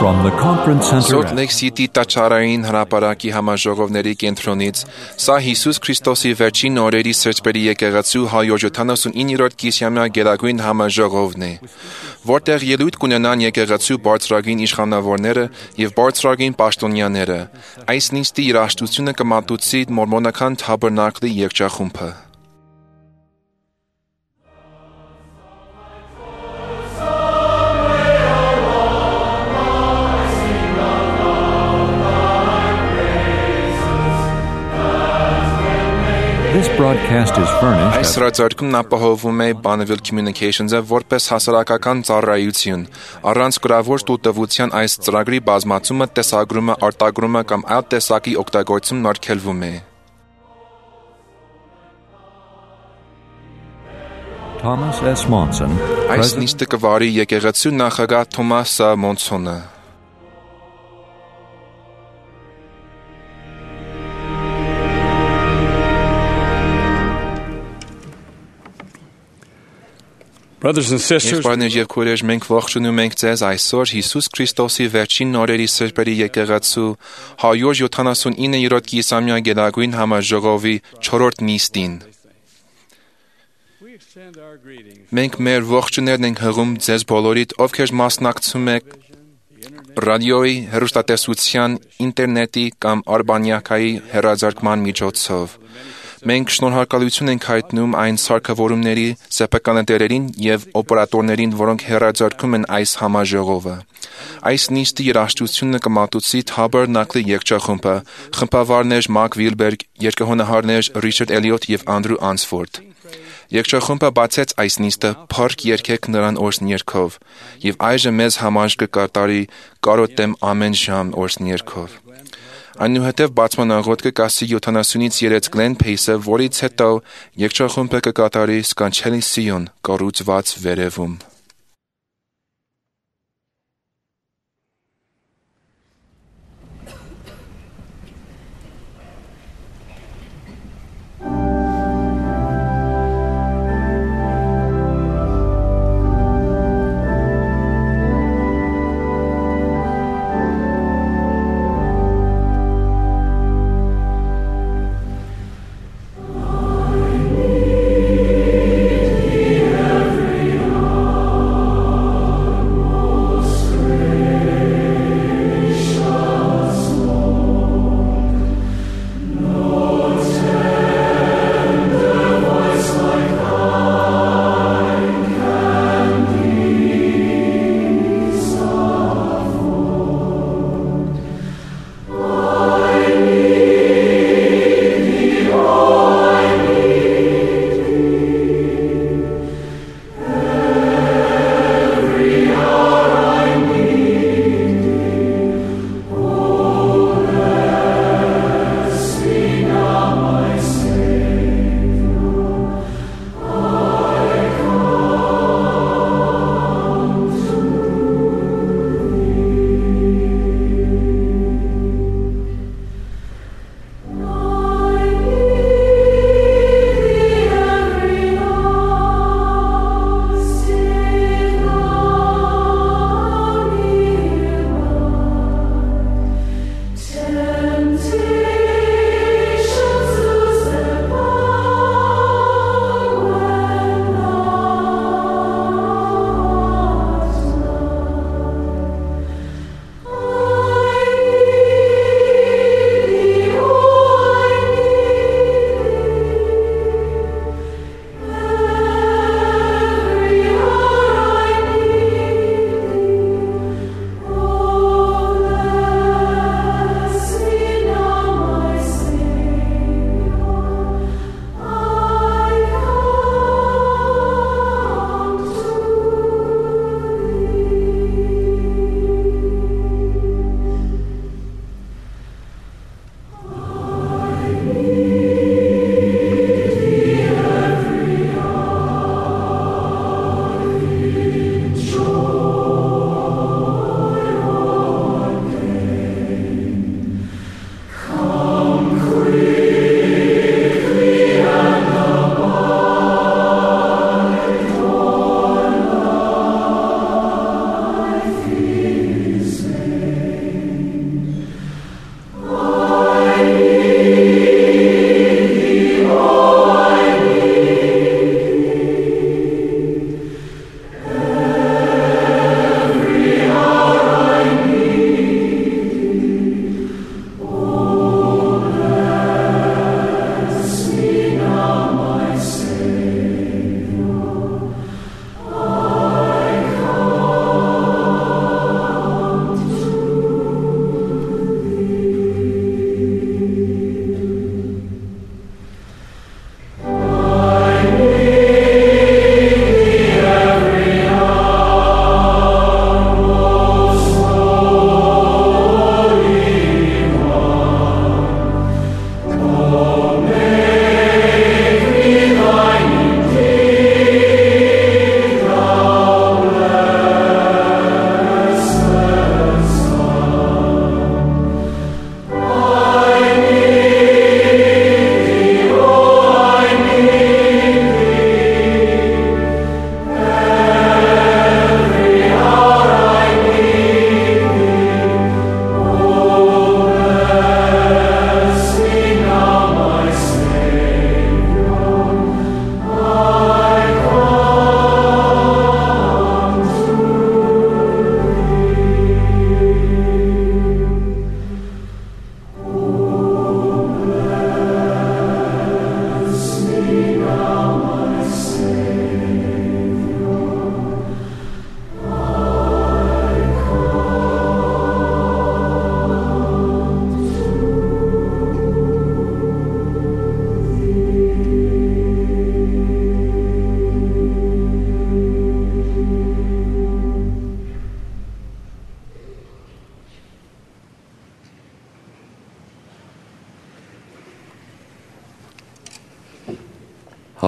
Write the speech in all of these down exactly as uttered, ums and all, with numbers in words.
From the conference center Salt Lake City տաճարային հրապարակի համաժողովների կենտրոնից սա Հիսուս Քրիստոսի վերջին օրերի սրբերի եկեղեցու հարյուր յոթանասունիններորդ կիսամյա գերագույն համաժողովն է, որտեղ ելույթ կունենան եկեղեցու բարձրագույն իշխանավորները եւ բարձրագույն պաշտոնյաները։ Այս նիստի երաժշտությունը կմատուցի մորմոնական թաբերնակլի երգչախումբը։ This broadcast is furnished Այս հրաձարկումն ապահովում է Bonneville Communications-ը որպես հասարակական ծառայություն։ Առանց գրավոր տուտվության այս ծրագրի բազմացումը, տեսագրումը, արտագրումը կամ այլ տեսակի օգտագործումն արգելվում է։ Thomas S. Monson, Այս President նիստը կվարի եկեղեցու նախագահ Թոմաս Մոնսոնը։ Brothers and sisters, Եղբայրներ եւ քույրեր, մենք ողջունում ենք ձեզ այսօր Հիսուս Քրիստոսի վերջին օրերի սրբերի եկեղեցու հարյուր յոթանասունիններորդ կիսամյա գերագույն համաժողովի չորրորդ նիստին։ we extend our greetings Մենք մեր ողջույններն ենք հղում ձեզ բոլորիդ, ովքեր մասնակցում եք ռադիոյի, հեռուստատեսության, ինտերնետի կամ արբանյակայի հեռարձակման միջոցով։ Մենք շնորհակալություն ենք հայտնում այն սարքավորումների, սեփականատերերին եւ օպերատորներին, որոնք հեռարձակում են այս համաժողովը։ Այս նիստի երաժշտությունը կմատուցի Թաբերնակլի երգչախումբը, խմբավարներ Մակ Վիլբերգ, երգահոնահարներ Ռիչարդ Էլիոթ եւ Անդրու Անսֆորդ։ Երգչախումբը բացեց այս նիստը «Փառք երգեք նրան» օրհնյերգով եւ այժմ մեզ համար կկատարի «Կարոտեմ ամեն ժամ» օրհնյերգով։ Այնուհետև բացման աղոթքը կասի յոթանասունից երեք Գլեն Փեյսը, որից հետո երգչախումբը կկատարի «Սկանչելի Սիոն» կառուցված վերևում։ Every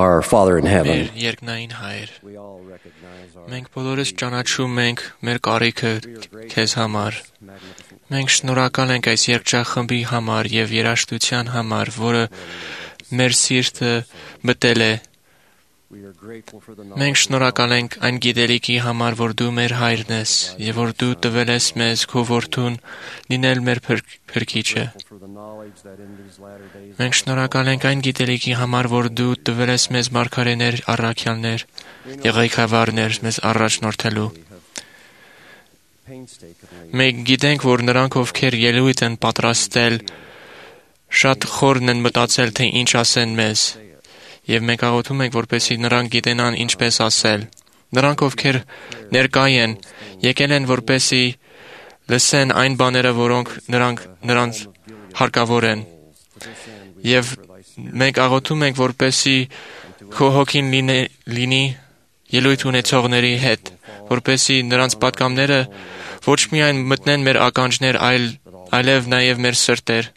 our Father in Մեր heaven, երկնային Հայր, we all recognize our մենք բոլորս ճանաչում ենք մեր կարիքը քեզ համար։ Մենք շնորհակալ ենք այս երգչախմբի համար եւ երաժշտության համար, որը մեր սիրտը մտել է։ we are grateful for the Մենք շնորհակալ ենք այն գիտելիքի համար, որ դու մեր Հայրն ես եւ որ դու տվել ես մեզ քո որդուն լինել մեր փրկ- փրկիչը։ for the knowledge that in these latter days Մենք շնորհակալ ենք այն գիտելիքի համար, որ դու տվել ես մեզ մարգարեներ, առաքյալներ, եղեգավարներ մեզ առաջնորդելու։ painstakingly Մենք գիտենք, որ նրանք, ովքեր ելույթ են պատրաստել, շատ խորն են մտածել, թե ինչ ասեն մեզ, եւ մենք աղոթում ենք, որպեսզի նրանք գիտենան ինչպես ասել։ Նրանք, ովքեր ներկայ են, եկել են, որպեսզի լսեն այն բաները, որոնք նրանք նրանց հարկավոր են։ Եվ մենք աղոթում ենք, որպեսզի քո հոգին լինի, լինի ելույթ ունեցողների հետ, որպեսզի նրանց պատգամները ոչ միայն մտնեն մեր ականջներ, այլ այլև նաև մեր սրտեր։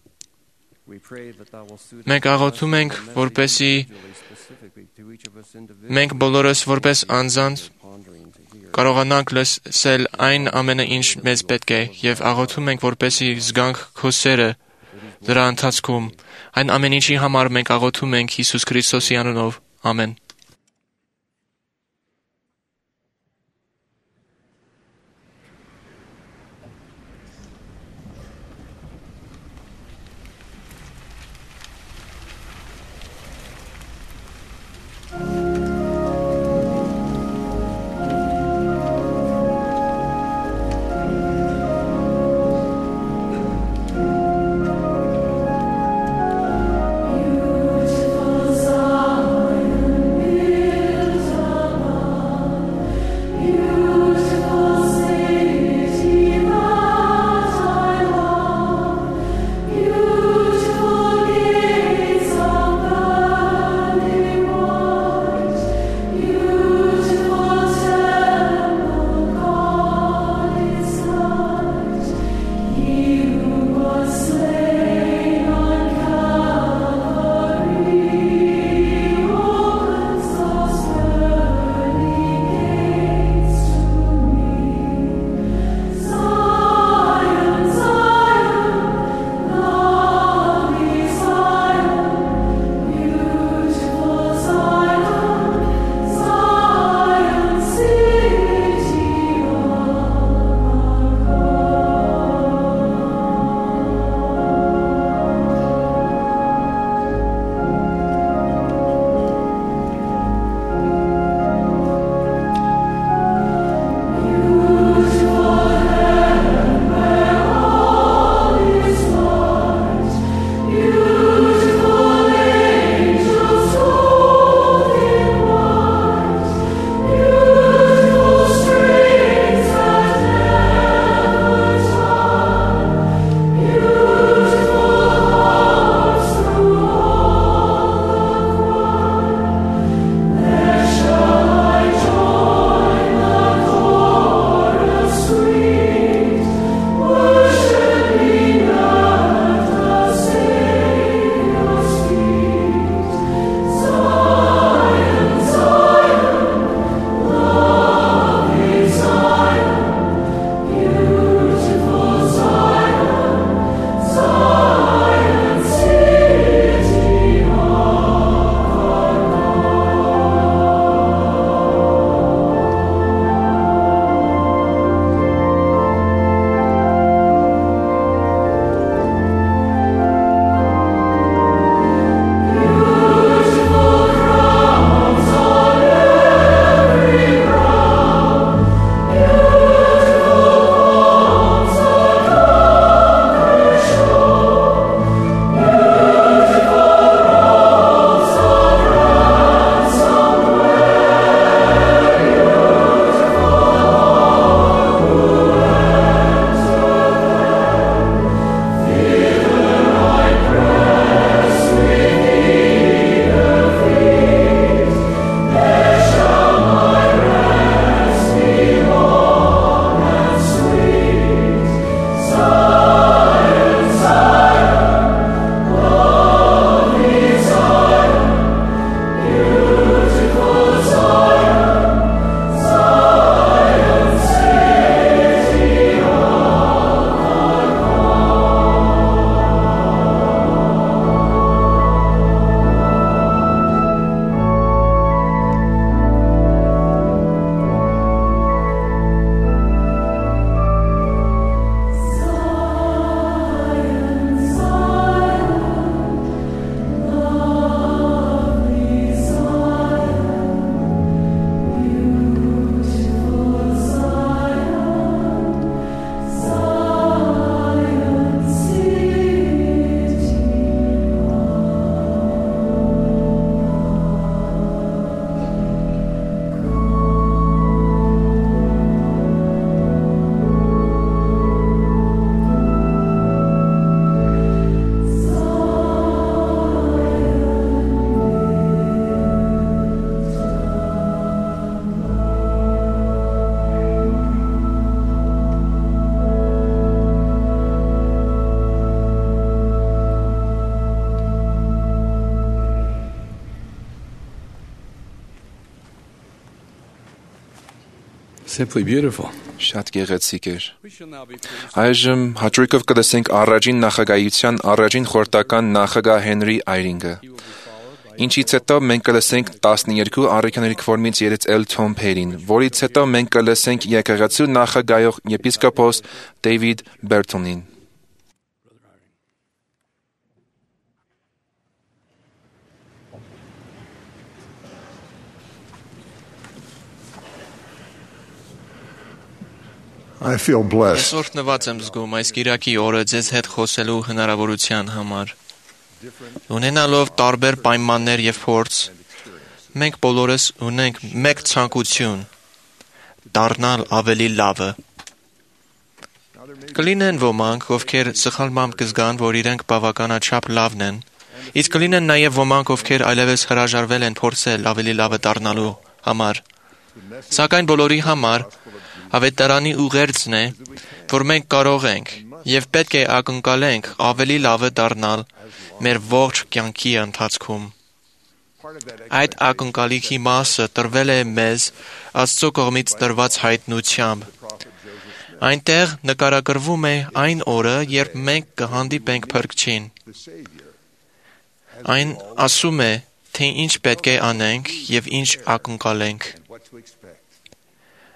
we pray that thou will suit Մենք աղոթում ենք, որպեսզի specifically to each of us individually մենք բոլորս որպես անձանց pondering to hear կարողանանք լսել այն ամենը, ինչ մեզ պետք է, եւ աղոթում ենք, որպեսզի զգանք քո սերը դրա ընթացքում։ Այն ամեն ինչի համար մենք աղոթում ենք Հիսուս Քրիստոսի անունով։ Ամեն։ Beautiful Zion, Simply beautiful. Շատ գեղեցիկ էր։ We shall now be pleased. Այժմ հաճույքով կլսենք առաջին նախագահության առաջին խորհրդական նախագահ Հենրի Այրինգը։ Ինչից հետո մենք կլսենք տասներկու առաքյաների կվորմից երեցել Թոմ Փերին, որից հետո մենք կլսենք եկեղեցու նախագահող եպիսկոպոս Դեյվիդ Բերթոնին։ I feel blessed. Այսօր նված եմ զգում այս Կիրակի օրը ձեզ հետ խոսելու հնարավորության համար։ Ունենալով տարբեր պայմաններ եւ փորձ, մենք բոլորս ունենք մեկ ցանկություն՝ դառնալ ավելի լավը։ Կլինեն ոմանք, ովքեր սխալմամբ կզգան, որ իրենք բավականաչափ լավն են, իսկ կլինեն նաև ոմանք, ովքեր այլևս հրաժարվել են փորձել ավելի լավը դառնալու համար։ Սակայն բոլորի համար Ավետարանի ուղերձն է, որ մենք կարող ենք եւ պետք է ակնկալենք ավելի լավը դառնալ մեր ողջ կյանքի ընթացքում։ Այդ ակնկալիքի մասը տրվել է մեզ Աստծո կողմից տրված հայտնությամբ։ Այնտեղ նկարագրվում է այն օրը, երբ մենք կհանդիպենք Փրկչին։ Այն ասում է, թե ինչ պետք է անենք եւ ինչ ակնկալենք։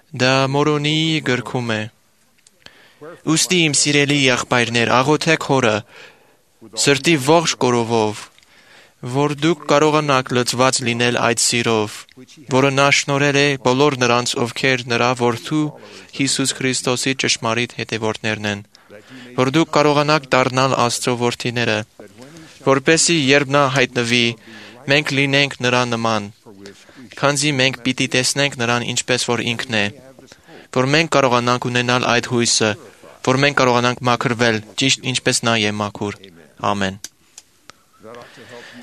Դա Մորոնի գրքում է. Ուստի իմ սիրելի եղբայրներ, աղոթեք Հորը սրտի ողջ կորովով, որ դուք կարողանաք լցված լինել այդ սիրով, որը նա շնորհել է բոլոր նրանց, ովքեր նրա որդու Հիսուս Քրիստոսի ճշմարիտ հետևորդներն են, որ դուք կարողանաք դառնալ Աստծո որդիները, որպեսզի երբ նա հայտնվի, մենք լինենք նրա նման, քանզի մենք պիտի տեսնենք նրան ինչպես որ ինքն է, որ մենք կարողանանք ունենալ այդ հույսը, որ մենք կարողանանք մաքրվել, ճիշտ ինչպես նա է մաքուր։ Ամեն։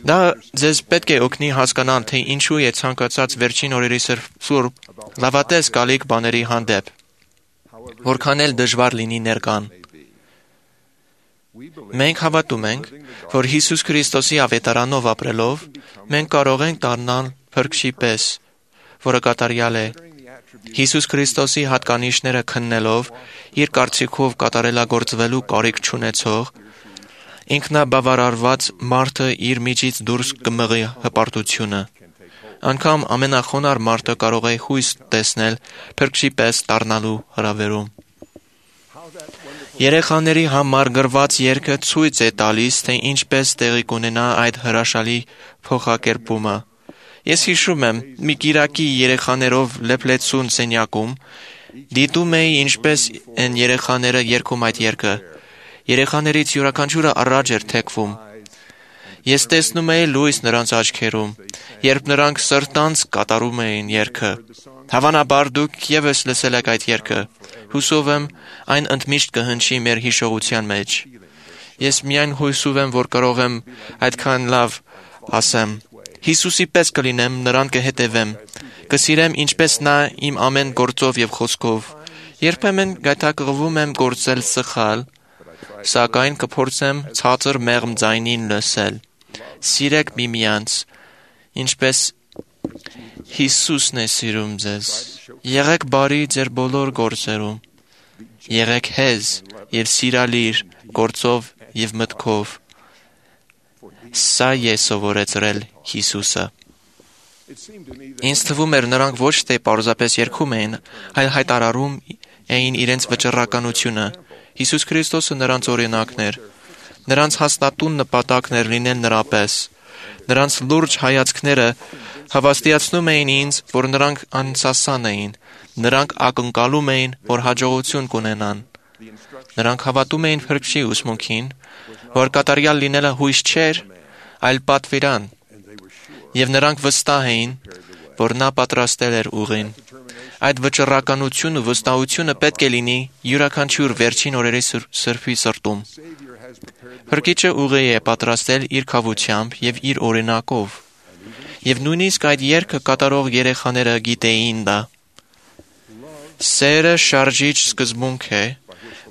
Դա ձեզ պետք է օգնի հասկանալ, թե ինչու է ցանկացած վերջին օրերի սուրբ լավատես գալիք բաների հանդեպ, որքան էլ դժվար լինի ներկան։ Մենք հավատում ենք, որ Հիսուս Քրիստոսի ավետարանով ապրելով, մենք կարող ենք դառնալ Փրկչի պես, որը կատարյալ է։ Հիսուս Քրիստոսի հատկանիշները քննելով, իր կարծիքով կատարելագործվելու կարիք չունեցող, ինքնաբավարարված մարդը իր միջից դուրս կմղի հպարտությունը։ Անգամ ամենախոնար մարդը կարող է հույս տեսնել Փրկչի պես դառնալու հրավերում։ Երեխաների համար գրված երգը ցույց է տալիս, թե ինչպես տեղի կունենա այդ հրաշալի փոխակերպումը։ Ես հիշում եմ, մի Կիրակի երեխաներով լեփլեցուն սենյակում դիտում էի ինչպես են երեխաները երգում այդ երգը։ Երեխաներից յուրաքանչյուրը առաջ էր թեքվում։ Ես տեսնում էի լույս նրանց աչքերում, երբ նրանք սրտանց կատարում էին երգը։ Հավանաբար դուք ևս լսել եք այդ երգը։ Հուսով եմ, այն ընդմիշտ կհնչի մեր հիշողության մեջ։ Ես միայն հույսով եմ, որ կարող եմ այդքան լավ ասեմ։ Հիսուսի պես կլինեմ, նրան կհետևեմ, կսիրեմ ինչպես նա իմ ամեն գործով եւ խոսքով։ Երբեմն գայթակղվում եմ գործել սխալ, սակայն կփորձեմ ցածր մեղմ ձայնին լսել։ Սիրեք միմյանց, ինչպես Հիսուսն է սիրում ձեզ։ Եղեք բարի ձեր բոլոր գործերում։ Եղեք հեզ եւ սիրալիր գործով եւ մտքով։ Սա է սովորեցրել Հիսուսը։ Ինձ թվում էր նրանք ոչ թե պարզապես երգում էին, այլ հայտարարում էին իրենց վճռականությունը։ Հիսուս Քրիստոսը նրանց օրինակն էր։ Նրանց հաստատուն նպատակն էր լինել նրա պես։ Նրանց լուրջ հայացքները հավաստիացնում էին ինձ, որ նրանք անսասան էին։ Նրանք ակնկալում էին, որ հաջողություն կունենան։ Նրանք հավատում էին Փրկչի ուսմունքին, որ կատարյալ լինելը հույս չէր, այլ պատվիրան, եւ նրանք վստահ էին, որ նա պատրաստել էր ուղին։ Այդ վճռականությունը, վստահությունը պետք է լինի յուրաքանչյուր վերջին օրերի սրբի սրտում։ Փրկիչը ուղի է պատրաստել իր քավությամբ եւ իր օրինակով։ Եվ նույնիսկ այդ երգը կատարող երեխաները գիտեին դա։ Սերը շարժիչ սկզբունք է,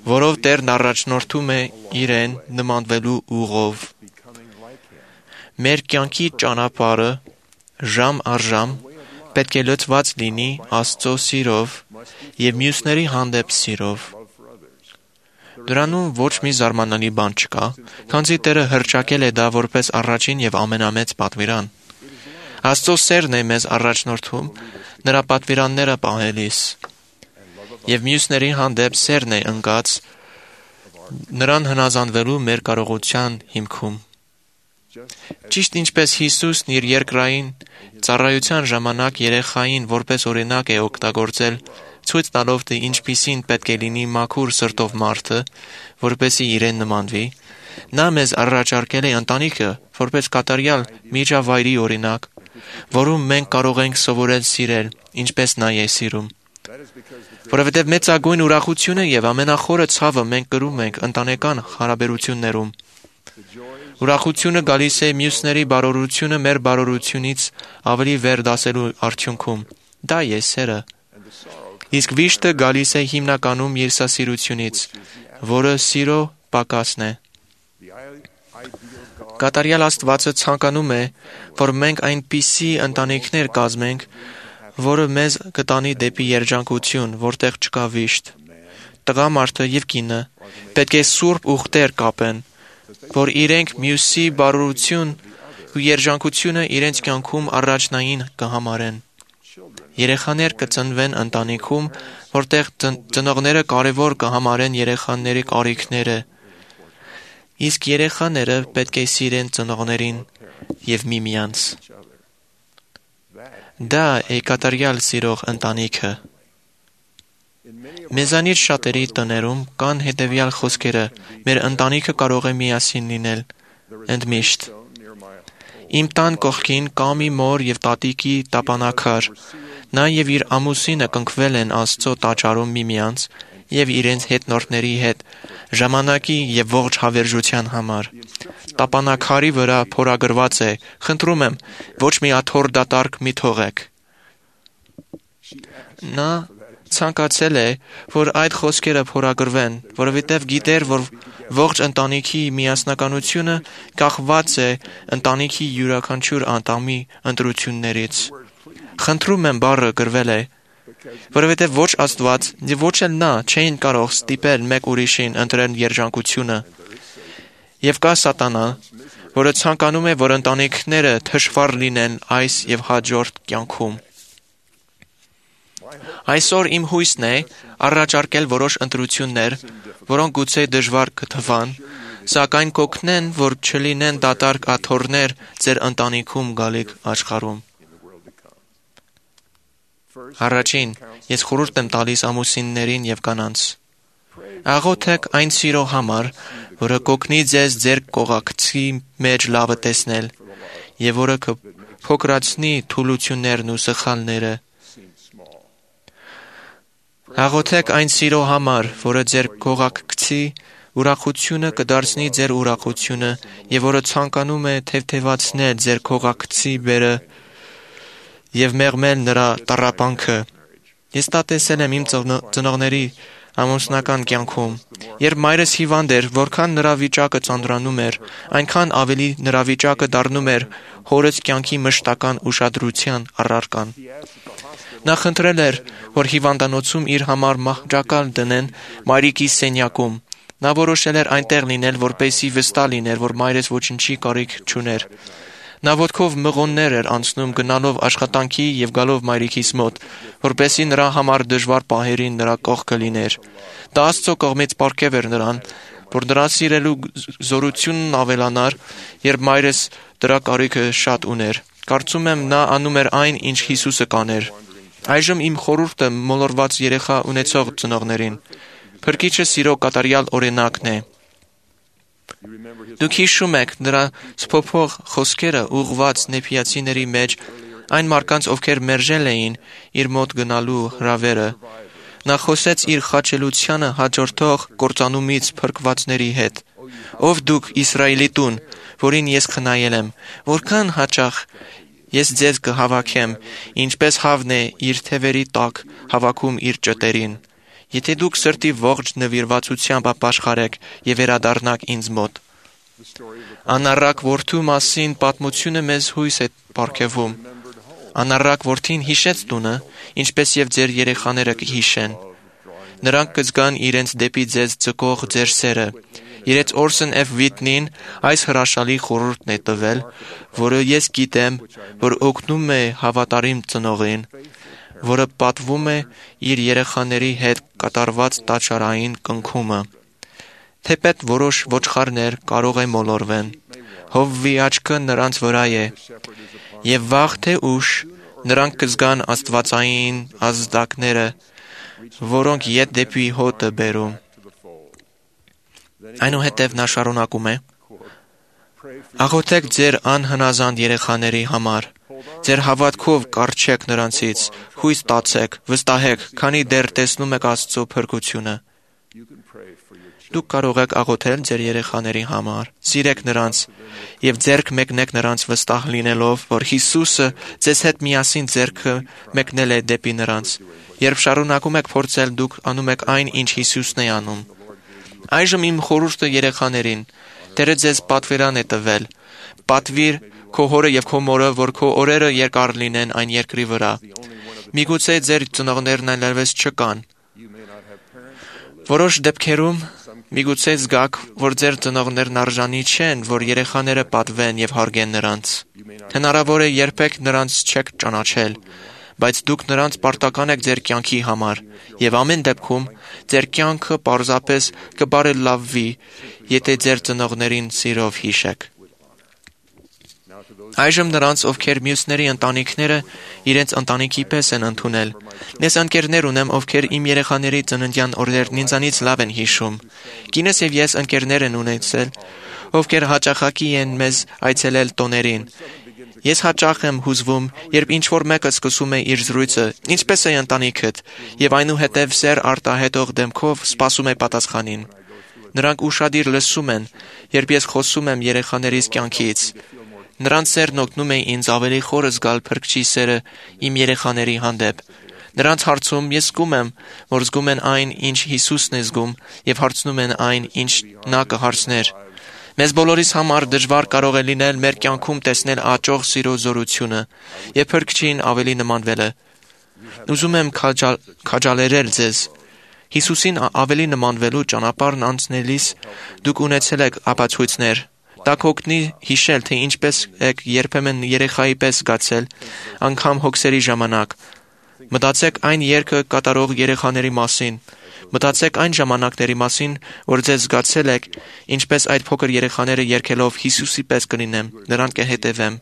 որով Տերն առաջնորդում է իրեն նմանվելու ուղով։ Մեր կյանքի ճանապարհը ժամ առ ժամ պետք է լցված լինի Աստծո սիրով եւ մյուսների հանդեպ սիրով։ Դրանում ոչ մի զարմանալի բան չկա, քանզի Տերը հռչակել է դա որպես առաջին եւ ամենամեծ պատվիրան։ Աստծո սերն է մեզ առաջնորդում նրա պատվիրանները պահելիս, եւ մյուսների հանդեպ սերն է ընկած նրան հնազանդվելու մեր կարողության հիմքում։ Ճիշտ ինչպես Հիսուսն իր երկրային ծառայության ժամանակ երեխային որպես օրինակ է օգտագործել, ցույց տալով թե ինչպիսին պետք է լինի մաքուր սրտով մարդը, որպեսզի իրեն նմանվի, նա մեզ առաջարկել է ընտանիքը որպես կատարյալ միջավայրի օրինակ, որում մենք կարող ենք սովորել սիրել, ինչպես նա է սիրում։ Որովհետև մեծագույն ուրախությունը եւ ամենախորը ցավը մենք կրում ենք ընտանեկան հարաբերություններում։ Ուրախությունը գալիս է մյուսների բարօրությունը մեր բարօրությունից ավելի վեր դասելու արդյունքում։ Դա է սերը։ Իսկ վիշտը գալիս է հիմնականում երեսասիրությունից, որը սիրո պակասն է։ Կատարյալ Աստվածը ցանկանում է, որ մենք այնպիսի ընտանիքներ կազմենք, որը մեզ կտանի դեպի երջանկություն, որտեղ չկա վիշտ։ Տղամարդը եւ կինը պետք է սուրբ ուխտեր կապեն, որ իրենք մյուսի բարօրություն ու երջանկությունը իրենց կյանքում առաջնային կհամարեն։ Երեխաներ կծնվեն ընտանիքում, որտեղ ծնողները կարևոր կհամարեն երեխաների կարիքները, իսկ երեխաները պետք է սիրեն ծնողներին եւ միմյանց։ Դա է կատարյալ սիրող ընտանիքը։ Մեզանից շատերի տներում կան հետևյալ խոսքերը. մեր ընտանիքը կարող է միասին լինել, ընդմիշտ։ Իմ տան կողքին կա մի մոր եւ տատիկի տապանակար, նա եւ իր ամուսինը կնքվել են Աստծո տաճարում միմյանց եւ իրենց հետնորդների հետ ժամանակի եւ ողջ հավերժության համար։ Տապանակարի վրա փորագրված է. խնդրում եմ, ոչ մի աթոռ դատարկ մի թողեք։ Նա ցանկացել է, որ այդ խոսքերը փորագրվեն, որովհետև գիտեր, որ ողջ ընտանիքի միասնականությունը կախված է ընտանիքի յուրաքանչյուր անդամի ընտրություններից։ Խնդրում եմ բառը գրվել է, որովհետև ոչ Աստված եւ ոչ էլ նա չէին կարող ստիպել մեկ ուրիշին ընտրել երջանկությունը։ Եվ կա սատանա, որը ցանկանում է, որ ընտանիքները թշվառ լինեն այս եւ հաջորդ կյանքում։ Այսօր իմ հույսն է առաջարկել որոշ ընտրություններ, որոնք գուցե դժվար կթվան, սակայն կօգնեն, որ չլինեն դատարկ աթոռներ ձեր ընտանիքում գալիք աշխարհում։ Առաջին, ես խորհուրդ եմ տալիս ամուսիններին եւ կանանց. աղոթեք այն սիրո համար, որը կօգնի ձեզ ձեր կողակցի մեջ լավը տեսնել եւ որը կփոքրացնի թուլություններն ու սխալները։ Աղոթեք այն սիրո համար, որը ձեր կողակցի ուրախությունը կդարձնի ձեր ուրախությունը եւ որը ցանկանում է թեթևացնել ձեր կողակցի բերը եւ մեղմել նրա տառապանքը։ Ես դա տեսել եմ իմ ծնողների ամուսնական կյանքում։ Երբ մայրս հիվանդ էր, որքան նրա վիճակը ծանրանում էր, այնքան ավելի նրա վիճակը դառնում էր հորս կյանքի մշտական ուշադրության առարկան։ Նա խնդրել էր, որ հիվանդանոցում իր համար մահճակալ դնեն մայրիկի սենյակում։ Նա որոշել էր այնտեղ լինել, որպեսզի վստահ լիներ, որ մայրս ոչինչի կարիք չուներ։ Նա ոտքով մղոններ էր անցնում գնալով աշխատանքի եւ գալով մայրիկիս մոտ, որպեսզի նրա համար դժվար պահերին նրա կողքը լիներ։ Դա Աստծո կողմից պարգև էր նրան, որ նրա սիրելու զորությունն ավելանար, երբ մայրս դրա կարիքը շատ ուներ։ Կարծում եմ նա անում էր այն, ինչ Հիսուսը կաներ։ Այժմ իմ խորհուրդը մոլորված երեխա ունեցող ծնողներին. Փրկիչը սիրո կատարյալ օրինակն է։ Դուք հիշում եք նրա սփոփող խոսքերը ուղղված նեփիացիների մեջ այն մարդկանց, ովքեր մերժել էին իր մոտ գնալու հրավերը։ Նա խոսեց իր խաչելությանը հաջորդող կործանումից փրկվածների հետ. Ով դուք Իսրայելի տուն, որին ես խնայել եմ, որքան հաճախ ես ձեզ կհավաքեմ, ինչպես հավն է իր թևերի տակ հավաքում իր ճտերին։ Եթե դուք սրտի ողջ նվիրվածությամբ ապաշխարեք եւ վերադառնաք ինձ մոտ։ Անառակ որդու մասին պատմությունը մեզ հույս է պարգևում։ Անառակ որդին հիշեց տունը, ինչպես եւ ձեր երեխաները կհիշեն։ Նրանք կզգան իրենց դեպի ձեզ ձգող ձեր սերը։ Իրենց Օրսն F. Վիտնին այս հրաշալի խորհուրդն է տվել, որը ես գիտեմ, որ օգնում է հավատարիմ ծնողին, որը պատվում է իր երեխաների հետ կատարված տաճարային կնքումը։ Թեպետ որոշ ոչխարներ կարող է մոլորվեն, Հովվի աչքը նրանց վրա է, եւ վաղ թե ուշ նրանք կզգան աստվածային ազդակները, որոնք ետ դեպի հոտը բերում։ Այնուհետև նա շարունակում է. Աղոթեք ձեր անհնազանդ երեխաների համար, ձեր հավատքով կառչեք նրանցից, հույս տացեք, վստահեք, քանի դեռ տեսնում եք Աստծո փրկությունը։ Դուք կարող եք աղոթել ձեր երեխաների համար, սիրեք նրանց եւ ձեռք մեկնեք նրանց վստահ լինելով, որ Հիսուսը ձեզ հետ միասին ձեռքը մեկնել է դեպի նրանց։ Երբ շարունակում եք փորձել, դուք անում եք այն, ինչ Հիսուսն է անում։ Այժմ իմ խորհուրդը երեխաներին. Տերը ձեզ պատվերան է տվել։ Պատվիր քո հորը եւ քո մորը, որ քո օրերը երկար լինեն այն երկրի վրա։ Միգուցե ձեր ծնողներն այլևս չկան։ Որոշ դեպքերում միգուցե զգաք, որ ձեր ծնողներն արժանի չեն, որ երեխաները պատվեն եւ հարգեն նրանց։ Հնարավոր է երբեք նրանց չեք ճանաչել, բայց դուք նրանց պարտական եք ձեր կյանքի համար, եւ ամեն դեպքում ձեր կյանքը պարզապես կբարելավվի, եթե ձեր ծնողներին սիրով հիշեք։ Այժմ նրանց, ովքեր մյուսների ընտանիքները իրենց ընտանիքի պես են ընդունել։ Ես ընկերներ ունեմ, ովքեր իմ երեխաների ծննդյան օրերն ինձանից լավ են հիշում։ Կինս եւ ես ընկերներ են ունեցել, ովքեր հաճախակի են մեզ այցելել տոներին։ Ես հաճախ եմ հուզվում, երբ ինչ-որ մեկը սկսում է իր զրույցը, ինչպես է ընտանիքդ, եւ այնուհետև սեր արտահայտող դեմքով սպասում է պատասխանին։ Նրանք ուշադիր լսում են, երբ ես խոսում եմ երեխաներիս կյանքից։ Նրանց սերն օգնում է ինձ ավելի խորը զգալ Փրկչի սերը իմ երեխաների հանդեպ։ Նրանց հարցում ես զգում եմ, որ զգում են այն, ինչ Հիսուսն է զգում, եւ հարցնում են այն, ինչ նա կհարցներ։ Մեզ բոլորիս համար դժվար կարող է լինել մեր կյանքում տեսնել աճող սիրո զորությունը եւ Փրկչին ավելի նմանվելը։ Ուզում եմ քաջալ, քաջալերել ձեզ։ Հիսուսին ավելի նմանվելու ճանապարհն անցնելիս դուք ունեցել եք ապացույցներ։ Դա կօգնի հիշել, թե ինչպես եք երբեմն երեխայի պես զգացել, անգամ հոգսերի ժամանակ։ Մտածեք այն երգը կատարող երեխաների մասին։ Մտածեք այն ժամանակների մասին, որ ձեզ զգացել եք, ինչպես այդ փոքր երեխաները երգելով Հիսուսի պես կլինեմ, նրան կհետևեմ։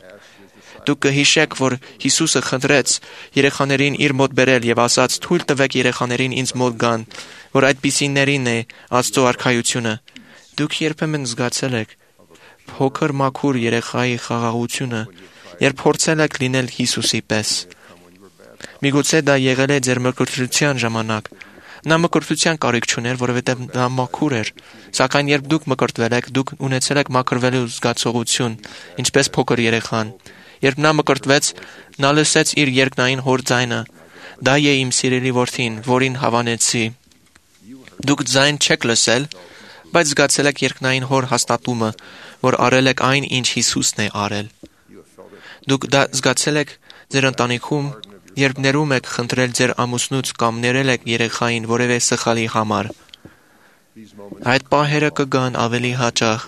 Դուք կհիշեք, որ Հիսուսը խնդրեց երեխաներին իր մոտ բերել եւ ասաց. «Թույլ տվեք երեխաներին ինձ մոտ գան, որ այդպիսիներին է Աստծո արքայությունը»։ Դուք երբեմն զգացել եք փոքր մաքուր երեխայի խաղաղությունը, երբ փորձել եք լինել Հիսուսի պես։ Միգուցե դա եղել է ձեր մկրտության ժամանակ։ Նա մկրտության կարիք չուներ, որովհետև նա մաքուր էր, սակայն երբ դուք մկրտվել եք, դուք ունեցել եք մաքրվելու զգացողություն, ինչպես փոքր երեխան։ Երբ նա մկրտվեց, նա լսեց իր երկնային հոր ձայնը. «Դա է իմ սիրելի որդին, որին հավանեցի»։ Դուք ձայն չեք լսել, բայց զգացել եք երկնային հոր հաստատումը, որ արել եք այն, ինչ Հիսուսն է արել։ Դուք դա զգացել եք ձեր ընտանիքում, երբ ներում եք խնդրել ձեր ամուսնուց կամ ներել եք երեխային որևէ սխալի համար։ Այդ պահերը կգան ավելի հաճախ,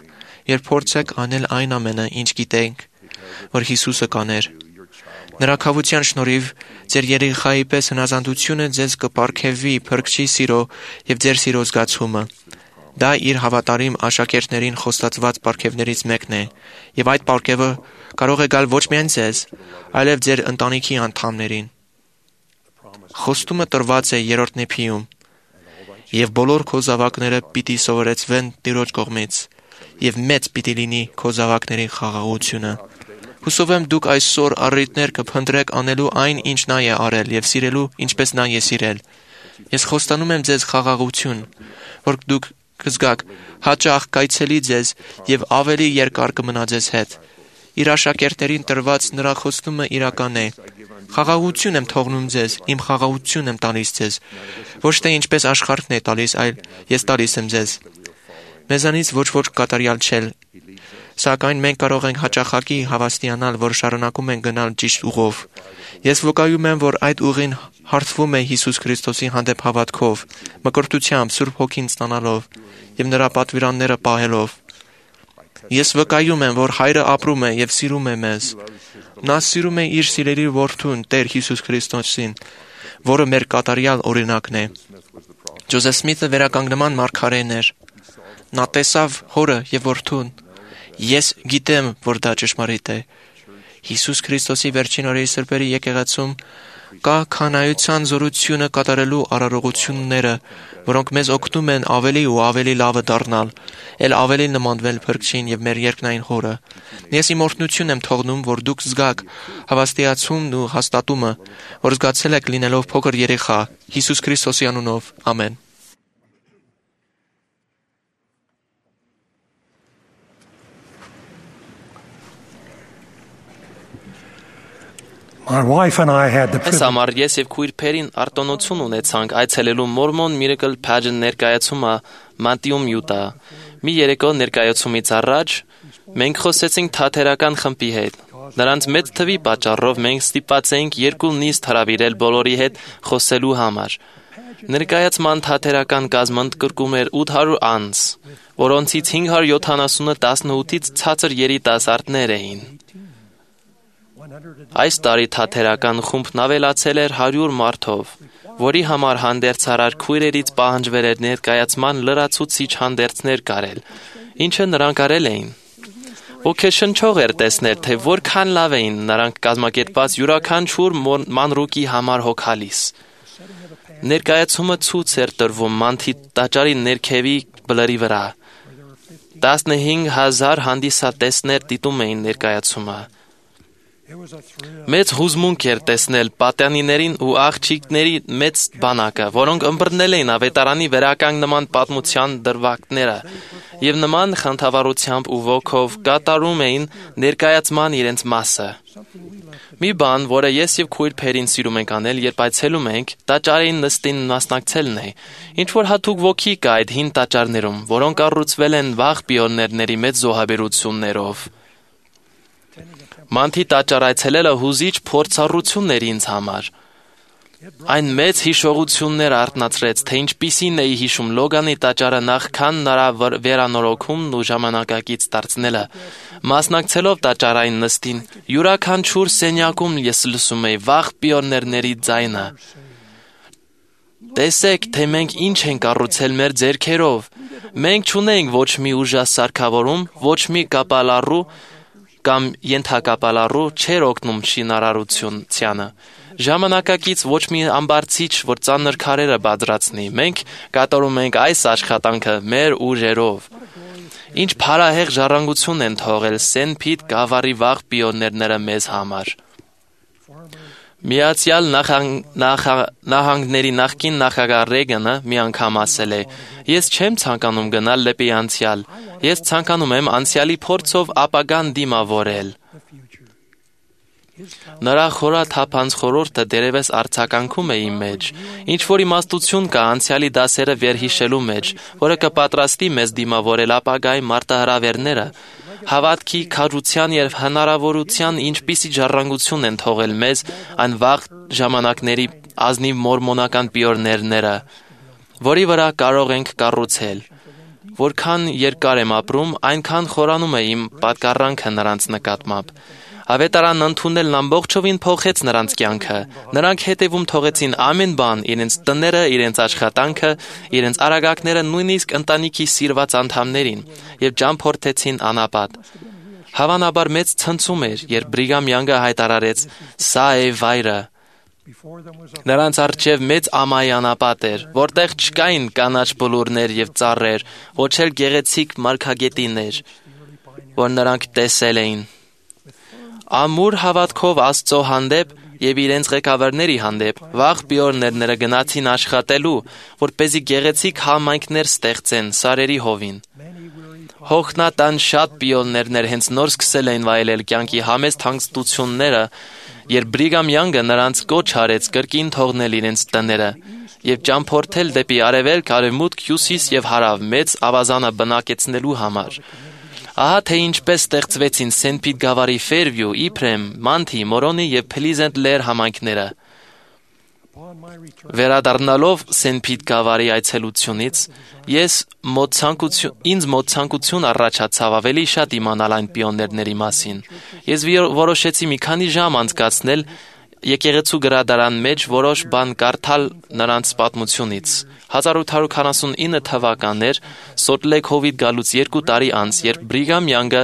երբ փորձեք անել այն ամենը, ինչ գիտենք, որ Հիսուսը կաներ։ Նրա քավության շնորհիվ ձեր երեխայի պես հնազանդությունը ձեզ կպարգևի Փրկչի սիրո եւ ձեր սիրո զգացումը։ Դա իր հավատարիմ աշակերտներին խոստացված պարգևներից մեկն է, եւ այդ պարգևը կարող է գալ ոչ միայն ձեզ, այլև ձեր ընտանիքի անդամներին։ Խոստումը տրված է երրորդ նեփիում. «Եվ բոլոր քո զավակները պիտի սովորեցվեն Տիրոջ կողմից, եւ մեծ պիտի լինի քո զավակների խաղաղությունը»։ Հուսով եմ դուք այսօր առիթներ կփնտրեք անելու այն, ինչ նա է արել, եւ սիրելու, ինչպես նա է սիրել։ Ես խոստանում եմ ձեզ խաղաղություն, որ դուք կզգաք հաճախ կայցելի ձեզ եւ ավելի երկար կմնա ձեզ հետ։ Իր աշակերտներին տրված նրա խոստումը իրական է։ Խաղաղություն եմ թողնում ձեզ, իմ խաղաղություն եմ տալիս ձեզ։ Ոչ թե ինչպես աշխարհն է տալիս, այլ ես տալիս եմ ձեզ։ Մեզանից ոչ ոք կատարյալ չէ, Սակայն մենք կարող ենք հաճախակի հավաստիանալ, որ շարունակում ենք գնալ ճիշտ ուղով։ Ես վկայում եմ, որ այդ ուղին հարթվում է Հիսուս Քրիստոսի հանդեպ հավատքով, մկրտությամբ, Սուրբ Հոգին ստանալով եւ նրա պատվիրանները պահելով։ Ես վկայում եմ, որ Հայրը ապրում է եւ սիրում է մեզ։ Նա սիրում է իր սիրելի որդուն, Տեր Հիսուս Քրիստոսին, որը մեր կատարյալ օրինակն է։ Ջոզեֆ Սմիթը վերականգնման մարգարեն էր։ Նա տեսավ հորը եւ որդուն։ Ես գիտեմ, որ դա ճշմարիտ է։ Հիսուս Քրիստոսի վերջին օրերի սրբերի եկեղեցում կա քանայության զորությունը կատարելու արարողությունները, որոնք մեզ օգնում են ավելի ու ավելի լավը դառնալ, ել ավելի նմանվել Փրկչին եւ մեր երկնային Հորը։ Ես իմ օրհնություն եմ թողնում, որ դուք զգաք հավաստիացումն ու հաստատումը, որ զգացել եք լինելով փոքր երեխա, Հիսուս Քրիստոսի անունով։ Ամեն։ My wife and I had the Այս privilege համար ես եւ քույր Փերին արտոնություն ունեցանք այցելելու Mormon Miracle Pageant ներկայացումը Մատիում Յուտա։ Մի երեկո ներկայացումից առաջ մենք խոսեցինք թատերական խմբի հետ։ Նրանց մեծ թվի պատճառով մենք ստիպված էինք երկու նիստ հրավիրել բոլորի հետ խոսելու համար։ Ներկայացման թատերական կազմը ընդգրկում էր ութ հարյուր անձ, որոնցից հինգ հարյուր յոթանասունը տասնութից ցածր երիտասարդներ էին։ Այս տարի թատերական խումբն ավելացել էր հարյուր մարդով, որի համար հանդերձարար քույրերից պահանջվել էր ներկայացման լրացուցիչ հանդերձներ կարել, ինչը նրանք արել էին։ Ոգեշնչող էր տեսնել, թե որքան լավ էին նրանք կազմակերպված յուրաքանչյուր մանրուկի համար հոգալիս։ Ներկայացումը ցույց էր տրվում մանթի տաճարի ներքևի բլրի վրա։ տասնհինգ հազար հանդիսատեսներ դիտում էին ներկայացումը։ Մեծ հուզմունք էր տեսնել պատյանիներին ու աղջիկների մեծ բանակը, որոնք ըմբռնել էին ավետարանի վերականգնման պատմության դրվագները եւ նման խնդավառությամբ ու ոգով կատարում էին ներկայացման իրենց մասը։ Մի բան, որը ես եւ քույր Փերին սիրում ենք անել, երբ այցելում ենք, տաճարին նստին մասնակցելն է։ Ինչ որ հատուկ ոգի կա այդ հին տաճարներում, որոնք կառուցվել են վաղ պիոներների մեծ զոհաբերություններով։ Մանթի տաճար այցելելը հուզիչ փորձառություն էր ինձ համար։ Այն մեծ հիշողություններ արտնացրեց, թե ինչպիսին էի հիշում Լոգանի տաճարը նախքան նրա վերանորոգումն ու ժամանակակից դարձնելը։ Մասնակցելով տաճարային նստին, յուրաքանչյուր սենյակում ես լսում էի վաղ պիոներների ձայնը։ Տեսեք, թե մենք ինչ ենք կառուցել մեր ձեռքերով։ Մենք չունենք ոչ մի ուժասարքավորում, ոչ մի կապալառու կամ ենթակապալառու չէր օգնում շինարարությանը։ Ժամանակակից ոչ մի ամբարձիչ, որ ծանր քարերը բادرացնի։ Մենք կատարում ենք այս աշխատանքը մեր ուժերով։ Ինչ փառահեղ ժառանգություն են թողել Սենփիտ գավառի վաղ պիոներները մեզ համար։ Միացյալ Նահանգների նախկին նախագահ Ռեգանը մի անգամ ասել է. «Ես չեմ ցանկանում գնալ դեպի անցյալ, ես ցանկանում եմ անցյալի փորձով ապագան դիմավորել»։ Նրա խորաթափանց խորհուրդը դերևս արձագանքում է իմ մեջ, ինչ որ իմաստություն կա անցյալի դասերը վերհիշելու մեջ, որը կպատրաստի մեզ դիմավորել ապագայի մարտահրավերները, հավատքի, քաջության եւ հնարավորության ինչպիսի ժառանգություն են թողել մեզ այն վաղ ժամանակների ազնիվ մորմոնական պիոներները, որի վրա կարող ենք կառուցել։ Որքան երկար եմ ապրում, այնքան խորանում է իմ պատկառանքը նրանց նկատմամբ։ Ավետարանն ընդունելն ամբողջովին փոխեց նրանց կյանքը։ Նրանք հետևում թողեցին ամեն բան, իրենց տները, իրենց աշխատանքը, իրենց արագակները, նույնիսկ ընտանիքի սիրված անդամներին, եւ ճամփորդեցին անապատ։ Հավանաբար մեծ ցնցում էր, երբ Բրիգամ Յանգը հայտարարեց. «Սա է վայրը»։ Նրանց առջև մեծ ամայի անապատ էր, որտեղ չկային կանաչ բլուրներ եւ ծառեր, ոչ էլ գեղեցիկ մարգագետիններ, որ նրանք տեսել էին։ Ամուր հավատքով Աստծո հանդեպ եւ իրենց ղեկավարների հանդեպ վաղ պիոներները գնացին աշխատելու, որպեսզի գեղեցիկ համայնքներ ստեղծեն Սարերի հովին։ Հոգնատան շատ պիոներներ հենց նոր սկսել էին վայելել կյանքի համեստ հանգստությունները, երբ Բրիգամ Յանգը նրանց կոչ արեց կրկին թողնել իրենց տները եւ ճամփորդել դեպի արևելք, արևմուտք, հյուսիս եւ հարավ մեծ ավազանը բնակեցնելու համար։ Ահա թե ինչպես ստեղծվեցին Սենտ Պիտ գավառի Ֆերվյու, Իբրեմ, Մանթի, Մորոնի եւ Փլիզենտ Լեր համայնքները։ Վերադառնալով Սենտ Պիտ գավառի այցելությունից, ես մոտ ցանկություն, ինձ մոտ ցանկություն առաջացավ ավելի շատ իմանալ այն պիոներների մասին։ Ես որոշեցի մի քանի ժամ անցկացնել եկեղեցու գրադարան մեջ որոշ բան կարդալ նրանց պատմությունից։ հազար ութ հարյուր քառասունինը թվականն էր, Սոլտ Լեյք Հովիտ գալուց երկու տարի անց, երբ Բրիգամ Յանգը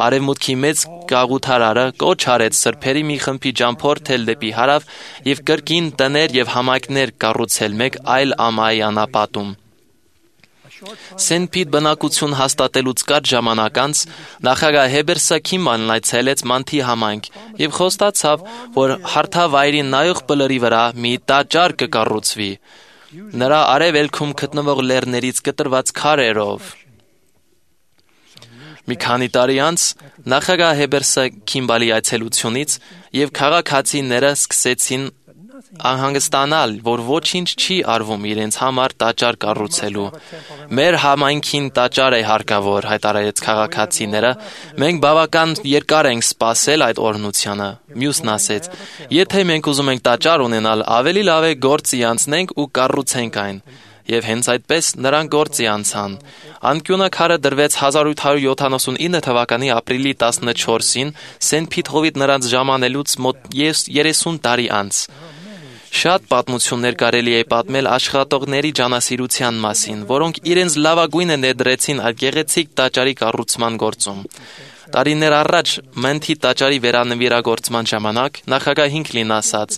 արևմուտքի մեծ գաղութարարը կոչ արեց սրբերի մի խմբի ճամփորդել դեպի հարավ եւ կրկին տներ եւ համայնքներ կառուցել մեկ այլ ամայի անապատում։ Սենտ Պիտ բնակություն հաստատելուց կարճ ժամանակ անց նախագահ Հեբերսը Քիմբանն այցելեց Մանթի համայնք եւ խոստացավ, որ հարթավայրին նայող բլրի վրա մի տաճար կկառուցվի, նրա արևելքում գտնվող լեռներից կտրված քարերով։ Մի քանի տարի անց նախագահ Հեբերսը Քիմբալի այցելությունից եւ քաղաքացիները սկսեցին անհանգստանալ, որ ոչինչ չի արվում իրենց համար տաճար կառուցելու։ Մեր համայնքին տաճար է հարկավոր, հայտարարեց քաղաքացիները։ Մենք բավական երկար ենք սպասել այդ օրհնությանը։ Մյուսն ասեց. Եթե մենք ուզում ենք տաճար ունենալ, ավելի լավ է գործի անցնենք ու կառուցենք այն։ Եվ հենց այդպես նրանք գործի անցան։ Անկյունը քարը դրվեց հազար ութ հարյուր յոթանասունինը թվականի ապրիլի տասնչորսին Սենտ Պիտ Հովիտ նրանց ժամանելուց մոտ երեսուն տարի անց։ Շատ պատմություններ կարելի է պատմել աշխատողների ջանասիրության մասին, որոնք իրենց լավագույնը ներդրեցին այդ գեղեցիկ տաճարի կառուցման գործում։ Տարիներ առաջ Մանթի տաճարի վերանվիրագործման ժամանակ նախագահ Հինքլին ասաց.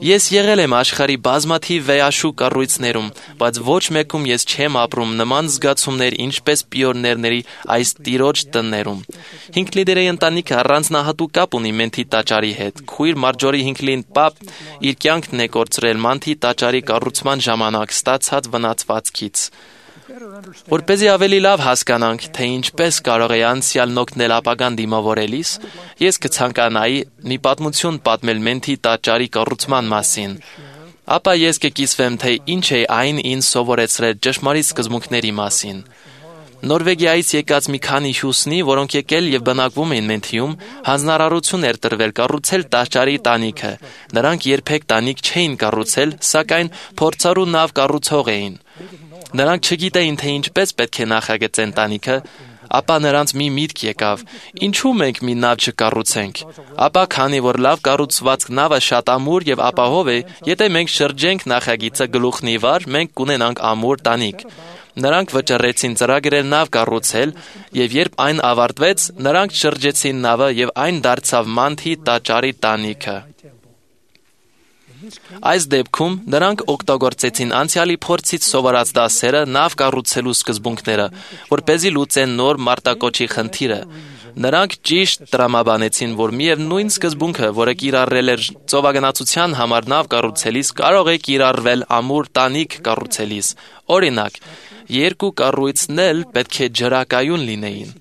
Ես եղել եմ աշխարհի բազմաթիվ վեհաշուկ կառույցներում, բայց ոչ մեկում ես չեմ ապրում նման զգացումներ, ինչպես պիոներների այս տիրոջ տներում։ Հինքլիների ընտանիքը առանձնահատուկ կապ ունի Մանթի տաճարի հետ։ Քույր Մարջորի Հինքլին պապ իր կյանքն է կորցրել Մանթի տաճարի կառուցման ժամանակ ստացած վնասվածքից։ Որպեսզի ավելի լավ հասկանանք, թե ինչպես կարող է անցյալն օգնել ապագան դիմավորելիս, ես կցանկանայի մի պատմություն պատմել Մանթի տաճարի կառուցման մասին։ Ապա ես կկիսվեմ, թե ինչ է այն ինձ սովորեցրել ճշմարիտ սկզբունքների մասին։ Նորվեգիայից եկած մի քանի հյուսնի, որոնք եկել եւ բնակվում էին Մենթիում, հանձնարարություն էր տրվել կառուցել տաճարի տանիքը։ Նրանք երբեք տանիք չէին կառուցել, սակայն փորձառու նավ կառուցող էին։ Նրանք չգիտեին, թե ինչպես պետք է նախագծեն տանիքը, ապա նրանց մի միտք եկավ. ինչու մենք մի նավ չկառուցենք։ Ապա քանի որ լավ կառուցված նավը շատ ամուր եւ ապահով է, եթե մենք շրջենք նախագիծը գլուխն ի վար, մենք կունենանք ամուր տանիք։ Նրանք վճռեցին ծրագրեր նավ կառուցել, եւ երբ այն ավարտվեց, նրանք շրջեցին նավը եւ այն դարձավ Մանթի տաճարի տանիքը։ Այս դեպքում նրանք օգտագործեցին անցյալի փորձից սովորած դասերը նավ կառուցելու սկզբունքները, որպեսզի լուծեն նոր մարտակոչի խնդիրը։ Նրանք ճիշտ տրամաբանեցին, որ միևնույն սկզբունքը, որը կիրառել էր ծովագնացության համար նավ կառուցելիս, կարող է կիրառվել ամուր տանիք կառուցելիս։ Օրինակ, երկու կառույցն էլ պետք է ջրակայուն լինեին։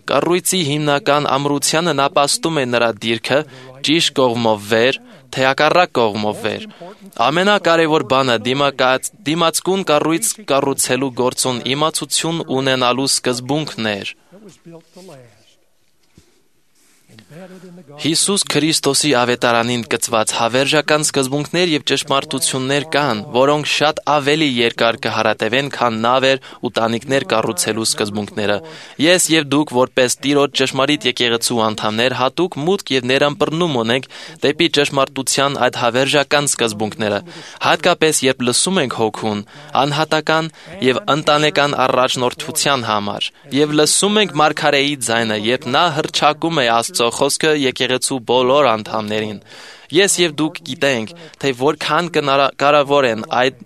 Կառույցի հիմնական ամրությանը նապաստում է նրա դիրքը ճիշտ կողմով վեր, թե հակառակ կողմով վեր։ Ամենակարևոր բանը դիմացկուն կառույց կառուցելու գործում իմացություն ունենալու սկզբունքն էր։ Հիսուս Քրիստոսի ավետարանին կցված հավերժական սկզբունքներ եւ ճշմարտություններ կան, որոնք շատ ավելի երկար կհարատևեն, քան նավեր ու տանիքներ կառուցելու սկզբունքները։ Ես եւ դուք որպես Տիրոջ ճշմարիտ եկեղեցու անդամներ հատուկ մուտք եւ ներամբռնում ունենք դեպի ճշմարտության այդ հավերժական սկզբունքները, հատկապես երբ լսում ենք Հոգուն, անհատական եւ ընտանեկան առաջնորդության համար, եւ լսում ենք Մարգարեի ձայնը, երբ նա հռչակում է Աստծո խոսքը եկեղեցու բոլոր անդամներին։ Ես եւ դուք գիտենք, թե որքան կարևոր են այդ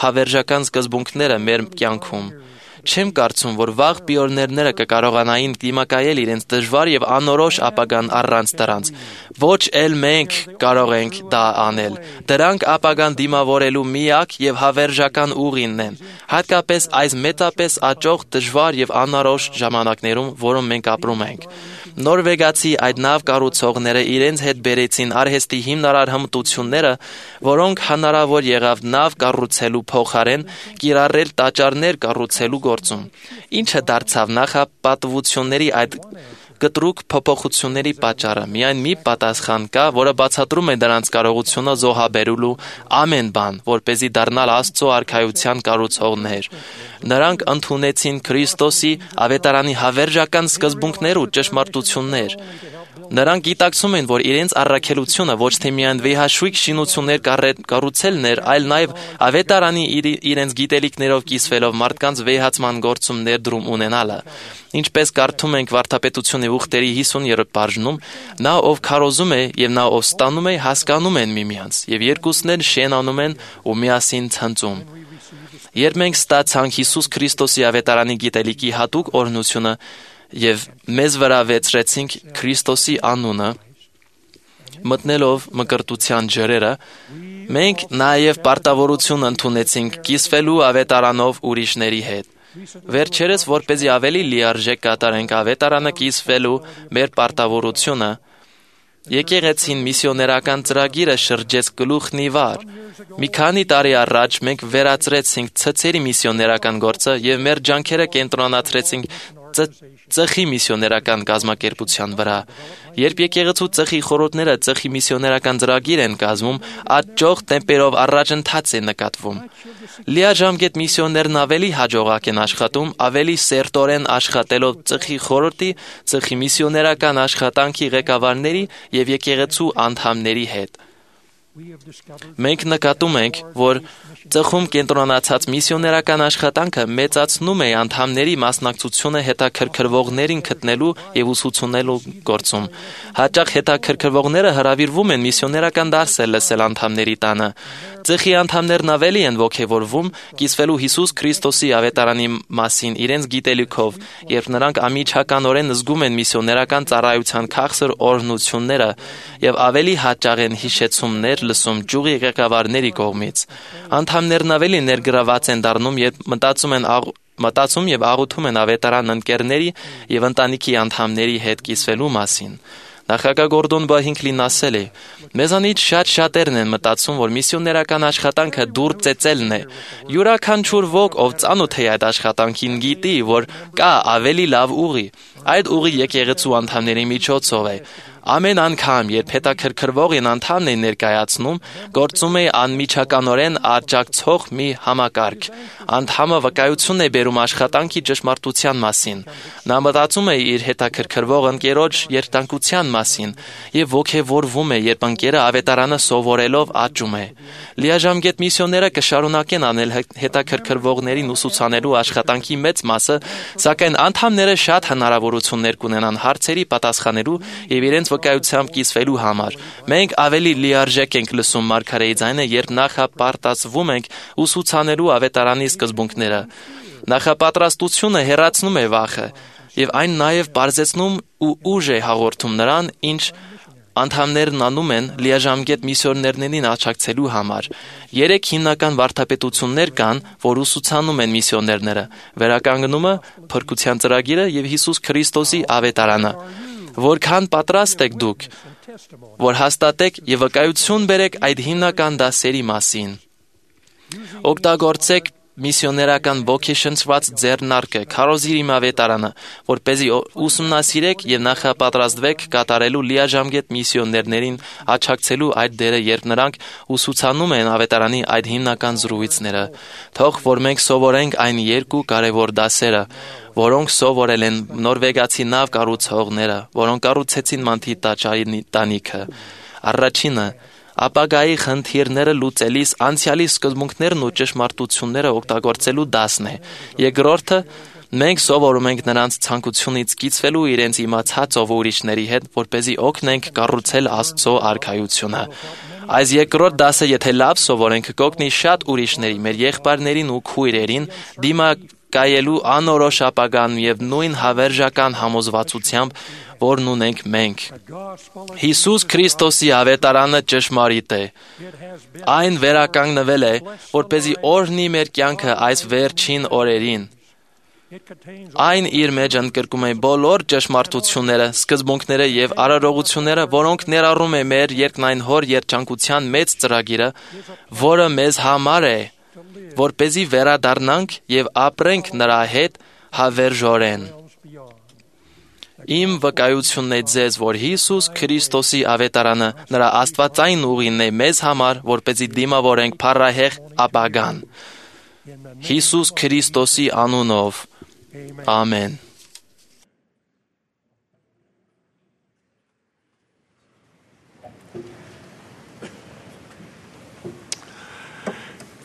հավերժական սկզբունքները մեր կյանքում։ Չեմ կարծում, որ վաղ պիոներները կկարողանային դիմակայել իրենց դժվար եւ անորոշ ապագան առանց դրանց։ Ոչ էլ մենք կարող ենք դա անել։ Դրանք ապագան դիմավորելու միակ եւ հավերժական ուղին են, հատկապես այս մեծապես աճող դժվար եւ անորոշ ժամանակներում, որում մենք ապրում ենք։ Նորվեգացի այդ նավ կառուցողները իրենց հետ բերեցին արհեստի հիմնարար հմտությունները, որոնք հնարավոր եղավ նավ կառուցելու փոխարեն կիրառել տաճարներ կառուցելու գործում, ինչը դարձավ նախապատվությունների այդ կտրուկ փոփոխությունների պատճառը։ Միայն մի պատասխան կա, որը բացատրում է դրանց կարողությունը զոհաբերելու ամեն բան, որպեսզի դառնալ Աստծո արքայության կառուցողներ։ Նրանք ընդունեցին Քրիստոսի ավետարանի հավերժական սկզբունքներ ու ճշմարտություններ։ Նրանք գիտակցում են, որ իրենց առաքելությունը ոչ թե միայն վեհաշույք շինություններ կառուցելն էր, այլ նաև ավետարանի իրենց գիտելիքներով կիսվելով մարդկանց վեհացման գործում ներդրում ունենալը։ Ինչպես կարդում ենք Վարդապետությունների ուխտերի հիսուներորդ բաժնում, նա ով քարոզում է եւ նա ով ստանում է հասկանում են միմյանց, եւ երկուսն էլ շենանում են ու միասին ցնծում։ Երբ մենք ստացանք Հիսուս Քրիստոսի ավետարանի գիտելիքի հատուկ օրհնությունը եւ մեզ վրա վեցրեցինք Քրիստոսի անունը, մտնելով մկրտության ջրերը, մենք նաեւ պարտավորություն ընդունեցինք կիսվելու ավետարանով ուրիշների հետ։ Վերջերս, որպեսզի ավելի լիարժեք կատարենք ավետարանը կիսվելու մեր պարտավորությունը, եկեղեցին միսիոներական ծրագիրը շրջեց գլուխն ի վար։ Մի քանի տարի առաջ մենք վերացրեցինք ցցերի միսիոներական գործը եւ մեր ջանքերը կենտրոնացրեցինք ծխի միսիոներական կազմակերպության վրա։ Երբ եկեղեցու ծխի խորհուրդները ծխի միսիոներական ծրագիր են կազմում, աճող տեմպերով առաջընթաց է նկատվում։ Լիաժամկետ միսիոներն ավելի հաջողակ են աշխատում, ավելի սերտորեն աշխատելով ծխի խորհրդի, ծխի միսիոներական աշխատանքի ղեկավարների եւ եկեղեցու անդամների հետ։ Մենք նկատում ենք, որ ծխում կենտրոնացած միսիոներական աշխատանքը մեծացնում է անդամների մասնակցությունը հետաքրքրվողներին գտնելու եւ ուսուցանելու գործում։ Հաճախ հետաքրքրվողները հրավիրվում են միսիոներական դասեր լսել անդամների տանը։ Ծխի անդամներն ավելի են ոգևորվում կիսվելու Հիսուս Քրիստոսի ավետարանի մասին իրենց գիտելիքով, երբ նրանք ամիջականորեն զգում են միսիոներական ծառայության քաղցր օրհնությունները եւ ավելի հաճախ են հիշեցումներ լսում ճյուղի ղեկավարների կողմից։ Անդամներն ավելի ներգրաված են դառնում եւ մտածում են մտածում եւ աղոթում են ավետարան ընկերների եւ ընտանիքի անդամների հետ կիսվելու մասին։ Նախագահ Գորդոն Բահինքլին ասել է. «Մեզանից շատ շատերն են մտածում, որ միսիոներական աշխատանքը դուր ծեծելն է։ Յուրաքանչյուր ոք, ով ծանոթ է այդ աշխատանքին, գիտի, որ կա ավելի լավ ուղի։ Այդ ուղի եկեղեցու անդամների միջոցով է։ Ամեն անգամ, երբ հետաքրքրվողին անդամն է ներկայացնում, գործում է անմիջականորեն աջակցող մի համակարգ։ Անդամը վկայություն է բերում աշխատանքի ճշմարտության մասին։ Նա մտածում է իր հետաքրքրվող ընկերոջ երթանկության մասին եւ ոգևորվում է, երբ ընկերը ավետարանը սովորելով աճում է։ Լիաժամկետ միսիոները կշարունակեն անել հետաքրքրվողներին ուսուցանելու աշխատանքի մեծ մասը, սակայն անդամները շատ հնարավորություններ կունենան հարցերի պատասխանելու եւ իրենց վկայությամբ կիսվելու համար։ Մենք ավելի լիարժեք ենք լսում մարգարեի ձայնը, երբ նախապարտացվում ենք ուսուցանելու ավետարանի սկզբունքները։ Նախապատրաստությունը հեռացնում է վախը եւ այն նաեւ բարձեցնում ու ուժ է հաղորդում նրան, ինչ անդամներն անում են լիաժամկետ միսիոներներին աջակցելու համար։ Երեք հիմնական վարդապետություններ կան, որ ուսուցանում են միսիոներները՝ վերականգնումը, փրկության ծրագիրը եւ Հիսուս Քրիստոսի ավետարանը։ Որքան պատրաստ եք դուք, որ հաստատեք եւ վկայություն բերեք այդ հիմնական դասերի մասին։ Օգտագործեք միսիոներական ոգեշնչված ձեռնարկը, քարոզիր իմ ավետարանը, որպեսզի ուսումնասիրեք եւ նախապատրաստվեք կատարելու լիաժամկետ միսիոներներին աջակցելու այդ դերը, երբ նրանք ուսուցանում են ավետարանի այդ հիմնական զրույցները։ Թող որ մենք սովորենք այն երկու կարևոր դասերը, որոնք սովորել են նորվեգացի նավ կառուցողները, որոնք կառուցեցին Մանթի տաճարի տանիքը։ Առաջինը ապագայի խնդիրները լուծելիս անցյալի սկզբունքներն ու ճշմարտությունները օգտագործելու դասն է։ Երկրորդը մենք սովորում ենք նրանց ցանկությունից կիսվելու իրենց իմացածով ուրիշների հետ, որպեսզի օգնենք կառուցել Աստծո արքայությունը։ Այս երկրորդ դասը, եթե լավ սովորենք, կօգնի շատ ուրիշների, մեր եղբայրներին ու քույրերին դիմակայելու անորոշ ապագան եւ նույն հավերժական համոզվածությամբ, որն ունենք մենք։ Հիսուս Քրիստոսի ավետարանը ճշմարիտ է։ Այն վերականգնվել է, որպեսզի օրհնի մեր կյանքը այս վերջին օրերին։ Այն իր մեջ ընդգրկում է բոլոր ճշմարտությունները, սկզբունքները եւ արարողությունները, որոնք ներառում է մեր երկնային Հոր երջանկության մեծ ծրագիրը, որը մեզ համար է, որպեսզի վերադառնանք եւ ապրենք նրա հետ հավերժորեն։ Իմ վկայությունն է ձեզ, որ Հիսուս Քրիստոսի ավետարանը նրա աստվածային ուղին է մեզ համար, որպեսզի դիմավորենք փառահեղ ապագան։ Հիսուս Քրիստոսի անունով։ Ամեն։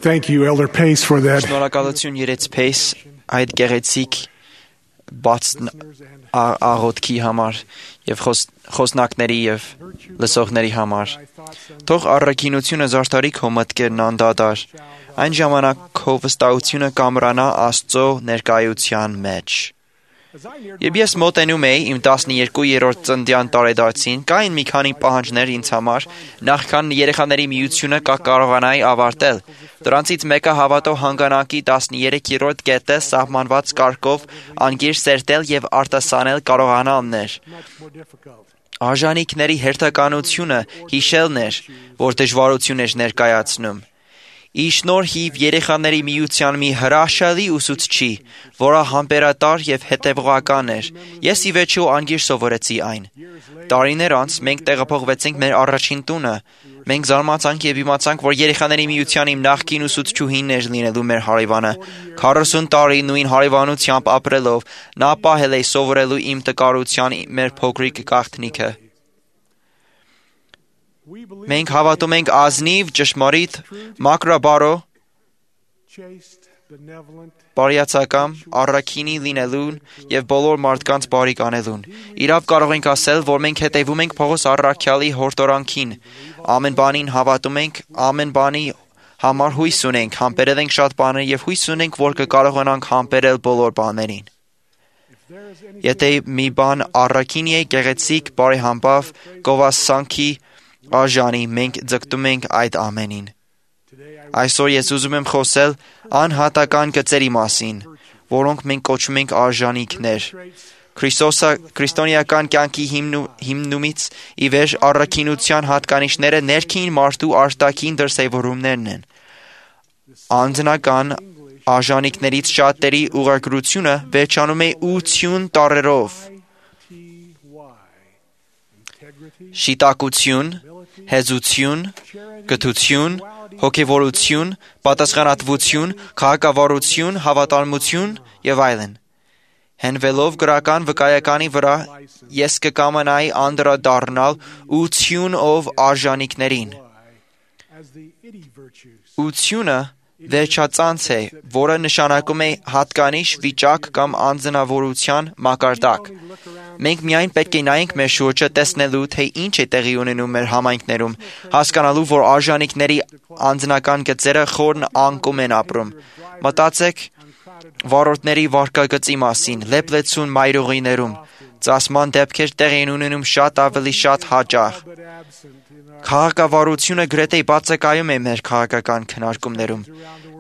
Thank you, Elder Pace, for that. Շնորհակալություն Երեց Փեյս այդ գեղեցիկ բաց աղոթքի համար եւ խոսնակների եւ լսողների համար։ Թող առաքինությունը զարդարի քո մտքերն անդադար։ Այն ժամանակ քո վստահությունը կամրանա Աստծո ներկայության մեջ։ Եվ ես մոտենում էի իմ տասներկուերորդ ծննդյան տարեդարձին, կային մի քանի պահանջներ ինձ համար, նախքան երեխաների միությունը կարողանայի ավարտել։ Դրանցից մեկը հավատո հանգանակի տասներեքերորդ կետը սահմանված կարգով անգիր սերտել եւ արտասանել կարողանալն էր։ Արժանիքների հերթականությունը հիշելն էր, որ դժվարություն էր ներկայացնում։ Ի շնորհիվ երեխաների միության մի հրաշալի ուսուցչի, որը համբերատար եւ հետեւողական էր, ես ի վերջո անգիր սովորեցի այն։ Տարիներ անց մենք տեղափոխվեցինք մեր առաջին տունը։ Մենք զարմացանք եւ իմացանք, որ երեխաների միության իմ նախկին ուսուցչուհին էր լինելու մեր հարևանը։ քառասուն տարի նույն հարևանությամբ ապրելով, նա պահել է սովորելու իմ տկարության մեր փոքրիկ գաղտնիքը։ Մենք հավատում ենք ազնիվ, ճշմարիտ, մաքրաբարո, բարյացակամ, առաքինի լինելուն եւ բոլոր մարդկանց բարիք անելուն։ Իրավ կարող ենք ասել, որ մենք հետևում ենք Պողոս առաքյալի հորդորանքին։ Ամեն բանին հավատում ենք, ամեն բանի համար հույս ունենք, համբերել ենք շատ բաներ եւ հույս ունենք, որ կկարողանանք համբերել բոլոր բաներին։ Եթե մի բան առաքինի է, գեղեցիկ, բարեհամբավ, գովասանքի արժանի, մենք ձգտում ենք այդ ամենին։ Այսօր ես ուզում եմ խոսել անհատական գծերի մասին, որոնք մենք կոչում ենք արժանիքներ։ Քրիստոնեական կյանքի հիմնումից ի վեր առաքինության հատկանիշները ներքին մարդու արտաքին դրսևորումներն են։ Անձնական արժանիքներից շատերի ուղղագրությունը վերջանում է ություն տառերով։ Շիտակություն, հեզություն, կթություն, հոգևորություն, պատասխանատվություն, քաղաքավարություն, հավատարմություն եւ այլն։ Հենվելով գրական վկայականի վրա, ես կկամանայի անդրադառնալ ությունով արժանիքներին։ Ությունը վերջածանց է, որը նշանակում է հատկանիշ, վիճակ կամ անձնավորության մակարդակ։ Մենք միայն պետք է նայենք մեր շուրջը տեսնելու, թե ինչ է տեղի ունենում մեր համայնքներում, հասկանալու, որ արժանիքների անձնական գծերը խորն անկում են ապրում։ Մտածեք վարորդների վարկագծի մասին, լեփլեցուն մայրուղիներում, ծասման դեպքեր տեղի են ունենում շատ ավելի շատ հաճախ։ Քաղաքավարությունը գրեթե բացակայում է մեր քաղաքական քննարկումներում,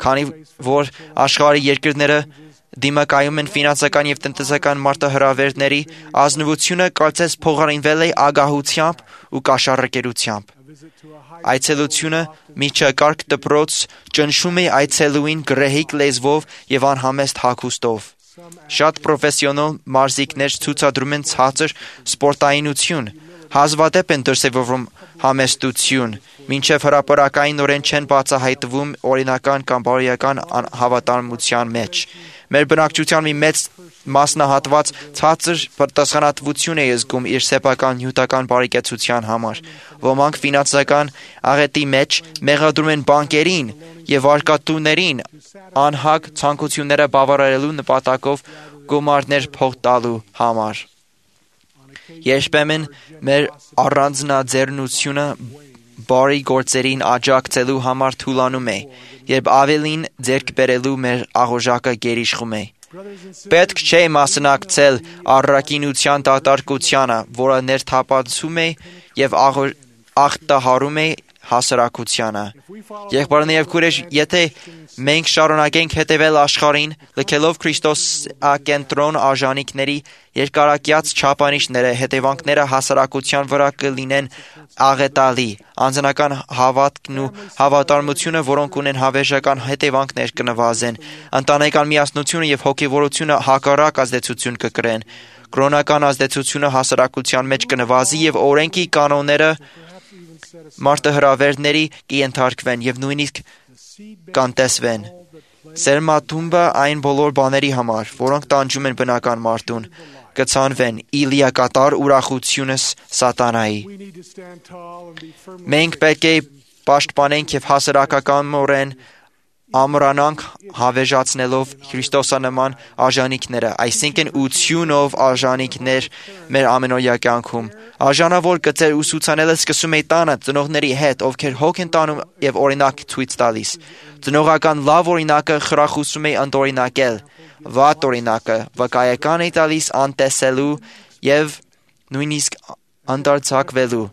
քանի որ աշխարհի երկրները դիմակայում են ֆինանսական եւ տնտեսական մարտահրավերների, ազնվությունը կարծես փոխարինվել է ագահությամբ ու կաշառակերությամբ։ Այցելությունը միջակարգ դպրոց ճնշում է այցելուին գրեհիկ լեզվով եւ անհամեստ հագուստով։ Շատ պրոֆեսիոնալ մարզիկներ ցուցադրում են ցածր սպորտայնություն, հազվադեպ են դրսևորվում համեստություն, մինչև հրապարակայինորեն չեն բացահայտվում օրինական կամ բարոյական հավատարմության մեջ։ Մեր բնակչության մի մեծ մասնահատված ցածր պատասխանատվություն է զգում իր սեփական նյութական բարեկեցության համար։ Ոմանք ֆինանսական աղետի մեջ մեղադրում են բանկերին եւ արկատուներին անհագ ցանկությունները բավարարելու նպատակով գումարներ փող տալու համար։ Երբեմն մեր առանձնաձեռնությունը բարի գործերին աջակցելու համար թուլանում է, երբ ավելին ձեռք բերելու մեր աղոժակը գերիշխում է։ Պետք չէ մասնակցել առաքինության դատարկությանը, որը ներթափանցում է եւ աղտահարում է հասարակությանը։ Եղբայրներ եւ քույրեր, եթե մենք շարունակենք հետևել աշխարհին, լքելով Քրիստոսակենտրոն արժանինքների երկարակյաց չափանիշները, հետևանքները հասարակության վրա կլինեն աղետալի։ Անձնական հավատքն ու հավատարմությունը, որոնք ունեն հավերժական հետևանքներ, կնվազեն։ Ընտանեկան միասնությունը եւ հոգեվորությունը հակառակ ազդեցություն կկրեն։ Կրոնական ազդեցությունը հասարակության մեջ կնվազի եւ օրենքի կանոնները մարտահրավերների կենթարկվեն եւ նույնիսկ կանտեսվեն։ Սերմաթումբը այն բոլոր բաների համար, որոնք տանջում են բնական մարդուն, կցանվեն իլիակատար ուրախությունս սատանայի։ Մենք պետք է պաշտպանենք եւ հասարակականորեն ամրանանք հավերժացնելով Քրիստոսանման արժանինքները, այսինքն ությունով արժանինքներ մեր ամենօրյա կյանքում։ Արժանավոր գծեր ուսուցանելը սկսում է տանը ծնողների հետ, ովքեր հոգ են տանում եւ օրինակ ցույց տալիս։ Ծնողական լավ օրինակը խրախուսում է ընդօրինակել, վատ օրինակը վկայական է տալիս անտեսելու եւ նույնիսկ անդարձակվելու։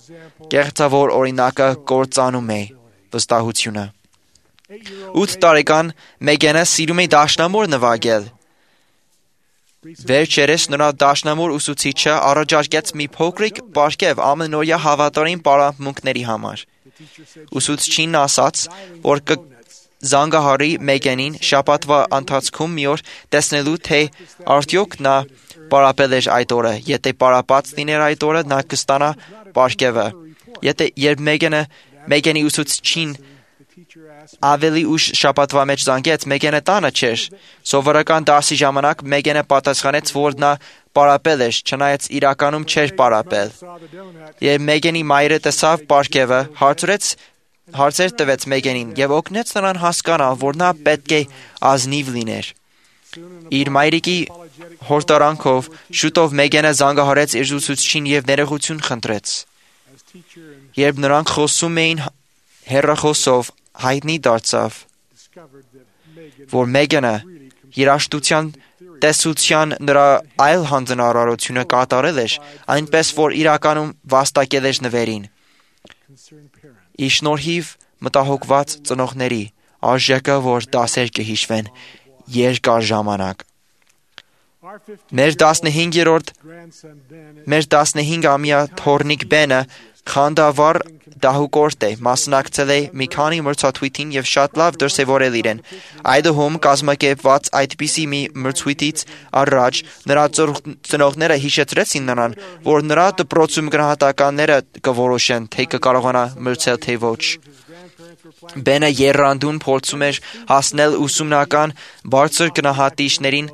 Կեղծավոր օրինակը կործանում է վստահությունը։ ութ տարեկան Մեգենը սիրում է դաշնամուր նվագել։ Վերջերս նրա դաշնամուր ուսուցիչը առաջարկեց մի փոքրիկ պարգև ամենօրյա հավատարիմ պարապմունքների համար։ Ուսուցչին ասաց, որ կզանգահարի Մեգենին շաբաթվա ընթացքում մի օր տեսնելու, թե արդյոք նա պարապել էր այդ օրը։ Եթե պարապած լիներ այդ օրը, նա կստանա պարգևը։ Եթե երբ Մեգենը Մեգենի ուսուցչին ավելի ուշ շաբաթվա մեջ զանգեց, Մեգենը տանը չէր։ Սովորական դասի ժամանակ Մեգենը պատասխանեց, որ նա պարապել էր, չնայած իրականում չէր պարապել։ Երբ Մեգենի մայրը տեսավ պարգևը, հարցրեց հարցեր տվեց Մեգենին եւ օգնեց նրան հասկանալ, որ նա պետք է ազնիվ լիներ։ Իր մայրիկի հորդարանքով շուտով Մեգենը զանգահարեց իր ուսուցչին եւ ներողություն խնդրեց։ Երբ նրանք խոսում էին հեռախոսով, հայտնի դարձավ, որ Մեգենը երաշտության տեսության նրա այլ հանձնարարությունը կատարել էր, այնպես որ իրականում վաստակել էր նվերին։ Ի շնորհիվ մտահոգված ծնողների արժեքը, որ դասեր կհիշվեն երկար ժամանակ։ Մեր տասնհինգերորդ մեր տասնհինգամյա թոռնիկ Բենը խանդավառ դահուկորդ է, մասնակցել է մի քանի մրցույթին եւ շատ լավ դրսեւորել իրեն։ Այդուհում կազմակերպված այդպիսի մի մրցույթից առաջ նրա ծնողները հիշեցրեցին նրան, որ նրա դպրոցում գնահատականները կորոշեն, թե կկարողանա մրցել թե ոչ։ Բենը եռանդուն փորձում էր հասնել ուսումնական բարձր գնահատիչներին,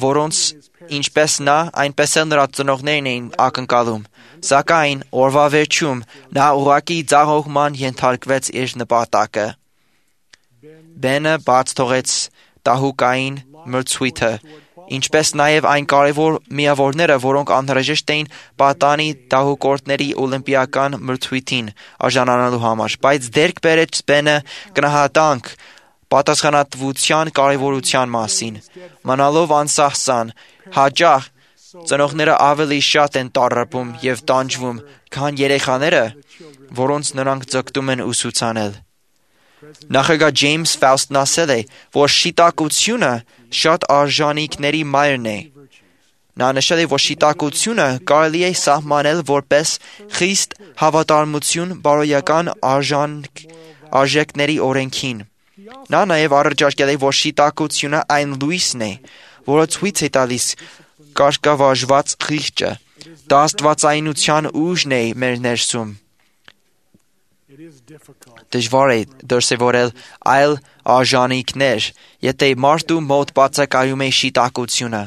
որոնց ինչպես նա, այնպես էլ նրա ծնողներն էին ակնկալում։ Սակայն օրվա վերջում նա ուղղակի ձախողման ենթարկվեց իր նպատակը։ Բենը բաց թողեց դահուկային մրցույթը, ինչպես նաև այն կարևոր միավորները, որոնք անհրաժեշտ էին պատանի դահուկորդների օլիմպիական մրցույթին արժանանալու համար, բայց դերք բերեց Բենը գնահատանք պատասխանատվության կարևորության մասին։ Մնալով անսահսան, հաճախ ծնողները ավելի շատ են տառապում եւ տանջվում, քան երեխաները, որոնց նրանք ձգտում են ուսուցանել։ Նախագահ Ջեյմս Ֆաուստն ասել է, որ շիտակությունը շատ արժանինքների մայրն է։ Նա նշել է, որ շիտակությունը կարելի է սահմանել որպես խիստ հավատարմություն բարոյական արժանք արժեքների օրենքին։ Նա նաև առաջարկել է, որ շիտակությունը այն լույսն է, որը ցույց է տալիս կարգավարժված խիղճը, դա աստվածայնության ուժն է մեր ներսում։ Դժվար է դրսևորել այլ արժանինքներ, եթե մարդու մոտ բացակայում է շիտակությունը։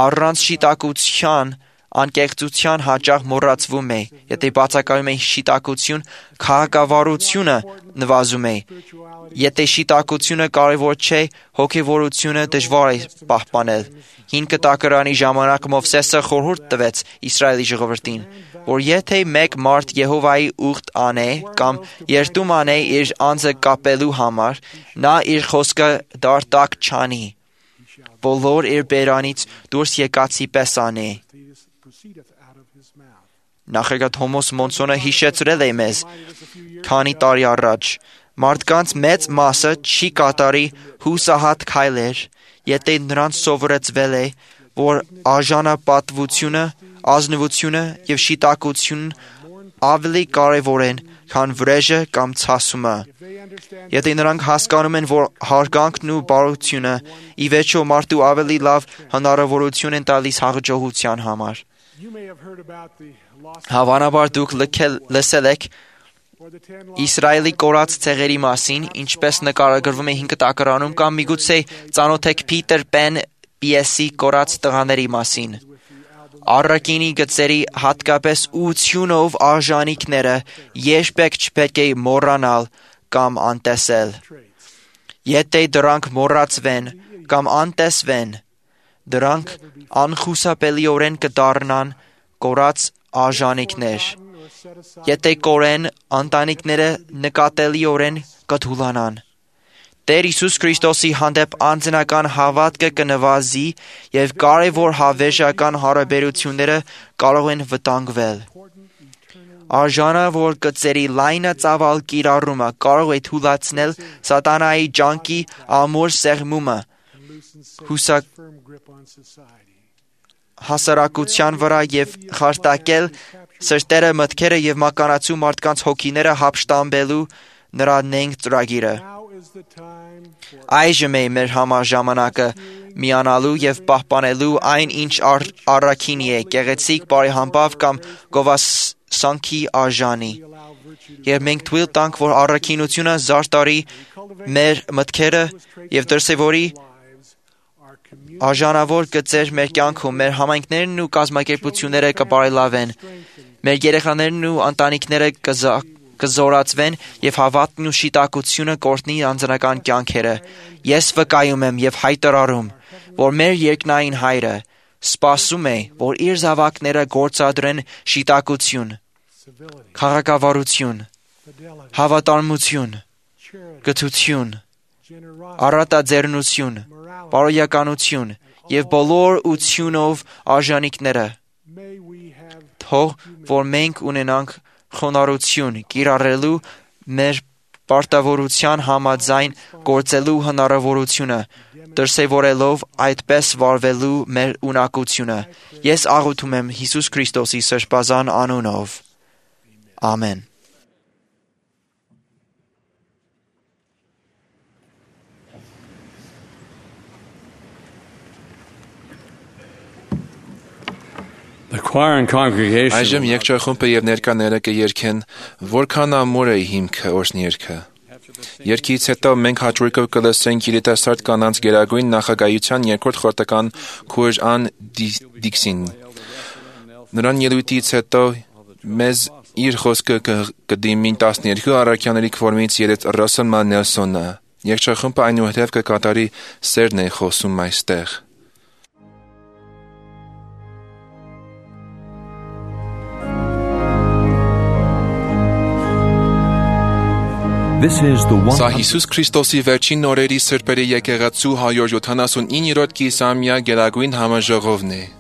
Առանց շիտակության անկեղծության հաճախ մոռացվում է, եթե բացակայում է շիտակություն, քաղաքավարությունը նվազում է։ Եթե շիտակությունը կարևոր չէ, հոգևորությունը դժվար է պահպանել։ Հին կտակարանի ժամանակ Մովսեսը խորհուրդ տվեց Իսրայելի ժողովրդին, որ եթե մեկ մարդ Եհովայի ուխտ անե կամ երդում անե իր անձը կապելու համար, նա իր խոսքը դարտակ չանի, բոլոր իր բերանից դուրս եկածի պես անե։ Նախագահ Թոմաս Մոնսոնը հիշեցրել է մեզ քանի տարի առաջ. մարդկանց մեծ մասը չի կատարի հուսահատ քայլեր, եթե նրանց սովորեցվել է, որ արժանապատվությունը, ազնվությունը եւ շիտակությունն ավելի կարևոր են, քան վրեժը կամ ցասումը։ Եթե նրանք հասկանում են, որ հարգանքն ու բարությունը ի վերջո մարդու ավելի լավ հնարավորություն են տալիս հաղորդության համար։ Հավանաբար դուք լսել եք Իսրայելի կորած ցեղերի մասին, ինչպես նկարագրվում է հինգ տակարանում, կամ միգուցե ծանոթ եք Փիթեր Պեն պիեսի կորած տղաների մասին։ Առաքինի գծերի հատկապես ուղղությունով արժանիքները երբեք չպետք է մոռանալ կամ անտեսել։ Եթե դրանք մոռացվեն կամ անտեսվեն, դրանք անխուսափելիորեն կդառնան կորած արժանիքներ։ Եթե կորեն, ընտանիքները նկատելիորեն կթուլանան։ Տեր Հիսուս Քրիստոսի հանդեպ անձնական հավատքը կնվազի եւ կարևոր հավերժական հարաբերությունները կարող են վտանգվել։ Արժանավոր գծերի լայնածավալ կիրառումը կարող է թուլացնել սատանայի ջանքի ամուր սեղմումը հուսակ հասարակության վրա եւ խարտակել սրտերը, մտքերը եւ մականացու մարդկանց հոգիները հափշտամբելու նրա նենք ծրագիրը։ Այժմ է մեր համար ժամանակը միանալու եւ պահպանելու այն, ինչ առաքինի է, գեղեցիկ, բարեհամբավ կամ գովասանքի արժանի։ Եվ մենք թույլ տանք, որ առաքինությունը զարդարի մեր մտքերը եւ դրսեւորի արժանավոր գծեր մեր կյանքում, մեր համայնքներն ու կազմակերպությունները կբարելավեն, մեր երեխաներն ու ընտանիքները կզորացվեն եւ հավատքն ու շիտակությունը կորտնի անձնական կյանքերը։ Ես վկայում եմ եւ հայտարարում, որ մեր երկնային Հայրը սպասում է, որ իր զավակները գործադրեն շիտակություն, քաղաքավարություն, հավատարմություն, գթություն, առատաձեռնություն, բարոյականություն եւ բոլոր ությունով արժանիքները։ Թող որ մենք ունենանք խոնարհություն կիրառելու մեր պարտավորության համաձայն գործելու հնարավորությունը, դրսևորելով այդպես վարվելու մեր ունակությունը։ Ես աղոթում եմ Հիսուս Քրիստոսի սրբազան անունով։ Ամեն։ Այժմ եկչախումբը եւ ներկաները կերքեն «Որքան ամուր է հիմքը» օրհներգը։ Երգից հետո մենք հաջորդով կլսենք երիտասարդ կանանց գերագույն նախագահության երկրորդ խորհրդական քույր Ան Դիքսին։ Նրան ելույթից հետո մեզ իր խոսքը կդիմի տասներկու առաքյաների կողմից երեց Ռասել Մանելսոնը։ Եկչախումբը այնուհետև կկատարի «Սերն է խոսում այստեղ»։ Սա Հիսուս Քրիստոսի վերջին օրերի սրբերի եկեղեցու հարյուր յոթանասունիններորդ կիսամյա գերագույն համաժողովն է։ Amen.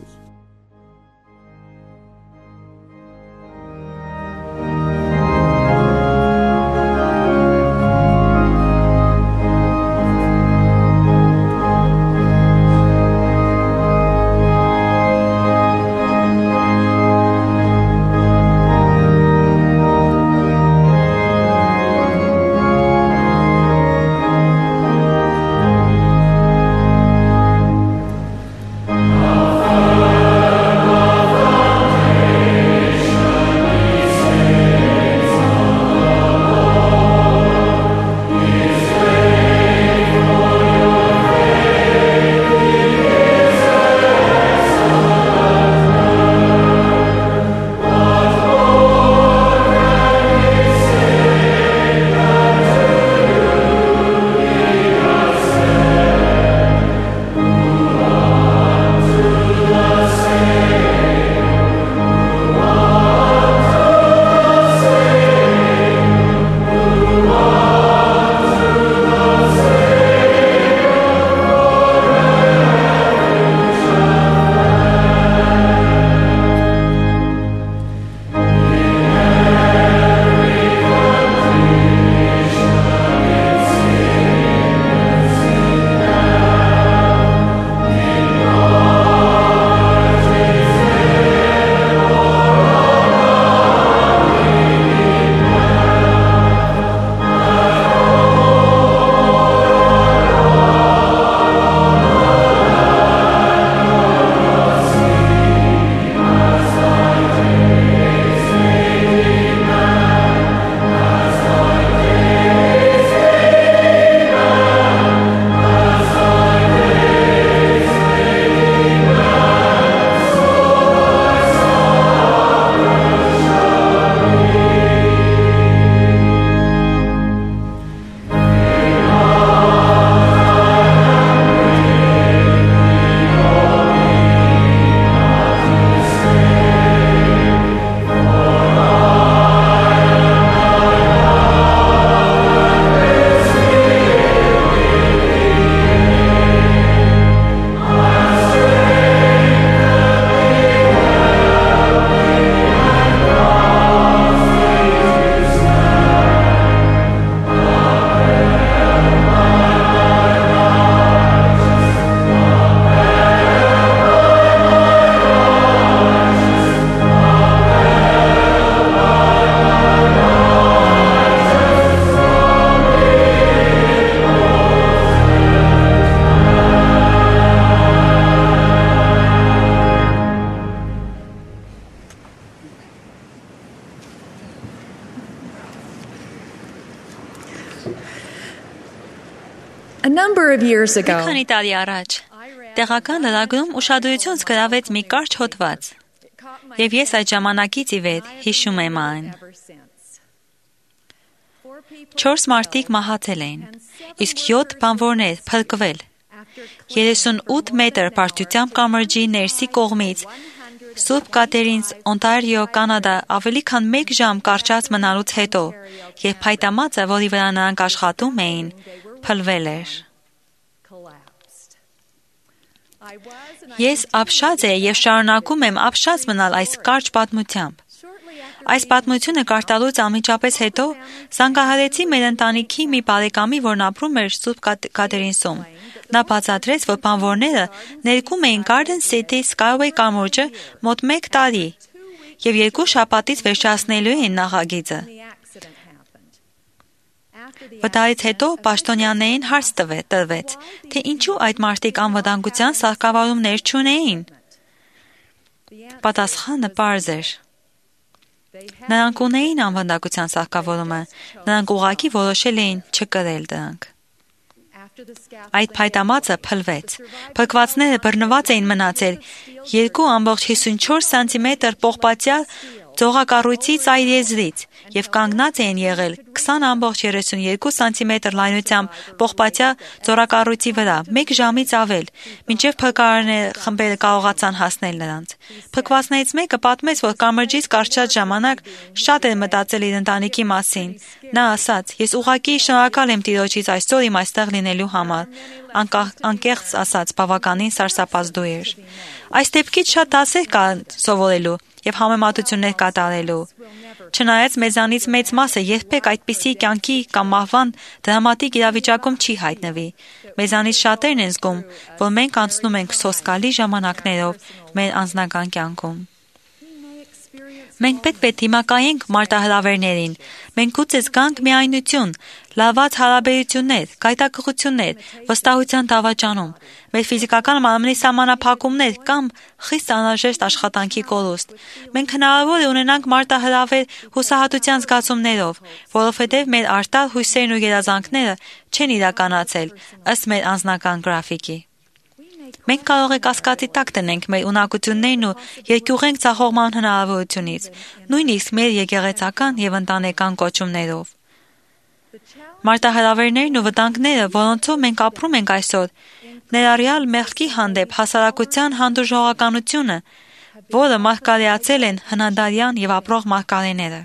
number of years Մի ago, քանի տարի առաջ տեղական լրագրում ուշադրություն զգրավեց մի կարճ հոդված, եւ ես այդ ժամանակից ի վեր հիշում եմ այն։ Չորս մարդիկ մահացել էին, իսկ յոթ բանվորներ փրկվել։ երեսունութ մետր բարձրությամբ կամրջի ներսի կողմից Սուրբ Կատերինս, Օնտարիո, Կանադա ավելի քան մեկ ժամ կարճած մնալուց հետո, երբ փայտամածը, որի վրա նրանք աշխատում էին, փլվել էր։ Ես ապշած եմ եւ շարունակում եմ ապշած մնալ այս կարճ պատմությամբ։ Այս պատմությունը կարդալուց անմիջապես հետո զանգահարեցի մեր ընտանիքի մի բարեկամի, որն ապրում էր Սուրբ Կատերինսում։ Նա բացատրեց, որ բանվորները ներկում էին Garden City Skyway կամուրջը մոտ մեկ տարի եւ երկու շաբաթից վերջացնելու էին նախագիծը։ Վտարից հետո պաշտոնյաներին հարց տրվեց, թե ինչու այդ մարդիկ անվտանգության սահկավարումներ չունեին։ Պատասխանը պարզ էր։ Նրանք ունեին անվտանգության սահկավորումը, նրանք ուղղակի որոշել էին չկրել դրանք։ Այդ փայտամածը փլվեց։ Փրկվածները բռնված էին մնացել երկու ամբողջ հիսունչորս սանտիմետր պողպատյալ ձողակառույցի ծայր եզրից եւ կանգնած էին եղել քսան ամբողջ երեսունյոթ սանտիմետր լայնությամբ պողպատյա ձորակառույցի վրա մեկ ժամից ավել, մինչեւ փրկարարները խմբերը կարողացան հասնել նրանց։ Փրկվածներից մեկը պատմեց, որ կամրջից կարճած ժամանակ շատ էր մտածել իր ընտանիքի մասին։ Նա ասաց. «Ես ուղղակի շնորհակալ եմ Տիրոջից այսօր իմ այստեղ լինելու համար»։ Անկեղծ ասած, բավականին սարսափազդու էր։ Այս դեպքից շատ դասեր կան սովորելու եւ համեմատություններ կատարելու։ Չնայած մեզանից մեծ մասը երբեք այդպիսի կյանքի կամ մահվան դրամատիկ իրավիճակում չի հայտնվի, մեզանից շատերն են զգում, որ մենք անցնում ենք սոսկալի ժամանակներով մեր անձնական կյանքում։ Մենք պետք է դիմակայենք մարտահրավերներին, մենք գուցե զգանք միայնություն, լավված հարաբերություններ, գայթակղություններ, վստահության դավաճանում, մեր ֆիզիկական մարմնի սահմանափակումներ կամ խիստ անհրաժեշտ աշխատանքի կորուստ։ Մենք հնարավոր է ունենանք մարտահրավեր հուսահատության զգացումներով, որովհետև մեր արտար հույսերն ու երազանքները չեն իրականացել ըստ մեր անձնական գրաֆիկի։ Մենք կարող է կասկածի տակ տնենք մեր ունակություններն ու երկյուղենք ցախողման հնարավորությունից, նույնիսկ մեր եկեղեցական եւ ընտանեկան կոչումներով։ Մարտահրավերներն ու վտանգները, որոնցով մենք ապրում ենք այսօր, ներառյալ մեղքի հանդեպ հասարակության հանդուրժողականությունը, որը մարգարեացել են հնադարյան եւ ապրող մարգարեները։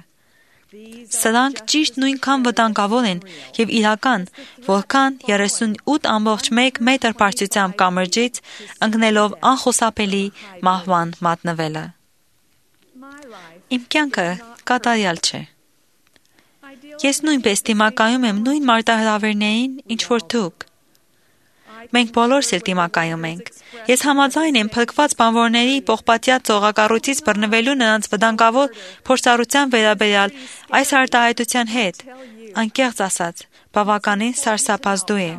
Սրանք ճիշտ նույնքան վտանգավոր են եւ իրական, որքան երեսունութ ամբողջ մեկ մետր բարձրությամբ կամրջից ընկնելով անխուսափելի մահվան մատնվելը։ Իմ կյանքը կատարյալ չէ։ Ես նույնպես դիմակայում եմ նույն մարտահրավերներին, ինչ որ դուք։ Մենք բոլորս էլ դիմակայում ենք։ Ես համաձայն եմ փրկված բանվորների պողպատյա ծողակառույցից բռնվելու նրանց վտանգավոր փորձառության վերաբերյալ այս արտահայտության հետ, անկեղծ ասած, բավականին սարսափազդու է։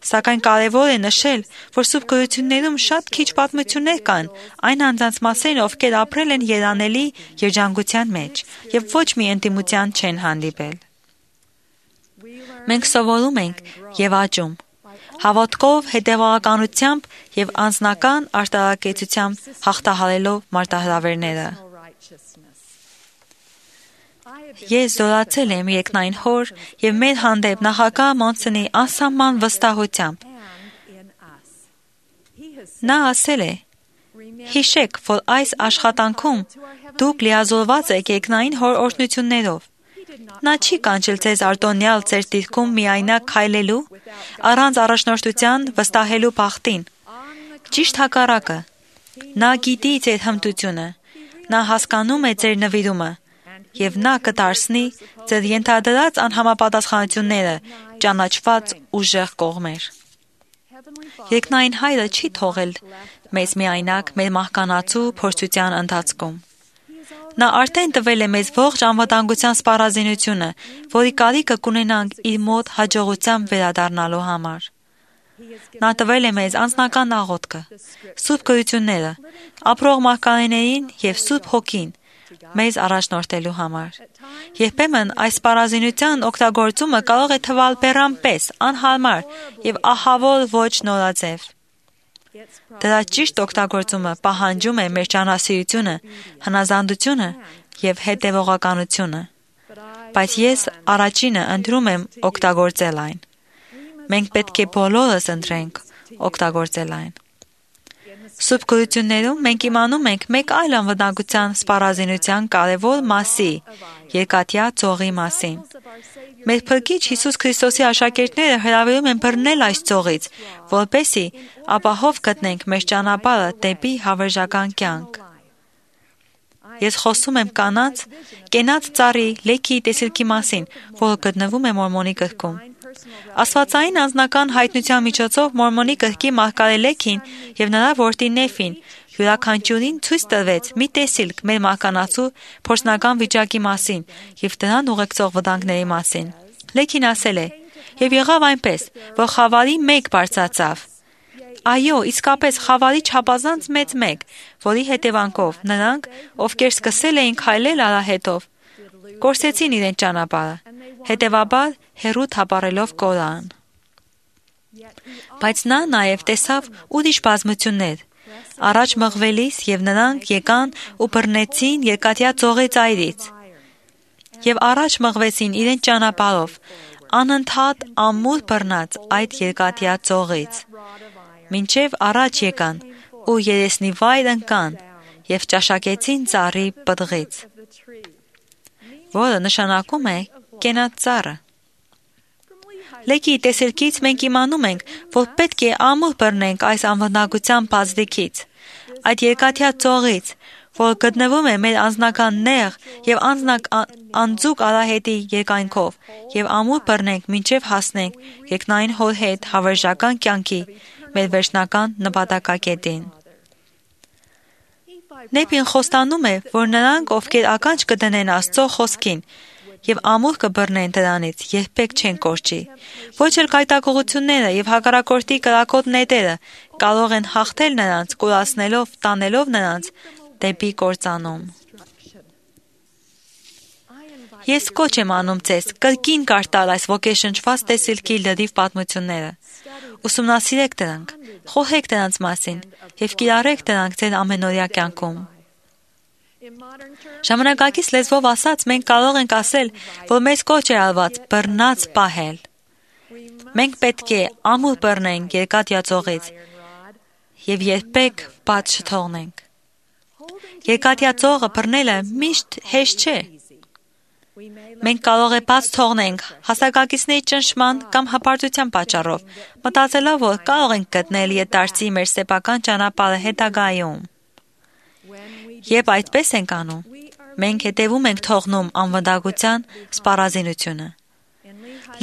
Սակայն կարևոր է նշել, որ սուրբ գրություններում շատ քիչ պատմություններ կան այն անձանց մասին, ովքեր ապրել են երանելի երջանկության մեջ եւ ոչ մի ինտիմության չեն հանդիպել։ Մենք սովորում ենք եւ աճում հավատքով, հետևողականությամբ եւ անձնական արտարակեցությամբ հաղթահարելով մարտահրավերները։ Ես զորացել եմ երկնային հոր եւ մեր հանդեպ նախագահ Մոնսոնի անսահման վստահությամբ։ Նա ասել է. «Հիշեք, որ այս աշխատանքում դուք լիազորված եք երկնային հոր օրհնություններով։ Նա չի կանչել ձեզ արտոնյալ ձեր դիրքում միայնակ քայլելու, առանց առաջնորդության վստահելու բախտին։ Ճիշտ հակառակը։ Նա գիտի ձեր հմտությունը, նա հասկանում է ձեր նվիրումը, եւ նա կդարձնի ձեր ենթադրած անհամապատասխանությունները ճանաչված ուժեղ կողմեր։ Երկնային Հայրը չի թողել մեզ միայնակ մեր մահկանացու փորձության ընթացքում։ Նա արդեն տվել է մեզ ողջ անվտանգության սպառազինությունը, որի կարիքը կունենանք իր մոտ հաջողությամբ վերադառնալու համար։ Նա տվել է մեզ անձնական աղոթքը, սուրբ գրությունները, ապրող մարգարեներին եւ սուրբ հոգին, մեզ առաջնորդելու համար։ Երբեմն այս սպառազինության օգտագործումը կարող է թվալ բեռան պես, անհարմար եւ ահավոր ոչ նորաձև։ Դրա ճիշտ օգտագործումը պահանջում է մեր ճանասիրությունը, հնազանդությունը եւ հետեւողականությունը։ Բայց ես առաջինը ընտրում եմ օգտագործել այն։ Մենք պետք է բոլորս ընտրենք օգտագործել այն։ Սուրբ գրություններում մենք իմանում ենք մեկ այլ անվտանգության սպառազինության կարևոր մասի՝ երկաթյա ծողի մասին։ Մեր Փրկիչ Հիսուս Քրիստոսի աշակերտները հրավիրում են բռնել այս ծողից, որպեսզի ապահով գտնենք մեր ճանապարհը դեպի հավերժական կյանք։ Ես խոսում եմ կանանց կենաց ծառի լեքի տեսիլքի մասին, որը գտնվում է Մորմոնի գրքում։ Աստվածային անձնական հայտնության միջոցով Մորմոնի գրքի մարգարե Լեքին եւ նրա որդի Նեֆին յուրաքանչյուրին ցույց տվեց մի տեսիլք մեր մահկանացու փորձնական վիճակի մասին եւ դրան ուղեկցող վտանգների մասին։ Լեքին ասել է. «Եվ եղավ այնպես, որ խավարի մեկ բարձրացավ։ Այո, իսկապես խավարի չափազանց մեծ մեկ, որի հետևանքով նրանք, ովքեր սկսել էին քայլել արահետով, կորսեցին իրենց ճանապարհը, հետևաբար հեռու թափառելով կորան։ Բայց նա նաև տեսավ ուրիշ բազմություններ, առաջ մղվելիս եւ նրանք եկան ու բռնեցին երկաթյա ծողի ծայրից, եւ առաջ մղվեցին իրենց ճանապարհով, անընդհատ ամուր բռնած այդ երկաթյա ծողից, մինչև առաջ եկան ու երեսնի վայր ընկան եւ ճաշակեցին ծառի պտղից, որը նշանակում է կենաց ծառը։ Լեքի տեսիլքից մենք իմանում ենք, որ պետք է ամուր բռնենք այս անվտանգության բազդիկից, այդ երկաթյա ծողից, որ գտնվում է մեր անձնական նեղ եւ անձուկ արահետի երկայնքով, եւ ամուր բռնենք մինչև հասնենք երկնային հոր հետ հավերժական կյանքի մեր վերջնական նպատակակետին։ Նեփին խոստանում է, որ նրանք, ովքեր ականջ կդնեն Աստծո խոսքին եւ ամուր կբռնեն դրանից, երբեք չեն կորչի։ Ոչ էլ կայտակողությունները եւ հակառակորդի կրակոտ նետերը կարող են հաղթել նրանց, կուրացնելով, տանելով նրանց դեպի կործանում։ Ես կոչ եմ անում ձեզ կրկին կարդալ այս ոգեշնչված տեսիլքի լրիվ պատմությունները։ Ուսումնասիրեք դրանք, խոհեք դրանց մասին եւ կիրառեք դրանք ձեր ամենօրյա կյանքում։ Ժամանակակից լեզվով ասած, մենք կարող ենք ասել, որ մեզ կոչ է արված բռնած պահել։ Մենք պետք է ամուր բռնենք երկաթյա ծողից եւ երբեք բաց չթողնենք։ Երկաթյա ծողը բռնելը միշտ հեշտ չէ։ Մենք կարող է բաց թողնենք հասակակիցների ճնշման կամ հպարտության պատճառով, մտածելով, որ կարող ենք գտնել ետարցի մեր սեփական ճանապարհը հետագայում։ Երբ այդպես ենք անում, մենք հետևում ենք թողնում անվտանգության սպառազինությունը։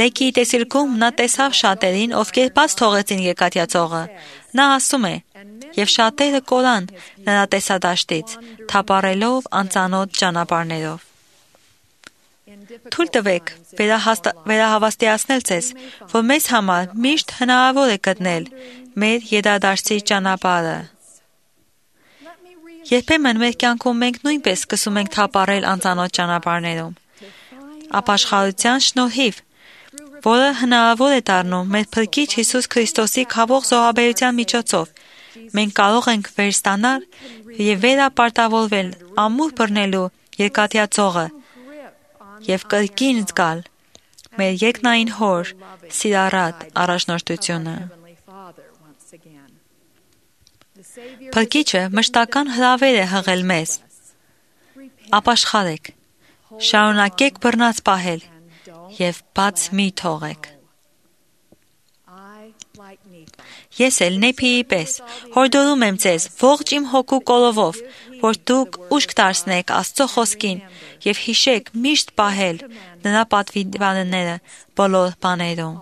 Լեքի տեսիլքում նա տեսավ շատերին, ովքեր բաց թողեցին երկաթյա ծողը։ Նա ասում է. «Եվ շատերը կորան նրա տեսադաշտից, թափառելով անծանոթ ճանապարհներով»։ Թույլ տվեք վերահավաստիացնել ձեզ, որ մեզ համար միշտ հնարավոր է գտնել մեր յետադարձի ճանապարհը։ Երբեմն մեր կյանքում մենք նույնպես սկսում ենք թափառել անծանոթ ճանապարհներում։ Ապաշխարության շնորհիվ, որը հնարավոր է դառնում մեր Փրկիչ Հիսուս Քրիստոսի քավոր զոհաբերության միջոցով, մենք կարող ենք վերստանալ եւ վերապարտավորվել ամուր բռնելու երկաթյա ծողը եւ կրկին զգալ մեր երկնային հոր սիրառատ առաջնորդությունը։ Փրկիչը մշտական հրավեր է հղել մեզ. ապաշխարեք, շարունակեք բռնած պահել եւ բաց մի թողեք։ Ես էլ Նեփիի պես հորդորում եմ ձեզ ողջ իմ հոգու կոլովով, որ դուք ուշք դարձնեք Աստծո խոսքին եւ հիշեք միշտ պահել նրա պատվիրանները բոլոր բաներում։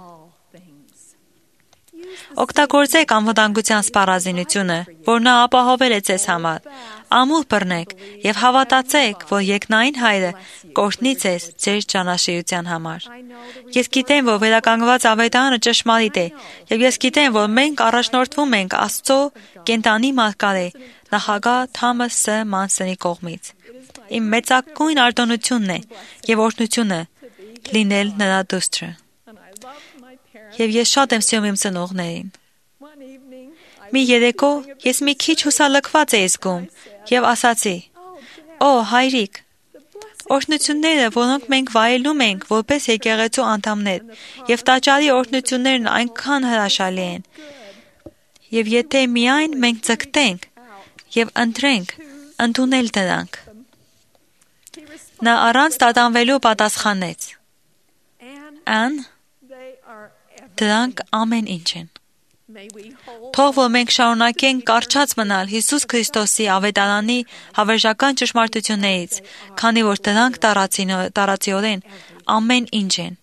Օգտագործեք անվտանգության սպառազինությունը, որ նա ապահովել է ձեզ համար։ Ամուր բռնեք եւ հավատացեք, որ երկնային Հայրը կօրհնի ձեզ ձեր ճանաչիության համար։ Ես գիտեմ, որ վերականգնված ավետարանը ճշմարիտ է, եւ ես գիտեմ, որ մենք առաջնորդվում ենք Աստծո կենտանի մարգարե նախագահ Թամաս Ս. Մանսոնի կողմից։ Իմ մեծագույն արտոնությունն է եւ օրհնությունը լինել նրա դուստրը։ Եվ ես շատ եմ սիրում իմ ծնողներին։ Մի երեկո ես մի քիչ հուսալքված էի զգում եւ ասացի. «Օ, հայրիկ, օրհնությունները, որոնք մենք վայելում ենք որպես եկեղեցու անդամներ, եւ տաճարի օրհնություններն այնքան հրաշալի են։ Եվ եթե միայն մենք ձգտենք եւ ընտրենք ընդունել դրանք»։ Նա առանց տատանվելու պատասխանեց. «Ան, դրանք ամեն ինչ են»։ Թող որ մենք շարունակենք կարճած մնալ Հիսուս Քրիստոսի ավետարանի հավերժական ճշմարտություններից, քանի որ դրանք տարածիորեն ամեն ինչ են։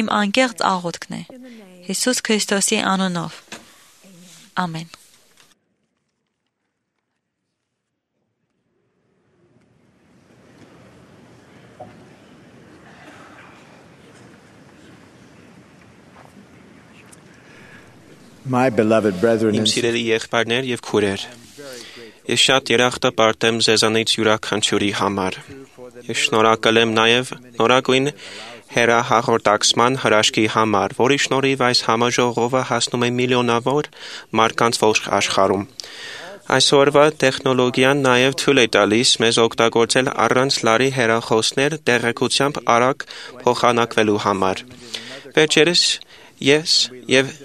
Իմ անկեղծ աղոթքն է Հիսուս Քրիստոսի անունով։ Ամեն։ My beloved brethren Իմ and սիրելի եղբայրներ եւ քույրեր, ես շատ երախտապարտ եմ ձեզանից յուրաքանչյուրի համար։ Ես շնորհակալ եմ նաեւ նորագույն հեռահաղորդակցման հրաշքի համար, որի շնորհիվ այս համաժողովը հասնում է միլիոնավոր մարդկանց ողջ աշխարհում։ Այսօրվա տեխնոլոգիան նաեւ թույլ է տալիս մեզ օգտագործել առանց լարի հեռախոսներ տեղեկությամբ արագ փոխանակվելու համար։ Վերջերս ես եւ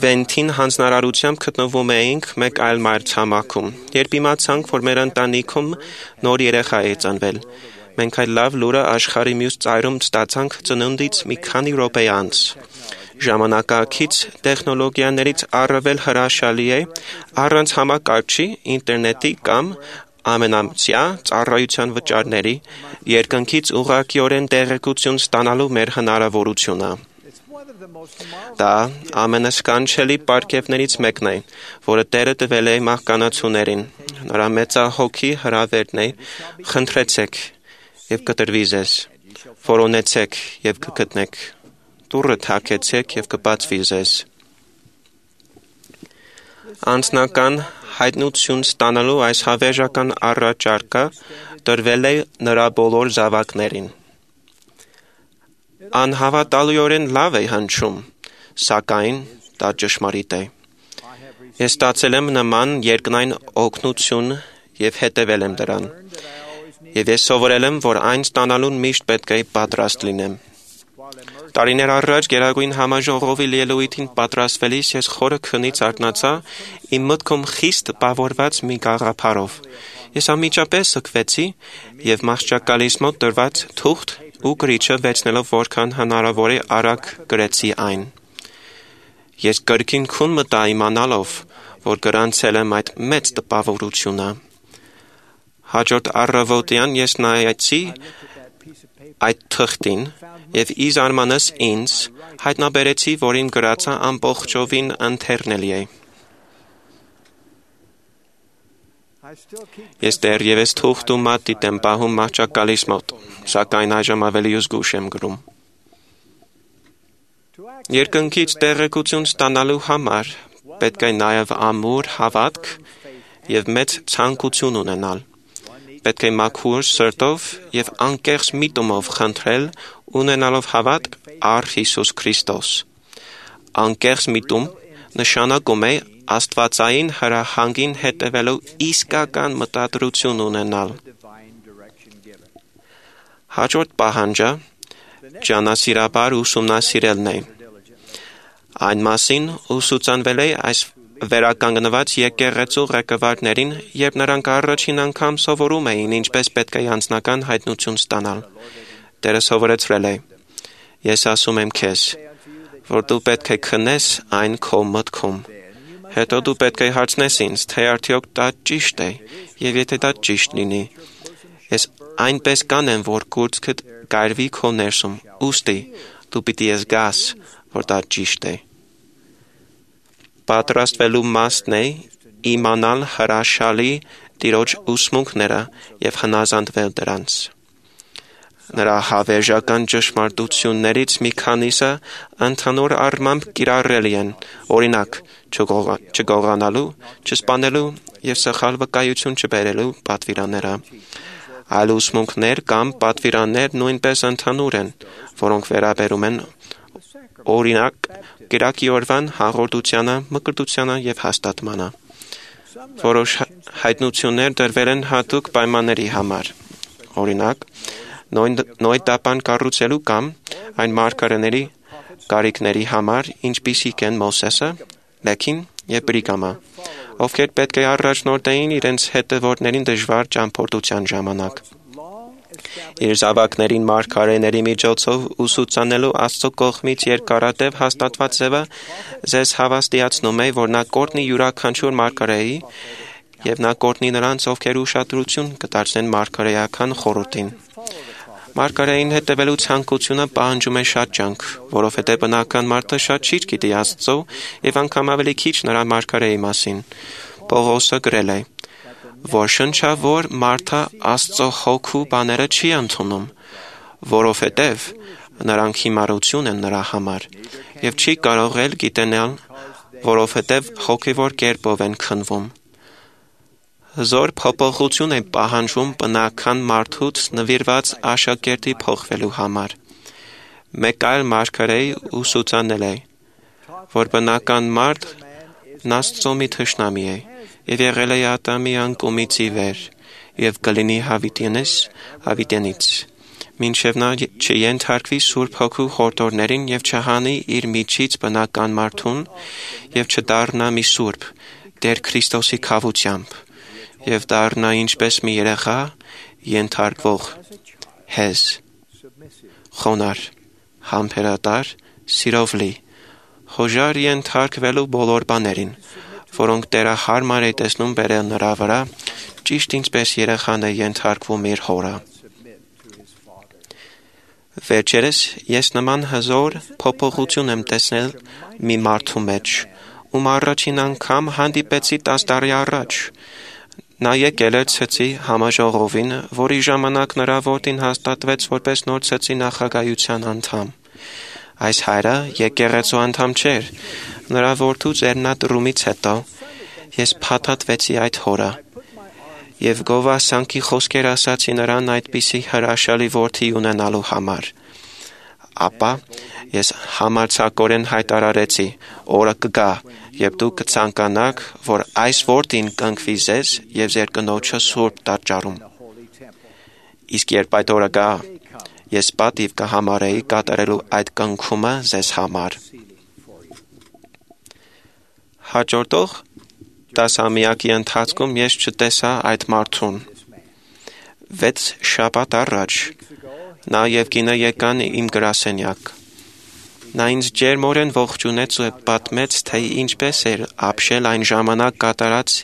Վենտին հանձնարարությամբ գտնվում էինք մեկ այլ մայրցամաքում, երբ իմացանք, որ մեր ընտանիքում նոր երեխա է ծնվել։ Մենք այդ լավ լուրը աշխարհի մյուս ծայրում ստացանք ծնունդից մի քանի րոպե անց։ Ժամանակակից տեխնոլոգիաներից առավել հրաշալի է առանց համակարգչի, ինտերնետի կամ ամենամսյա ծառայության վճարների երկնքից ուղղակիորեն տեղեկություն ստանալու մեր հնարավորությունը։ Դա ամենասկանչելի պարգևներից մեկն է, որը Տերը տվել է մահկանացուներին։ Նրա մեծահոգի հրավերն է. խնդրեցեք եւ կտրվի ձեզ, որոնեցեք եւ կգտնեք, դուռը թակեցեք եւ կբացվի ձեզ։ Անձնական հայտնություն ստանալու այս հավերժական առաջարկը տրվել է նրա բոլոր զավակներին։ Անհավատալիորեն լավ է հնչում, սակայն դա ճշմարիտ է։ Ես ստացել եմ նման երկնային օգնություն եւ հետևել եմ դրան։ Եվ ես սովորել եմ, որ այն ստանալուն միշտ պետք է պատրաստ լինեմ։ Տարիներ առաջ Գերագույն համաժողովի ելույթին պատրաստվելիս ես խորը քնից արթնացա իմ մտքում խիստ տպավորված մի գաղափարով։ Ես անմիջապես սկվեցի եւ մահճակալիս մոտ դրված թուղթ ու գրիչը վերցնելով որքան հնարավոր է արագ գրեցի այն։ Ես կրկին քուն մտա իմանալով, որ գրանցել եմ այդ մեծ տպավորությունը։ Հաջորդ առավոտյան ես նայեցի այդ թղթին եւ ի զարմանս ինձ հայտնաբերեցի, որ իմ գրածը ամբողջովին ընթերնելի է։ Ես դեռևս թուղթու մատիտ եմ պահում մահճակալիս մոտ, սակայն այժմ ավելի զգուշ եմ գրում։ Երկնքից տեղեկություն ստանալու համար պետք է նաև ամուր հավատք եւ մեծ ցանկություն ունենալ։ Պետք է մաքուր սրտով եւ անկեղծ միտումով խնդրել, ունենալով հավատք առ Հիսուս Քրիստոս։ Անկեղծ միտում նշանակում է աստվածային հրահանգին հետևելու իսկական մտադրություն ունենալ։ Հաջորդ պահանջը ճանասիրաբար ուսումնասիրելն է։ Այն մասին ուսուցանվել է այս վերականգնված եկեղեցու ղեկավարներին, երբ նրանք առաջին անգամ սովորում էին ինչպես պետք է անձնական հայտնություն ստանալ։ Տերը սովորեցրել է. Ես ասում եմ քեզ, որ դու պետք է քնես այն քո մտքում։ Հետո դու պետք է հարցնես ինձ, թե արդյոք դա ճիշտ է, եւ եթե դա ճիշտ լինի, ես այնպես կանեմ, որ գործքդ գայրվի քո ներսում, ուստի դու պիտի զգաս, որ դա ճիշտ է։ պատրաստվելու մասն է իմանալ հրաշալի Տիրոջ ուսմունքները եւ հնազանդվել դրանց։ Նրա հավերժական ճշմարտություններից մի քանիսը ընդհանուր առմամբ կիրառելի են, օրինակ՝ չգողանալու, չսպանելու եւ սխալ վկայություն չբերելու պատվիրանները։ Այլ ուսմունքներ կամ պատվիրաններ նույնպես ընդհանուր են, որոնք վերաբերում են օրինակ կիրակի օրվան հաղորդությանը, մկրտությանը եւ հաստատմանը։ Որոշ հայտնություններ դրվել են հատուկ պայմանների համար։ Օրինակ, նոյդապան կառուցելու կամ այն մարգարեների կարիքների համար, ինչպիսիք են Մովսեսը, Լեքին եւ Բրիգամը, ովքեր պետք է առաջնորդեին իրենց հետևորդներին դժվար ճամփորդության ժամանակ։ Իր զավակներին մարգարեների միջոցով ուսուցանելու Աստծո կողմից երկարատև հաստատված ձևը ձեզ հավաստիացնում է, որ նա կորտնի յուրաքանչյուր մարգարեի եւ նա կորտնի նրանց, ովքեր ուշադրություն կդարձնեն մարգարեական խորհրդին։ Մարգարեին հետևելու ցանկությունը պահանջում է շատ ջանք, որովհետև բնական մարդը շատ քիչ գիտի Աստծո եւ անգամ ավելի քիչ նրա մարգարեի մասին։ Պողոսը գրել է, որ շնչավոր մարդը Աստծո հոգու բաները չի ընդունում, որովհետև նրանք հիմարություն են նրա համար եւ չի կարող էլ գիտենալ, որովհետև հոգևոր կերպով են քնվում։ Հզոր փոփոխություն է պահանջում բնական մարդուց նվիրված աշակերտի փոխվելու համար։ Մեկ այլ մարգարեի ուսուցանել է, որ բնական մարդ Աստծո մի թշնամի է եւ եղել է Ադամի անկումից ի վեր եւ կլինի հավիտենից, հավիտենից, մինչեւ նա չենթարկվի Սուրբ Հոգու խորհրդներին եւ չհանի իր միջից բնական մարդուն եւ չդառնա մի սուրբ Տեր Քրիստոսի քավությամբ եւ դառնա ինչպես մի երեխա ենթարկվող, հեզ, խոնար, համբերատար, սիրով լի, խոժար ենթարկվելու բոլոր բաներին, որոնք Տերը հարմար է տեսնում բերել նրա վրա, ճիշտ ինչպես երեխան է ենթարկվում իր հորը։ Վերջերս ես նման հզոր փոփոխություն եմ տեսնել մի մարդու մեջ, ում առաջին անգամ հանդիպեցի տաս տարի առաջ։ Նա եկել էր ցեցի համաժողովին, որի ժամանակ նրա որդին հաստատվեց որպես նոր ցեցի նախագահության անդամ։ Այս հայրը եկեղեցու անդամ չէր, նրա որդու ձեռնադրումից հետո ես փաթաթվեցի այդ հորը եւ գովասանքի խոսքեր ասացի նրան այդպիսի հրաշալի որդի ունենալու համար։ Ապա ես համարձակորեն հայտարարեցի, օրը կգա, երբ դուք կցանկանաք, որ այս որդին կընկվի ձեզ եւ ձեր կնոջը սուրբ տաճարում։ Իսկ երբ այդ օրը գա, ես պատիվ կհամարեի կատարելու այդ կնքումը ձեզ համար։ Հաջորդող տասամյակի ընթացքում ես չտեսա այդ մարդուն։ Վեց շաբաթ առաջ նա եւ կինը եկան իմ գրասենյակ։ Նա ինձ ջերմորեն ողջունեց ու պատմեց, թե ինչպես էր ապշել այն ժամանակ կատարած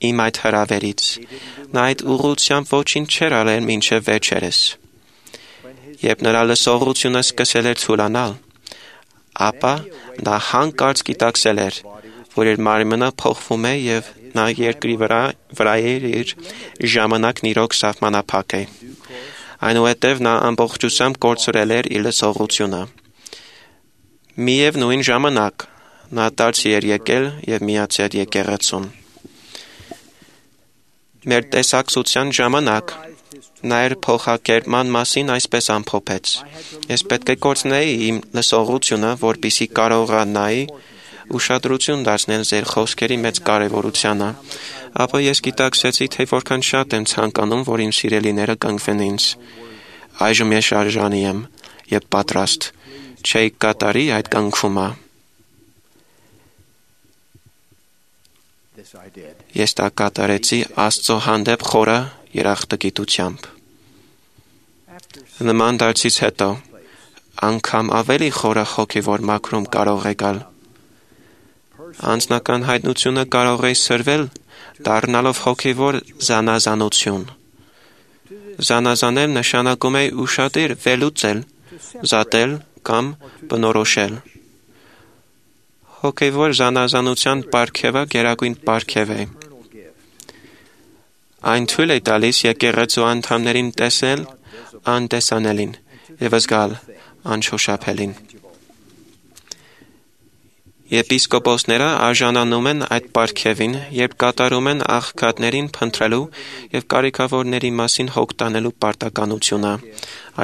իմ այդ հրավերից։ Նա այդ ուղղությամբ ոչինչ չէր արել մինչև վերջերս։ Երբ նրա լսողությունը սկսել էր ցուլանալ, ապա նա հանկարծ գիտակցել էր, որ իր մարմինը փոխվում է եւ նա երկրի վրա վրա իր ժամանակն իրոք սահմանափակ է։ Այնուհետև նա ամբողջությամբ կորցրել էր իր լսողությունը։ Միևնույն ժամանակ նա դարձի էր եկել եւ միացել եկեղեցուն։ Մեր տեսակցության ժամանակ նա իր փոխակերպման մասին այսպես ամփոփեց. Ես պետք է կորցնեի իմ լսողությունը, որպեսզի կարողանայի ուշադրություն դարձնել ձեր խոսքերի մեծ կարևորությանը, ապա ես գիտակցեցի, թե որքան շատ եմ ցանկանում, որ իմ սիրելիները կընկվեն ինձ։ Այժմ ես շարժանի եմ եւ պատրաստ չէի կատարի այդ կնքումը։ Ես դա կատարեցի Աստծո հանդեպ խորը երախտագիտությամբ։ Նման դարձից հետո անգամ ավելի խորը հոգևոր մաքրում կարող է գալ։ Անձնական հայտնությունը կարող է սրվել դառնալով հոգևոր զանազանություն։ Զանազանել նշանակում է ուշադիր վերլուծել, զատել կամ բնորոշել։ Հոգևոր զանազանության պարգևը գերագույն պարգև է։ Այն թույլ է տալիս եկեղեցու անդամներին տեսնել անտեսանելին եւ զգալ անշոշափելին։ Եպիսկոպոսները արժանանում են այդ պարգևին, երբ կատարում են աղքատներին փնտրելու եւ կարիքավորների մասին հոգ տանելու պարտականությունը։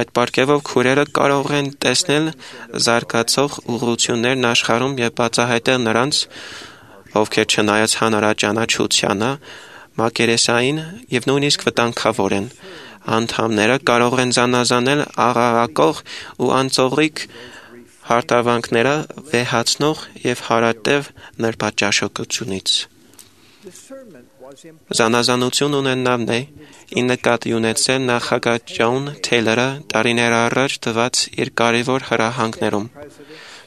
Այդ պարգևով քուրերը կարող են տեսնել զարգացող ուղղություններն աշխարհում եւ բացահայտել նրանց, ովքեր չնայած հանրաճանաչությանը, մակերեսային եւ նույնիսկ վտանգավոր են։ Անդամները կարող են զանազանել աղաղակող ու անծողիկ հարթավանքները վեհացնող եւ հարատև նրբաճաշակությունից։ Զանազանություն ունենալն է ի նկատի ունեցել նախագահ Ջոն Թեյլորը տարիներ առաջ տված իր կարևոր հրահանգներում։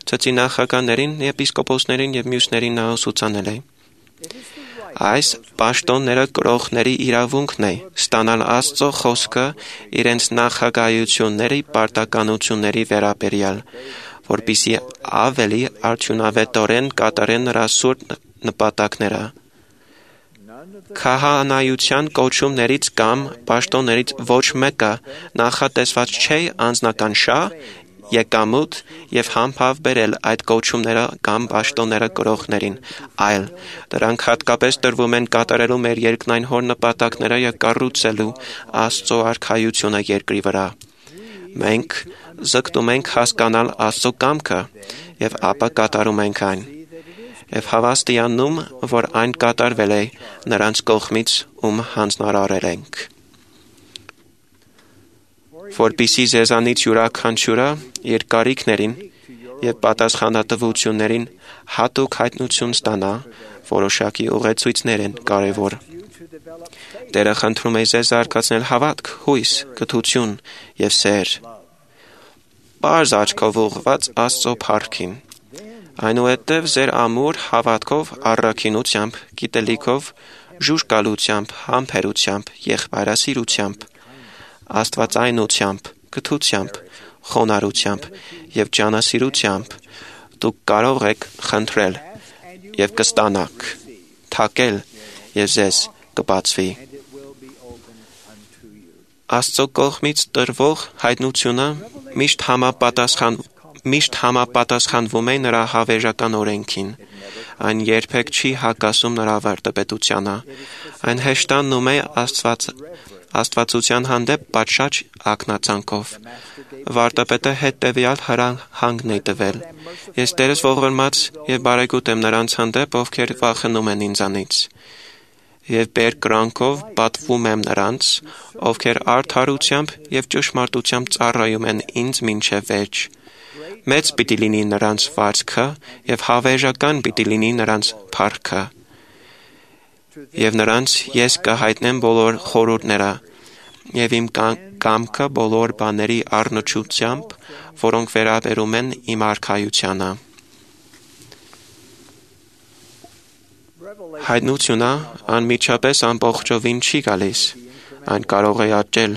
Ցծի նախագահներին, եպիսկոպոսներին եւ մյուսներին նա ուսուցանել է։ Այս պաշտոնները կրողների իրավունքն է ստանալ Աստծո խոսքը իրենց նախագահությունների պարտականությունների վերաբերյալ, որպեսզի ավելի արդյունավետորեն կատարեն նրա սուրբ նպատակները։ Քահանայության կոչումներից կամ պաշտոններից ոչ մեկը նախատեսված չէ անձնական շահ, եկամուտ եւ համբավ բերել այդ կոչումները կամ պաշտոնները կրողներին, այլ դրանք հատկապես տրվում են կատարելու մեր երկնային հոր նպատակները եւ կառուցելու Աստծո արքայությունը երկրի վրա։ Մենք զգտում ենք հասկանալ Աստծո կամքը եւ ապա կատարում ենք այն եւ հավաստիանում, որ այն կատարվել է նրանց կողմից, ում հանձնարարել ենք։ Որպեսզի ձեզանից յուրաքանչյուրը իր կարիքներին եւ պատասխանատվություններին հատուկ հայտնություն ստանա, որոշակի ուղեցույցներ են կարևոր։ Տերը խնդրում է ձեզ զարգացնել հավատք, հույս, կթություն եւ սեր։ Պարզ աչքով ուղղված Աստծո փառքին։ Այնուհետև ձեր ամուր հավատքով, առաքինությամբ, գիտելիքով, ժուժկալությամբ, համբերությամբ, եղբայրասիրությամբ, աստվածայնությամբ, կթությամբ, խոնարհությամբ եւ ջանասիրությամբ դուք կարող եք խնդրել եւ կստանաք, թակել եւ ձեզ կբացվի։ Աստծո կողմից տրվող հայտնությունը միշտ համապատասխան միշտ համապատասխանվում է նրա հավերժական օրենքին։ Այն երբեք չի հակասում նրա վարդապետությանը։ Այն հեշտանում է Աստված Աստվածության հանդեպ պատշաճ ակնածանքով։ Վարդապետը հետևյալ հրահանգն է տվել. Ես Տերս ողորմած եւ բարեգութ եմ նրանց հանդեպ, ովքեր վախենում են ինձանից։ Եվ բերկրանքով պատվում եմ նրանց, ովքեր արդարությամբ եւ ճշմարտությամբ ծառայում են ինձ մինչեւ վերջ։ Մեծ պիտի լինի նրանց վարձքը եւ հավերժական պիտի լինի նրանց փառքը։ Եվ նրանց ես կհայտնեմ բոլոր խորհուրդները եւ իմ կամքը բոլոր բաների առնչությամբ, որոնք վերաբերում են իմ արքայությանը։ Հայտնությունը անմիջապես ամբողջովին չի գալիս, այն կարող է աճել։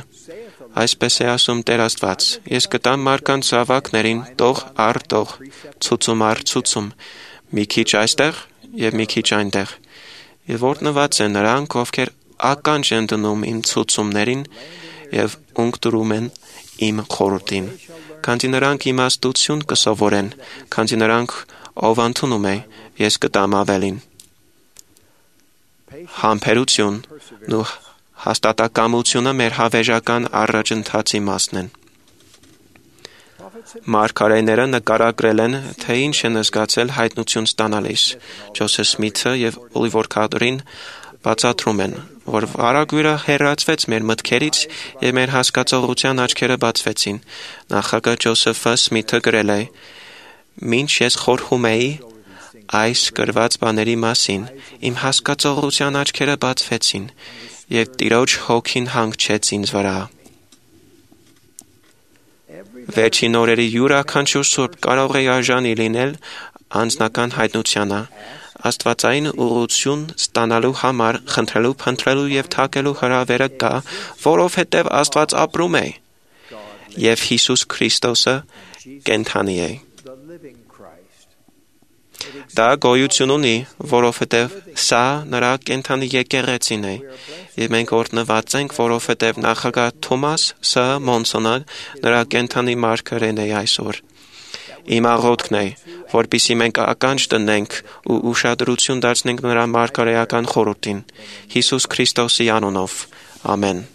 Այսպես է ասում Տեր Աստված. ես կտամ մարդկանց զավակներին տող առ տող, ցուցում առ ցուցում, մի քիչ այստեղ եւ մի քիչ այնտեղ։ Եվ օրհնված են նրանք, ովքեր ականջ են դնում իմ ցուցումներին եւ ունկտրում են իմ խորհրդին, քանզի նրանք իմաստություն կսովորեն, քանզի նրանք ով ընդունում է, ես կտամ ավելին։ Համբերությունն ու հաստատակամությունը մեր հավերժական առաջընթացի մասն են։ Մարգարեները նկարագրել են, թե ինչ են զգացել հայտնություն ստանալիս։ Ջոսեֆ Սմիթը եւ Օլիվեր Քարդերին բացատրում են, որ վարագույրը հեռացվեց մեր մտքերից եւ մեր հասկացողության աչքերը բացվեցին։ Նախագահ Ջոսեֆ Սմիթը գրել է. «Մինչ ես խորհում էի այս գրված բաների մասին, իմ հասկացողության աչքերը բացվեցին եւ Տիրոջ հոգին հանգչեց ինձ վրա»։ Վերջին օրերի յուրաքանչյուր սուրբ կարող է արժանի լինել անձնական հայտնությանը, աստվածային ուղղություն ստանալու համար խնդրելու, փնտրելու եւ թակելու հրավերը կա, որովհետեւ Աստված ապրում է եւ Հիսուս Քրիստոսը կենդանի է։ Դա գոյություն ունի, որովհետև սա նրա կենթանի եկեղեցին է։ Եվ մենք օրհնված ենք, որովհետև նախագահ Թոմաս Ս. Մոնսոնը նրա կենթանի մարգարեն է այսօր։ Իմ աղոթքն է, որպեսզի մենք ականջ դնենք ու ուշադրություն դարձնենք նրա մարգարեական խորհրդին։ Հիսուս Քրիստոսի անունով։ Ամեն։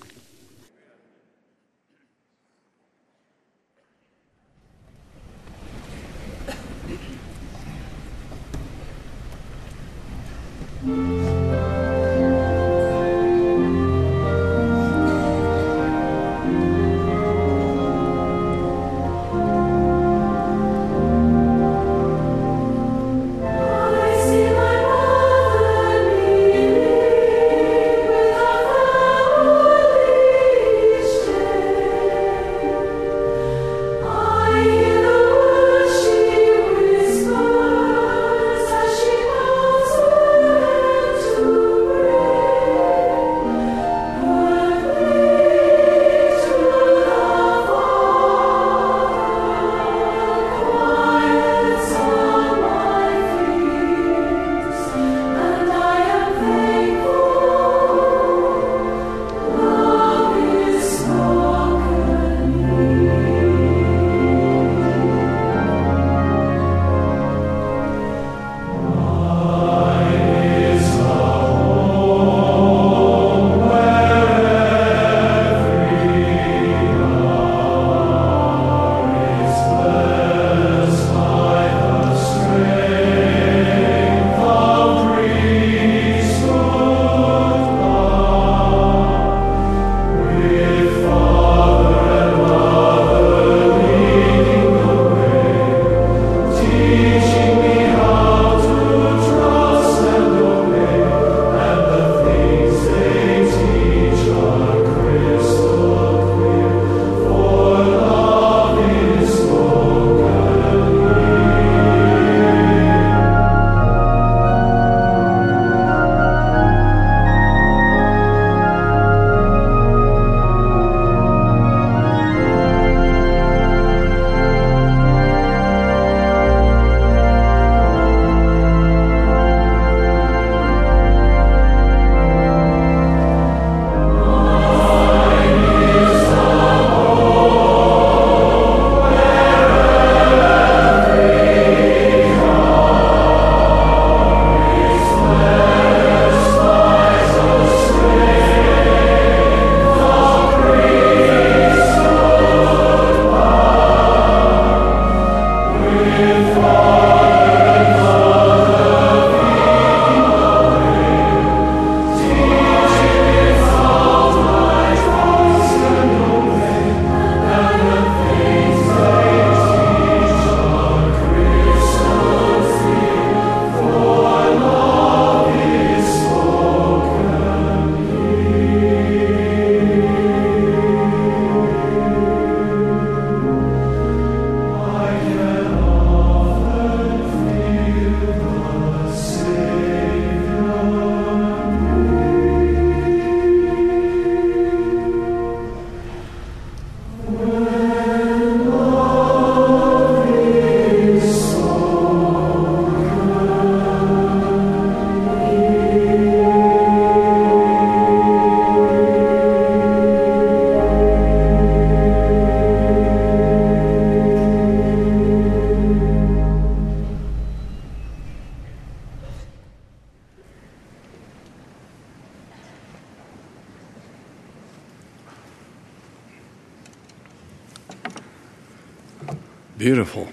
Beautiful.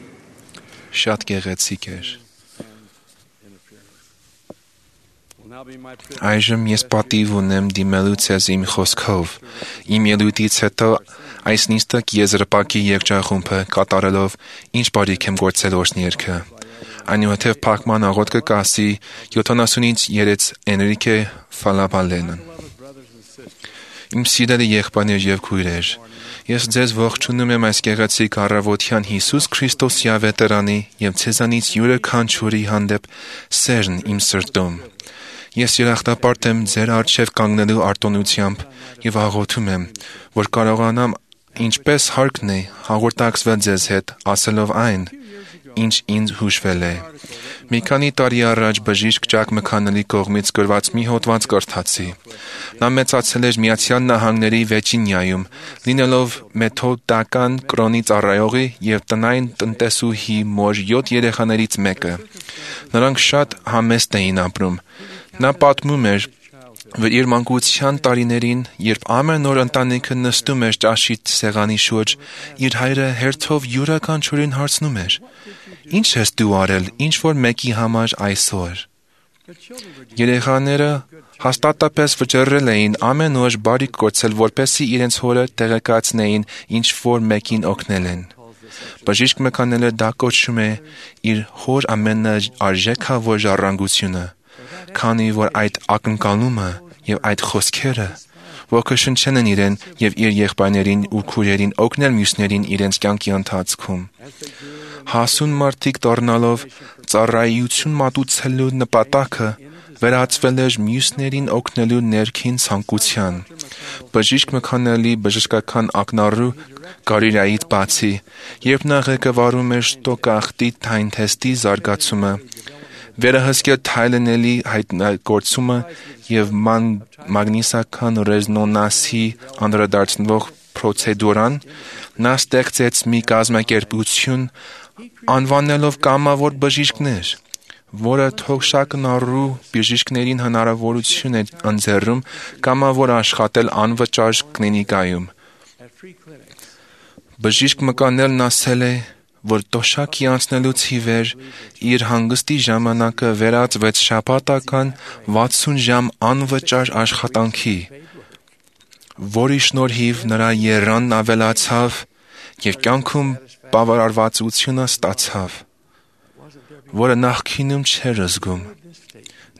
Շատ գեղեցիկ էր։ Այժմ ես պատիվ ունեմ դիմելու ցեզ իմ խոսքով։ Իմ ելույթից հետո այս նիստակ եզրպակի երգչախումբը կատարելով ինչ բարիք եմ գործել օրհներքը։ Այնուհետև փակման աղոթքը կասի յոթանասունից երեք Էնրիկե Ֆալաբալենն։ Իմ սիրելի եղբայրներ եւ քույրեր, ես ձեզ ողջունում եմ այս գեղեցիկ առավոտյան Հիսուս Քրիստոսի ավետարանի եւ ցեզանից յուրաքանչյուրի հանդեպ սերն իմ սրտում։ Ես երախտապարտ եմ ձեր առջև կանգնելու արտոնությամբ եւ աղոթում եմ, որ կարողանամ ինչպես հարկն է հաղորդակցվել ձեզ հետ, ասելով այն, ինչ ինձ հուշվել է։ Մի քանի տարի առաջ բժիշկ Ջակ Մքանելի կողմից գրված մի հոդված կարդացի։ Նա մեծացել էր Միացյալ Նահանգների Վերջինիայում, լինելով մեթոդական կրոնի ծառայողի եւ տնային տնտեսուհի մոտ յոթ երեխաներից մեկը։ Նրանք շատ համեստ էին ապրում։ Նա պատմում էր, որ իր մանկության տարիներին, երբ ամեն օր ընտանիքը նստում էր ճաշի սեղանի շուրջ, իր հայրը հերթով յուրաքանչյուրին հարցնում էր. «Ինչ ես դու արել ինչ որ մեկի համար այսօր»։ Երեխաները հաստատապես վճռել էին ամեն օր բարիք գործել, որպեսզի իրենց հորը տեղեկացնեին ինչ որ մեկին օգնել են։ Բժիշկ Մքանելը դա կոչում է իր հոր ամենաարժեքավոր ժառանգությունը, քանի որ այդ ակնկալումը եւ այդ խոսքերը ոգեշնչել են իրեն եւ իր եղբայրներին ու քույրերին օգնել մյուսներին իրենց կյանքի ընթացքում։ Հասուն մարդիկ դառնալով ծառայություն մատուցելու նպատակը վերածվել էր մյուսներին օգնելու ներքին ցանկության։ Բժիշկ Մքանելի բժշկական ակնառու կարիերայից բացի, երբ նա ղեկավարում էր շտոկախտի թայնթեստի զարգացումը, վերահսկել թայլենելի հայտնագործումը եւ մագնիսական ռեզոնանսի անդրադարձնող պրոցեդուրան, նա ստեղծեց մի կազմակերպություն, անվանելով կամավոր բժիշկներ, որը թոշակնառու բժիշկներին հնարավորություն է ընձեռում կամավոր աշխատել անվճար կլինիկայում։ Բժիշկ Մքանելն ասել է, որ տոշակի անցնելուց ի վեր իր հանգստի ժամանակը վերածվեց շաբաթական վաթսուն ժամ անվճար աշխատանքի, որի շնորհիվ նրա եռանն ավելացավ եւ կյանքում բավարարվածությունը ստացավ, որը նախկինում չէր զգում։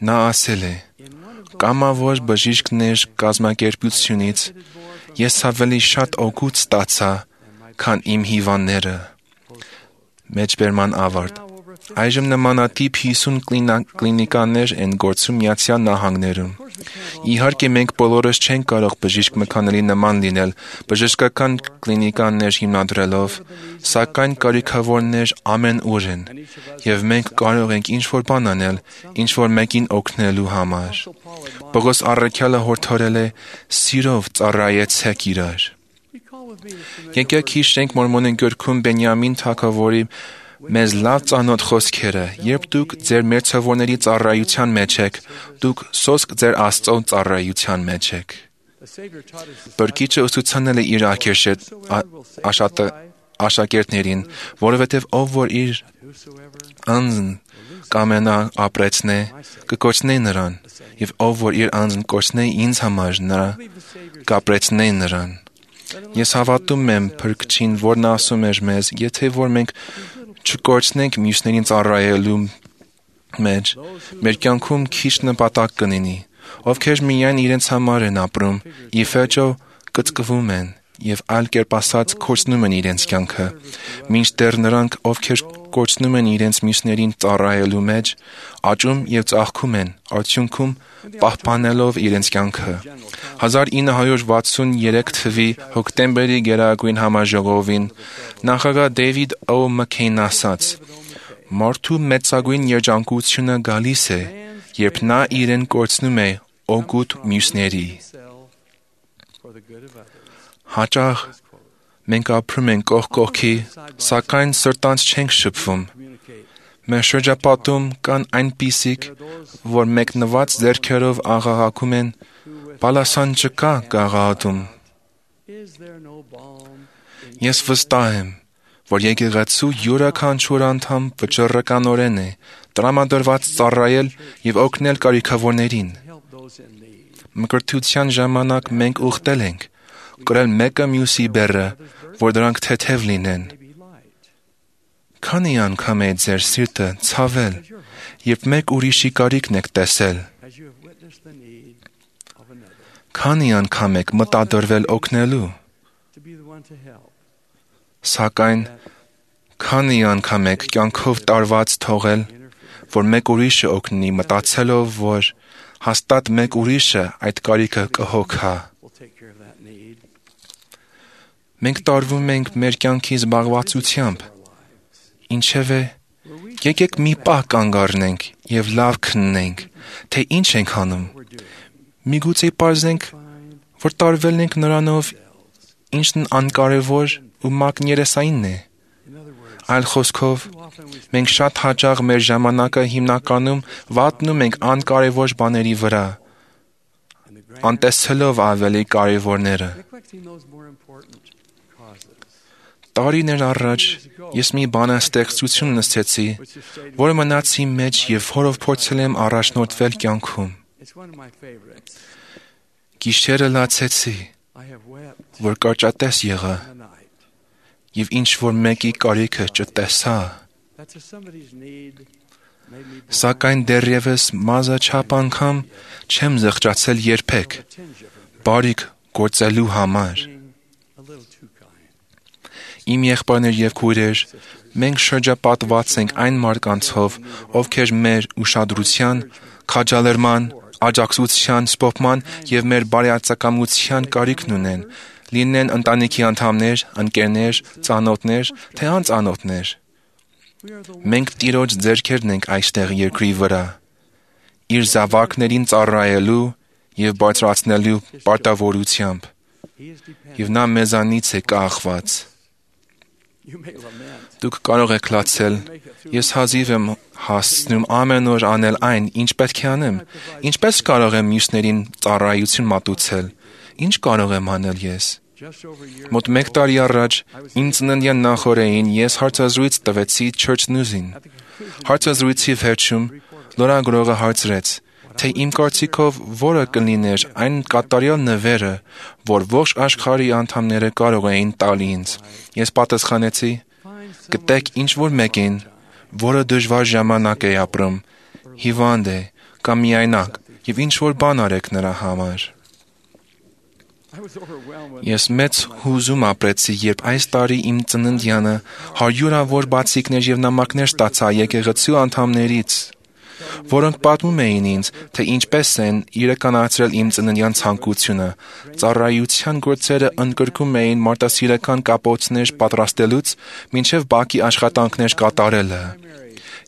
Նա ասել է. «Կամավոր բժիշկներ կազմակերպությունից ես ավելի շատ օգուտ ստացա, քան իմ հիվանդները»։ Մեջբերման ավարտ։ Այժմ նմանատիպ հիսուն կլինիկաներ են գործում Միացյալ Նահանգներում։ Իհարկե մենք բոլորս չենք կարող բժիշկ Մքանելի նման լինել, բժշկական կլինիկաներ հիմնադրելով, սակայն կարիքավորներ ամենուր են, եւ մենք կարող ենք ինչ-որ բան անել, ինչ-որ մեկին օգնելու համար։ Պողոս առաքյալը հորդորել է. «Սիրով ծառայեցեք իրար»։ Եկեք հիշենք Մորմոնի գրքում Բենյամին թագավորի մեզ լավ ծանոթ խոսքերը. «Երբ դուք ձեր մերձավորների ծառայության մեջ եք, դուք սոսկ ձեր Աստծո ծառայության մեջ եք»։ Բրկիչը ուսուցանել է իր աշակերտներին, որովհետև ով որ իր անձն կամենա ապրեցնե, կկորցնե նրան, եւ ով որ իր անձն կորցնե ինձ համար, նրա կապրեցնե նրան։ Ես հավատում եմ Փրկչին, որն ասում էր մեզ, եթե որ մենք չկորցնենք մյուսներին ծառայելու մեջ, մեր կյանքում քիչ նպատակ կլինի, ովքեր միայն իրենց համար են ապրում, ի վերջո կծկվում են եւ այլ կերպ ասած կորցնում են իրենց կյանքը, մինչդեռ նրանք, ովքեր կորցնում են իրենց մյուսներին ծառայելու մեջ, աճում եւ ծաղկում են, արդյունքում պահպանելով իրենց կյանքը։ հազար ինը հարյուր վաթսուներեք թվականի հոկտեմբերի գերագույն համաժողովին նախագահ Դեյվիդ Օ. Մքեյնն ասաց. «Մարդու մեծագույն երջանկությունը գալիս է, երբ նա իրեն կորցնում է օգուտ մյուսների»։ Հաճախ մենք ապրում ենք կողք կողքի, սակայն սրտանց չենք շփվում։ Մեր շրջապատում կան այնպիսիք, որ մեկնված ձեռքերով աղաղակում են. «Բալասան չկա գաղափարում»։ Ես վստահ եմ, որ եկեղեցու յուրաքանչյուր անդամ վճռականորեն է տրամադրված ծառայել եւ օգնել կարիքավորներին։ Մկրտության ժամանակ մենք ուխտել ենք, կրել մեկը մյուսի բեռը, որ դրանք թեթև լինեն։ Քանի անգամ է ձեր սիրտը ցավել, երբ մեկ ուրիշի կարիքն եք տեսել։ Քանի անգամ եք մտադրվել օգնելու։ Սակայն քանի անգամ եք կյանքով տարված թողել, որ մեկ ուրիշը օգնի, մտածելով, որ հաստատ մեկ ուրիշը այդ կարիքը կհոգա։ Մենք տարվում ենք մեր կյանքի զբաղվածությամբ, ինչևէ Եկեք մի պահ կանգ առնենք եւ լավ քննենք, թե ինչ ենք անում։ Միգուցե պարզենք, որ տարվելն ենք նրանով, ինչն անկարևոր ու մակներեսային է։ Այլ խոսքով, մենք շատ հաճախ մեր ժամանակը հիմնականում վատնում ենք անկարևոր բաների վրա, անտեսելով ավելի կարևորները։ Տարիներ առաջ ես մի բանաստեղծություն նստեցի, որը մնաց իմ մեջ եւ որով փորձել եմ առաջնորդվել կյանքում։ Գիշերը լացեցի, որ կարճատես եղա, եւ ինչ որ մեկի կարիքը չտեսա։ Սակայն դեռևս մազաչափ անգամ չեմ զղջացել երբեք, բարիք գործելու համար։ Իմ եղբայրներ եւ քույրեր, մենք շրջապատված ենք այն մարդկանցով, ովքեր մեր ուշադրության, քաջալերման, աջակցության, սփոփման եւ մեր բարեացակամության կարիքն ունեն, լինեն ընտանիքի անդամներ, ընկերներ, ծանոթներ, թե անծանոթներ։ Մենք Տիրոջ ձեռքերն ենք այստեղ երկրի վրա, իր զավակներին ծառայելու եւ բարձրացնելու պարտավորությամբ, եւ նա մեզանից է կախված։ Դուք կարող եք լացել, ես հազիվ եմ հասցնում ամեն օր անել այն, ինչ պետք է անեմ, ինչպես կարող եմ մյուսներին ծառայություն մատուցել, ինչ կարող եմ անել ես։ Մոտ մեկ տարի առաջ, իմ ծննդյան նախօրեին ես հարցազրույց տվեցի Church News-ին։ Հարցազրույցի վերջում լրագրողը հարցրեց, թե իմ կարծիքով որը կլիներ այն կատարյալ նվերը, որ ողջ աշխարհի անդամները կարող էին տալ ինձ։ Ես պատասխանեցի. գտեք ինչ-որ մեկին, որը դժվար ժամանակ է ապրում, հիվանդ է կամ միայնակ, եւ ինչ-որ բան արեք նրա համար։ Ես մեծ հուզում ապրեցի, երբ այս տարի իմ ծննդյանը հարյուրավոր բացիկներ եւ նամակներ ստացա եկեղեցու անդամներից, որոնք պատմում էին ինձ, թե ինչպես են իրականացրել իմ ծննդյան ցանկությունը, ծառայության գործերը ընդգրկում էին մարդասիրական կապոցներ պատրաստելուց մինչև բակի աշխատանքներ կատարելը։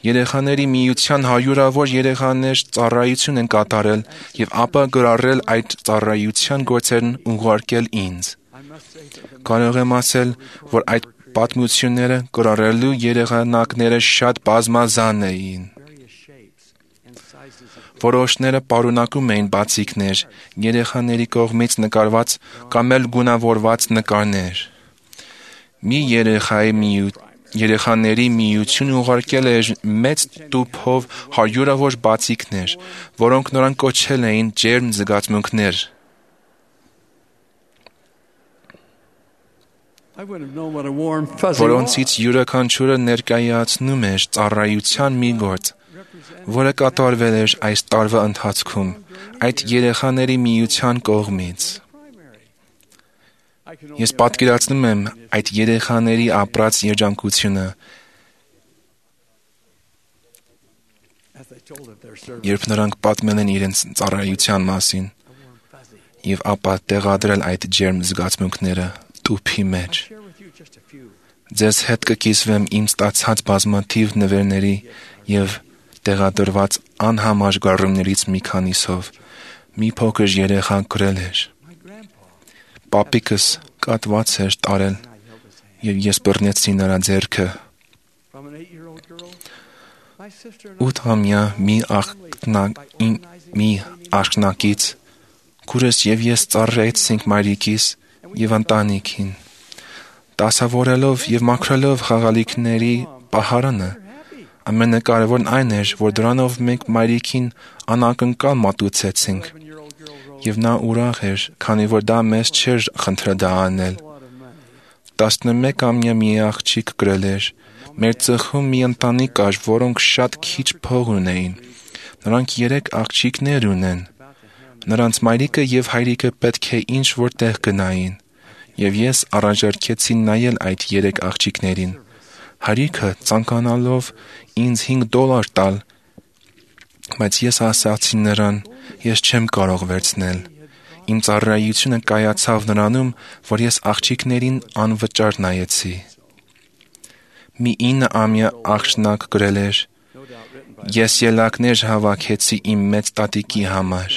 Երեխաների միության հարյուրավոր երեխաներ ծառայություն են կատարել եւ ապա գրառել այդ ծառայության գործերն ուղարկել ինձ։ Կարող եմ ասել, որ այդ պատմությունները գրառելու երեխանակները շատ բազմազան էին։ Որոշները պարունակում էին բացիկներ, երեխաների կողմից նկարված կամ էլ գունավորված նկարներ։ Մի երեխայի միություն Երեխաների միություն ուղարկել էր մեծ տուփով հարյուրավոր բացիկներ, որոնք նրան կոչել էին ջերմ զգացմունքներ։ Որոնցից յուրաքանչյուրը ներկայացնում էր ծառայության մի գործ, որը կատարվել էր այս տարվա ընթացքում այդ երեխաների միության կողմից։ Ես պատկերացնում եմ այդ երեխաների ապրած երջանկությունը, երբ նրանք պատմել են իրենց ծառայության մասին եւ ապա տեղադրել այդ ջերմ զգացմունքները տուփի մեջ։ Ձեզ հետ կկիսվեմ իմ ստացած բազմաթիվ նվերների եւ տեղադրված անհամաժգարումներից մի քանիսով։ Մի փոքր երեխա գրել էր. Պապիկս կատված էր տարել եւ ես բռնեցի նրա ձեռքը։ Ութամյա մի մի աղջնակից քուրս եւ ես ծառայեցինք մայրիկիս եւ ընտանիքին, դասավորելով եւ մաքրելով խաղալիքների պահարանը։ Ամենակարևորն այն էր, որ դրանով մենք մայրիկին անակնկալ մատուցեցինք, եւ նա ուրախ էր, քանի որ դա մեզ չէր խնդրել դա անել։ տասնմեկամյա մի աղջիկ գրել էր. մեր ծխում մի ընտանիք կար, որոնք շատ քիչ փող ունեին։ Նրանք երեք աղջիկներ ունեն։ Նրանց մայրիկը եւ հայրիկը պետք է ինչ-որ տեղ գնային, եւ ես առաջարկեցի նայել այդ երեք աղջիկներին։ Հայրիկը ցանկանալով ինձ հինգ դոլար տալ, բայց ես ասացի նրան, ես չեմ կարող վերցնել։ Իմ ծառայությունը կայացավ նրանում, որ ես աղջիկներին անվճար նայեցի։ մի ինը ամյա աղջնակ գրել էր. Ես ելակներ հավաքեցի իմ մեծ տատիկի համար,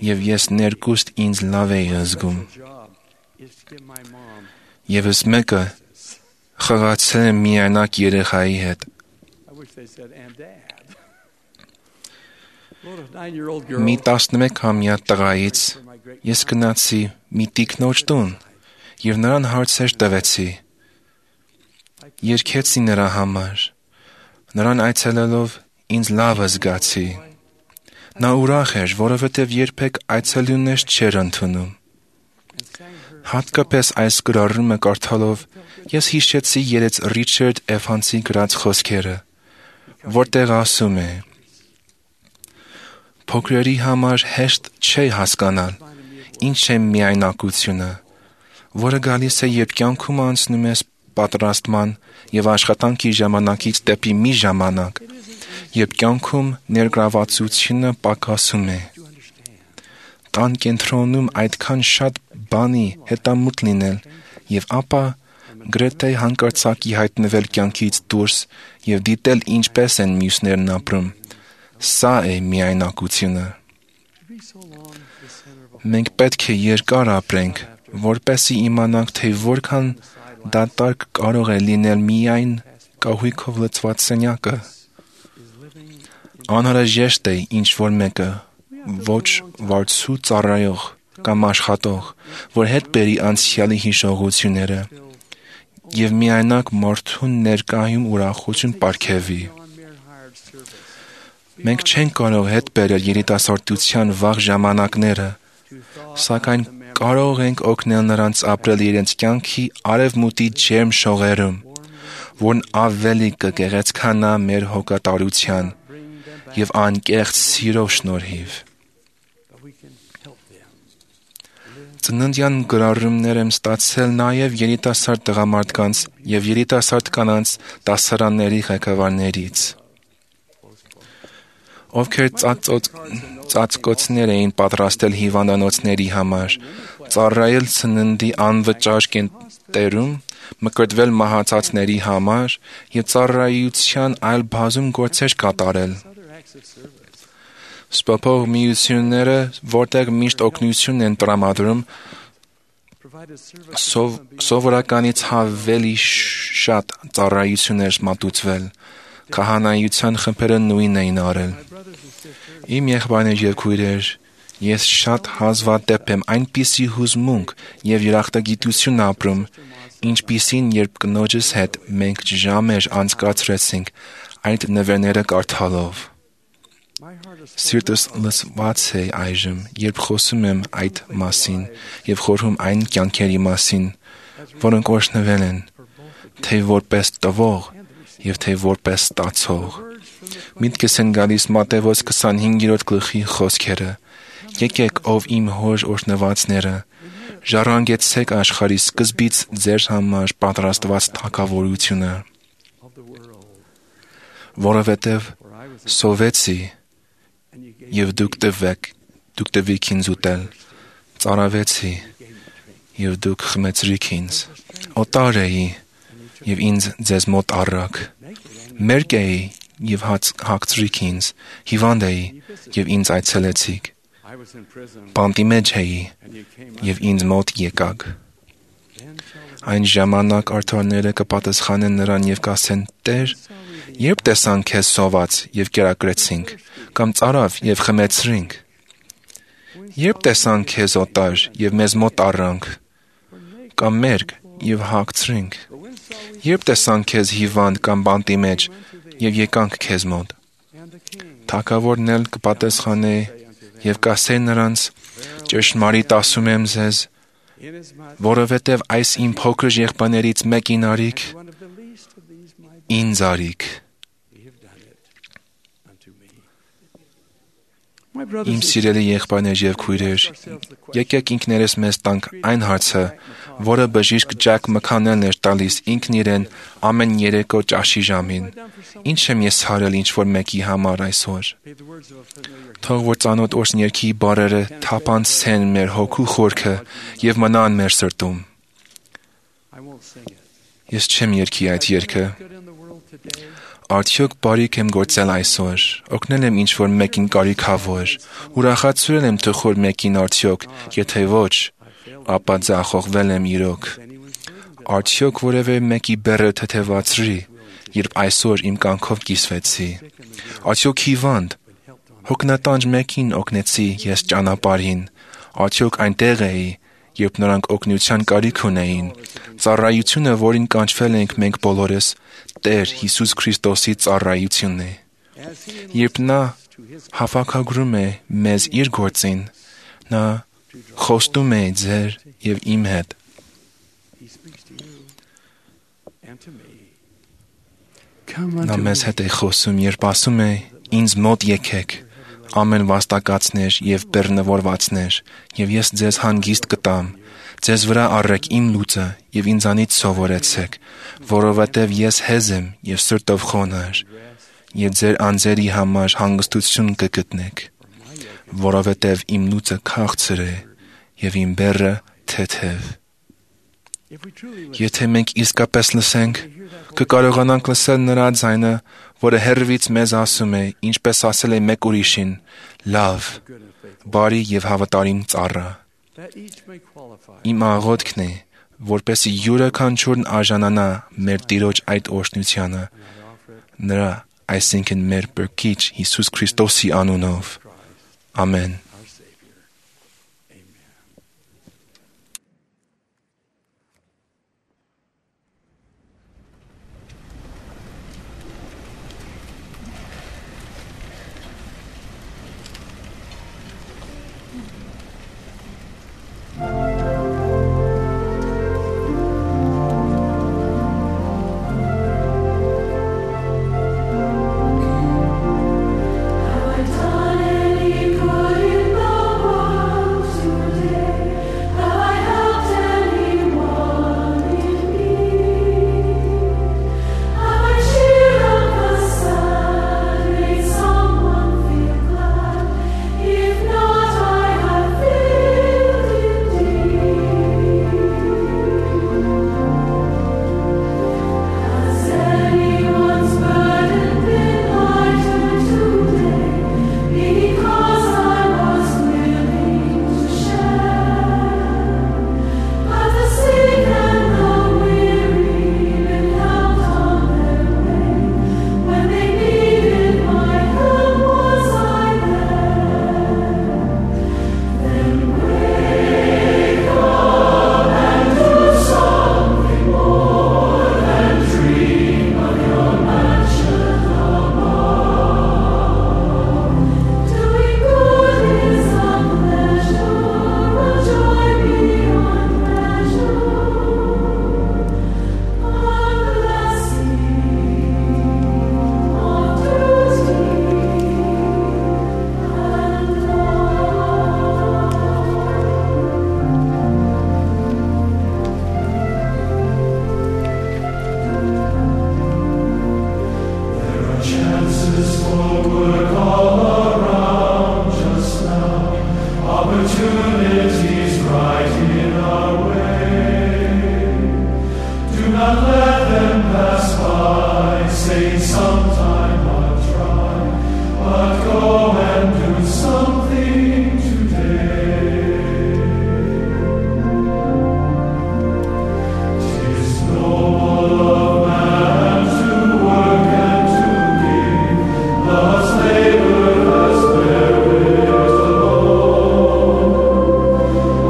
եւ ես ներկուստ ինձ լավ էի զգում։ Եվս մեկը խաղացել եմ միայնակ երեխայի հետ։ Մի տասնմեկամյա տղայից ես գնացի մի տիկնոջ տուն եւ նրան հարցեր տվեցի։ Երգեցի նրա համար։ Նրան այցելելով ինձ լավ զգացի։ Նա ուրախ էր, որովհետև երբեք այցելուներ չէր ընդունում։ Հատկապես այս գրառումը կարդալով ես հիշեցի երեց Ռիչարդ Էվանսի գրած խոսքերը, որտեղ ասում է. Փոքրերի համար հեշտ չէ հասկանալ, ինչ է միայնակությունը, որը գալիս է, երբ կյանքում անցնում ես պատրաստման եւ աշխատանքի ժամանակից դեպի մի ժամանակ, երբ կյանքում ներգրավվածությունը պակասում է։ Տան կենտրոնում այդքան շատ բանի հետամուտ լինել եւ ապա գրեթե հանկարծակի հայտնվել կյանքից դուրս եւ դիտել ինչպես են մյուսներն ապրում։ Սա է միայնակությունը։ Մենք պետք է երկար ապրենք, որպեսզի իմանանք, թե որքան դատարկ կարող է լինել միայն կահույքով լցված սենյակը։ Անհրաժեշտ է ինչ-որ մեկը, ոչ վարձու ծառայող կամ աշխատող, որ հետ բերի անցյալի հիշողությունները եւ միայնակ մարդուն ներկայում ուրախություն պարգևի։ Մենք չենք կարող հետ բերել երիտասարդության վաղ ժամանակները, սակայն կարող ենք օգնել նրանց ապրել իրենց կյանքի արևմուտի ջերմ շողերում, որն ավելի կգեղեցկանա մեր հոգատարության եւ անկեղծ սիրո շնորհիվ։ Ծննդյան գրառումներ եմ ստացել նաև երիտասարդ տղամարդկանց եւ երիտասարդ կանանց դասարանների ղեկավարներից, ովքեր ծածկոցներ էին պատրաստել հիվանդանոցների համար, ծառայել ծննդի անվճար կենտրոնում, մկրտվել մահացածների համար եւ ծառայության այլ բազում գործեր կատարել։ Սպասող միությունները, որտեղ միշտ օգնություն են տրամադրում, սով, սովորականից ավելի շատ ծառայություններ մատուցվել, քահանայության խմբերը նույնն էին արել։ Իմ եղբայրներ եւ քույրեր, ես շատ հազվադեպ եմ այնպիսի հուզմունք եւ երախտագիտություն ապրում, ինչպիսին երբ կնոջս հետ մենք ժամեր անցկացրեցինք այդ նվերները կարդալով։ Սիրտս լցված է այժմ, երբ խոսում եմ այդ մասին եւ խորհում այն կյանքերի մասին, որոնք օրհնվել են, թե որպես տվող եւ թե որպես ստացող։ Միտքս են գալիս Մատթեոս քսանհինգերորդ գլխի խոսքերը. Եկեք, ով իմ հոր օրհնվածները, ժառանգեցեք աշխարհի սկզբից ձեր համար պատրաստված թագավորությունը, որովհետև սովեցի եւ դուք տվեք, դուք տվեք ինձ ուտել, ծարավեցի եւ դուք խմեցրիք ինձ, օտար էի եւ ինձ ձեզ մոտ առաք, մերկ էի եւ հագցրիք ինձ, հիվանդ էի եւ ինձ այցելեցիք, բանտի մեջ էի եւ ինձ մոտ եկաք։ Այն ժամանակ արդարները կպատասխանեն նրան եւ կասեն. Տեր, երբ տեսանք քեզ սոված եւ կերակրեցինք, կամ ծարավ եւ խմեցրինք, երբ տեսանք քեզ օտար եւ մեզ մոտ առանք, կամ մերկ եւ հագցրինք, երբ տեսանք քեզ հիվանդ կամ բանտի մեջ եւ եկանք քեզ մոտ։ Թագավորն էլ կպատասխանե եւ կասե նրանց. ճշմարիտ ասում եմ ձեզ, որովհետև այս իմ փոքր եղբայրներից մեկին արիք, ինձ արիք։ Իմ սիրելի եղբայրներ եւ քույրեր, եկեք ինքներս մեզ տանք այն հարցը, որը բժիշկ Ջակ Մքանելն էր տալիս ինքն իրեն ամեն երեկո ճաշի ժամին. Ինչ եմ ես հարել ինչ-որ մեկի համար այսօր։ Թող որ ծանոթ օրհներքի բառերը թափանցեն մեր հոգու խորքը եւ մնան մեր սրտում։ Ես չեմ երգի այդ երգը։ Արդյոք բարիք եմ գործել այսօր, օգնել եմ ինչ-որ մեկին կարիքավոր, ուրախացրել եմ թխոր մեկին արդյոք, եթե ոչ, ապա ձախողվել եմ իրոք։ Արդյոք որևէ մեկի բեռը թեթևացրի, երբ այսօր իմ կյանքով կիսվեցի։ Արդյոք հիվանդ, հոգնատանջ մեկին օգնեցի ես ճանապարհին, արդյոք այնտեղ էի, երբ նրանք օգնության կարիք ունեին։ Ծառայությունը, որին կանչվել ենք մենք բոլորս, Տեր Հիսուս Քրիստոսի ծառայությունն է։ Երբ նա հավաքագրում է մեզ իր գործին, նա խոստում է ձեր եւ իմ հետ։ Նա մեզ հետ է խոսում, երբ ասում է. «Ինձ մոտ եկեք, ամեն վաստակածներ եւ բեռնավորվածներ, եւ ես ձեզ հանգիստ կտամ։ Ձեզ վրա առեք իմ լուծը եւ ինձանից սովորեցեք, որովհետեւ ես հեզ եմ եւ սրտով խոնարհ, եւ ձեր անձերի համար հանգստություն կգտնեք, որովհետեւ իմ լուծը քաղցր է եւ իմ բեռը թեթև»։ Եթե մենք իսկապես լսենք, կկարողանանք լսել նրա ձայնը, որը հեռվից մեզ ասում է, ինչպես ասել է մեկ ուրիշին. «Լավ, բարի եւ հավատարիմ ծառա»։ Իմ աղոթքն է, որպեսզի յուրաքանչյուրն արժանանա մեր Տիրոջ այդ օրհնությանը, նրա, այսինքն մեր Փրկիչ Հիսուս Քրիստոսի անունով։ Ամեն։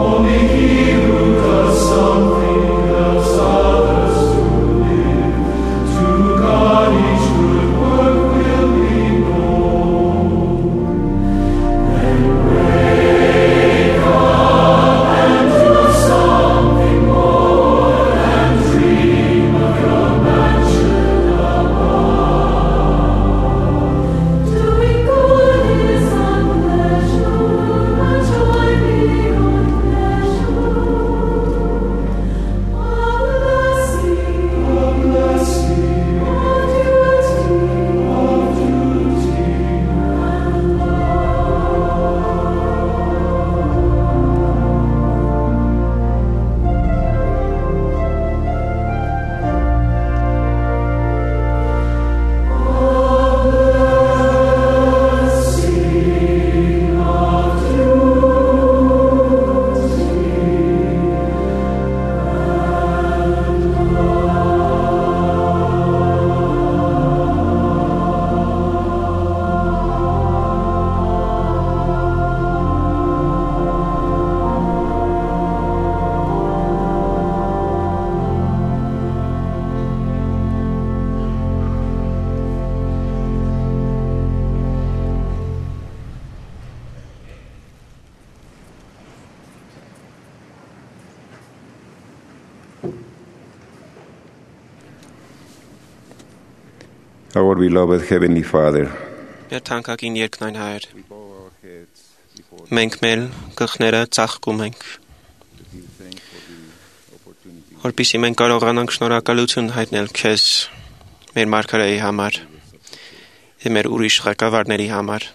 Only he who does something helps others to our beloved Heavenly Father, Մեր թանկագին երկնային Հայր, մենք մեր գլխները ծաղկում ենք, որպեսզի մենք կարողանանք շնորհակալություն հայտնել Քեզ, մեր մարգարեի համար եւ մեր ուրիշ ղեկավարների համար։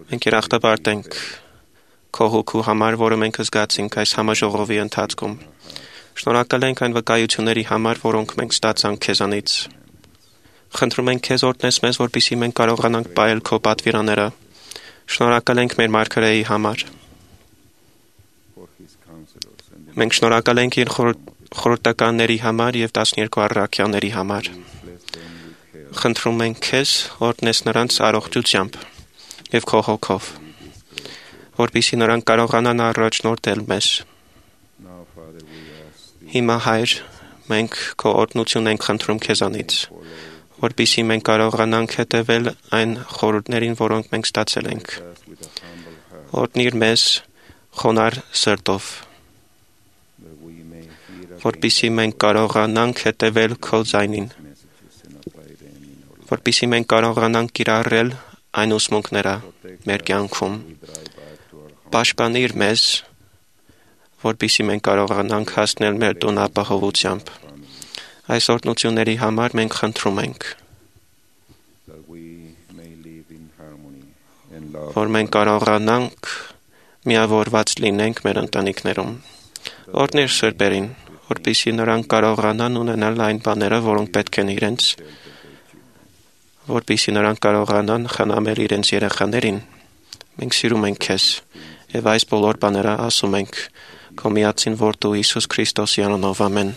Մենք երախտապարտ ենք Քո հոգու համար, որը մենք զգացինք այս համաժողովի ընթացքում։ Շնորհակալ ենք այն վկայությունների համար, որոնք մենք ստացանք Քեզանից։ Խնդրում ենք Քեզ օրհնես մեզ, որպեսզի մենք կարողանանք պահել Քո պատվիրանները։ Շնորհակալ ենք մեր մարգարեի համար։ Մենք շնորհակալ ենք իր խորհրդականների համար եւ տասներկու առաքյալների համար։ Խնդրում ենք Քեզ օրհնես նրանց առողջությամբ եւ Քո հոգով, որպեսզի նրանք կարողանան առաջնորդել մեզ։ Հիմա Հայր, մենք Քո օրհնություն ենք խնդրում Քեզանից, որպեսզի մենք կարողանանք հետևել այն խորհուրդներին, որոնք մենք ստացել ենք։ Օրհնիր մեզ խոնար սրտով, որպեսզի մենք կարողանանք հետևել Քո ձայնին, որպեսզի մենք կարողանանք կիրառել այն ուսմունքները մեր կյանքում։ Պաշտպանիր մեզ, որպեսզի մենք կարողանանք հասնել մեր տուն ապահովությամբ։ Այս օրհնությունների համար մենք խնդրում ենք, որ մենք կարողանանք միավորված լինենք մեր ընտանիքներում։ Օրհնիր սրբերին, որպեսզի նրանք կարողանան ունենալ այն բաները, որոնք պետք են իրենց, որպեսզի նրանք կարողանան խնամել իրենց երեխաներին։ Մենք սիրում ենք Քեզ եւ այս բոլոր բաները ասում ենք Քո միածին որդու Հիսուս Քրիստոսի անունով, ամեն։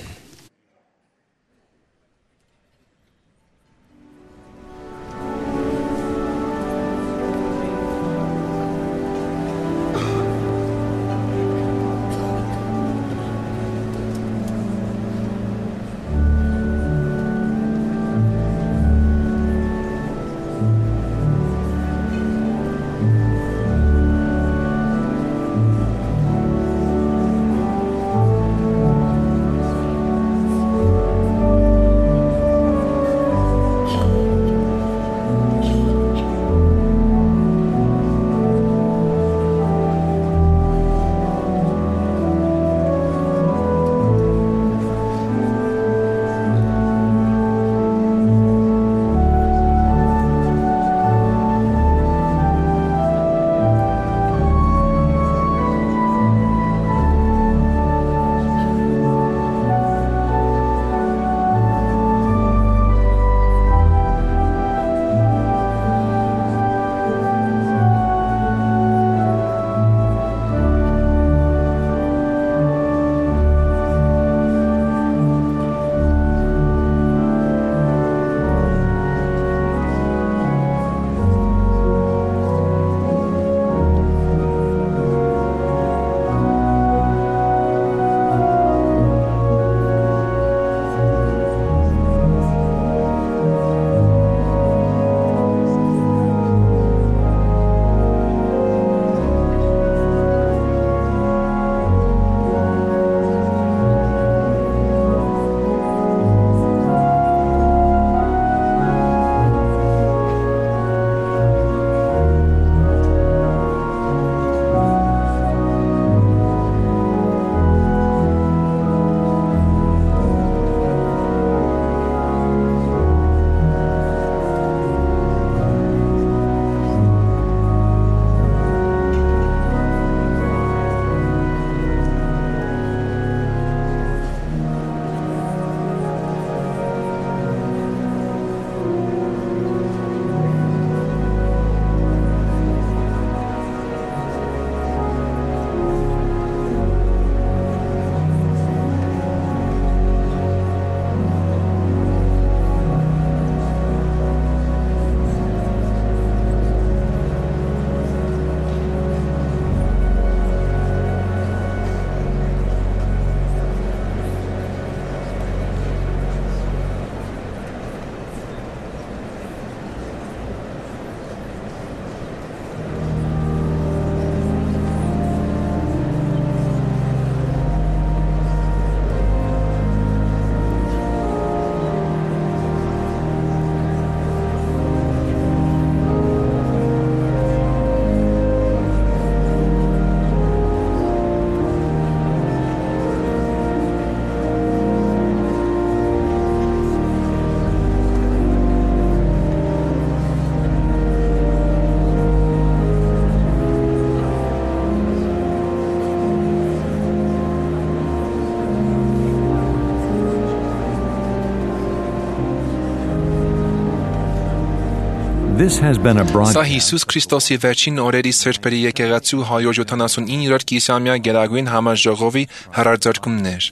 This has been a Սա broadcast Հիսուս Քրիստոսի վերջին օրերի սրբերի եկեղեցու հարյուր յոթանասունիններորդ կիսամյա գերագույն համաժողովի հրարձակումն էր։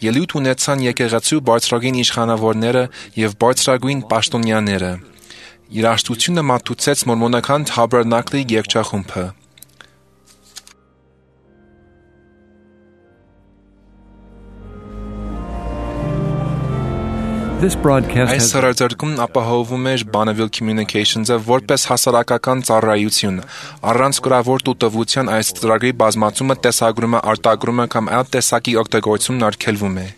Ելույթ ունեցան եկեղեցու բարձրագույն իշխանավորները եւ բարձրագույն պաշտոնյաները։ Երաժշտությունը մատուցեց մորմոնական Թաբերնակլի երգչախումբը։ This broadcast Այս has հրարձակումն ապահովում էր Bonneville Communications-ը որպես հասարակական ծառայություն։ Առանց գրավոր տուտվության այս ծրագրի բազմացումը, տեսագրումը, արտագրումը կամ այլ տեսակի օգտագործումն արգելվում է։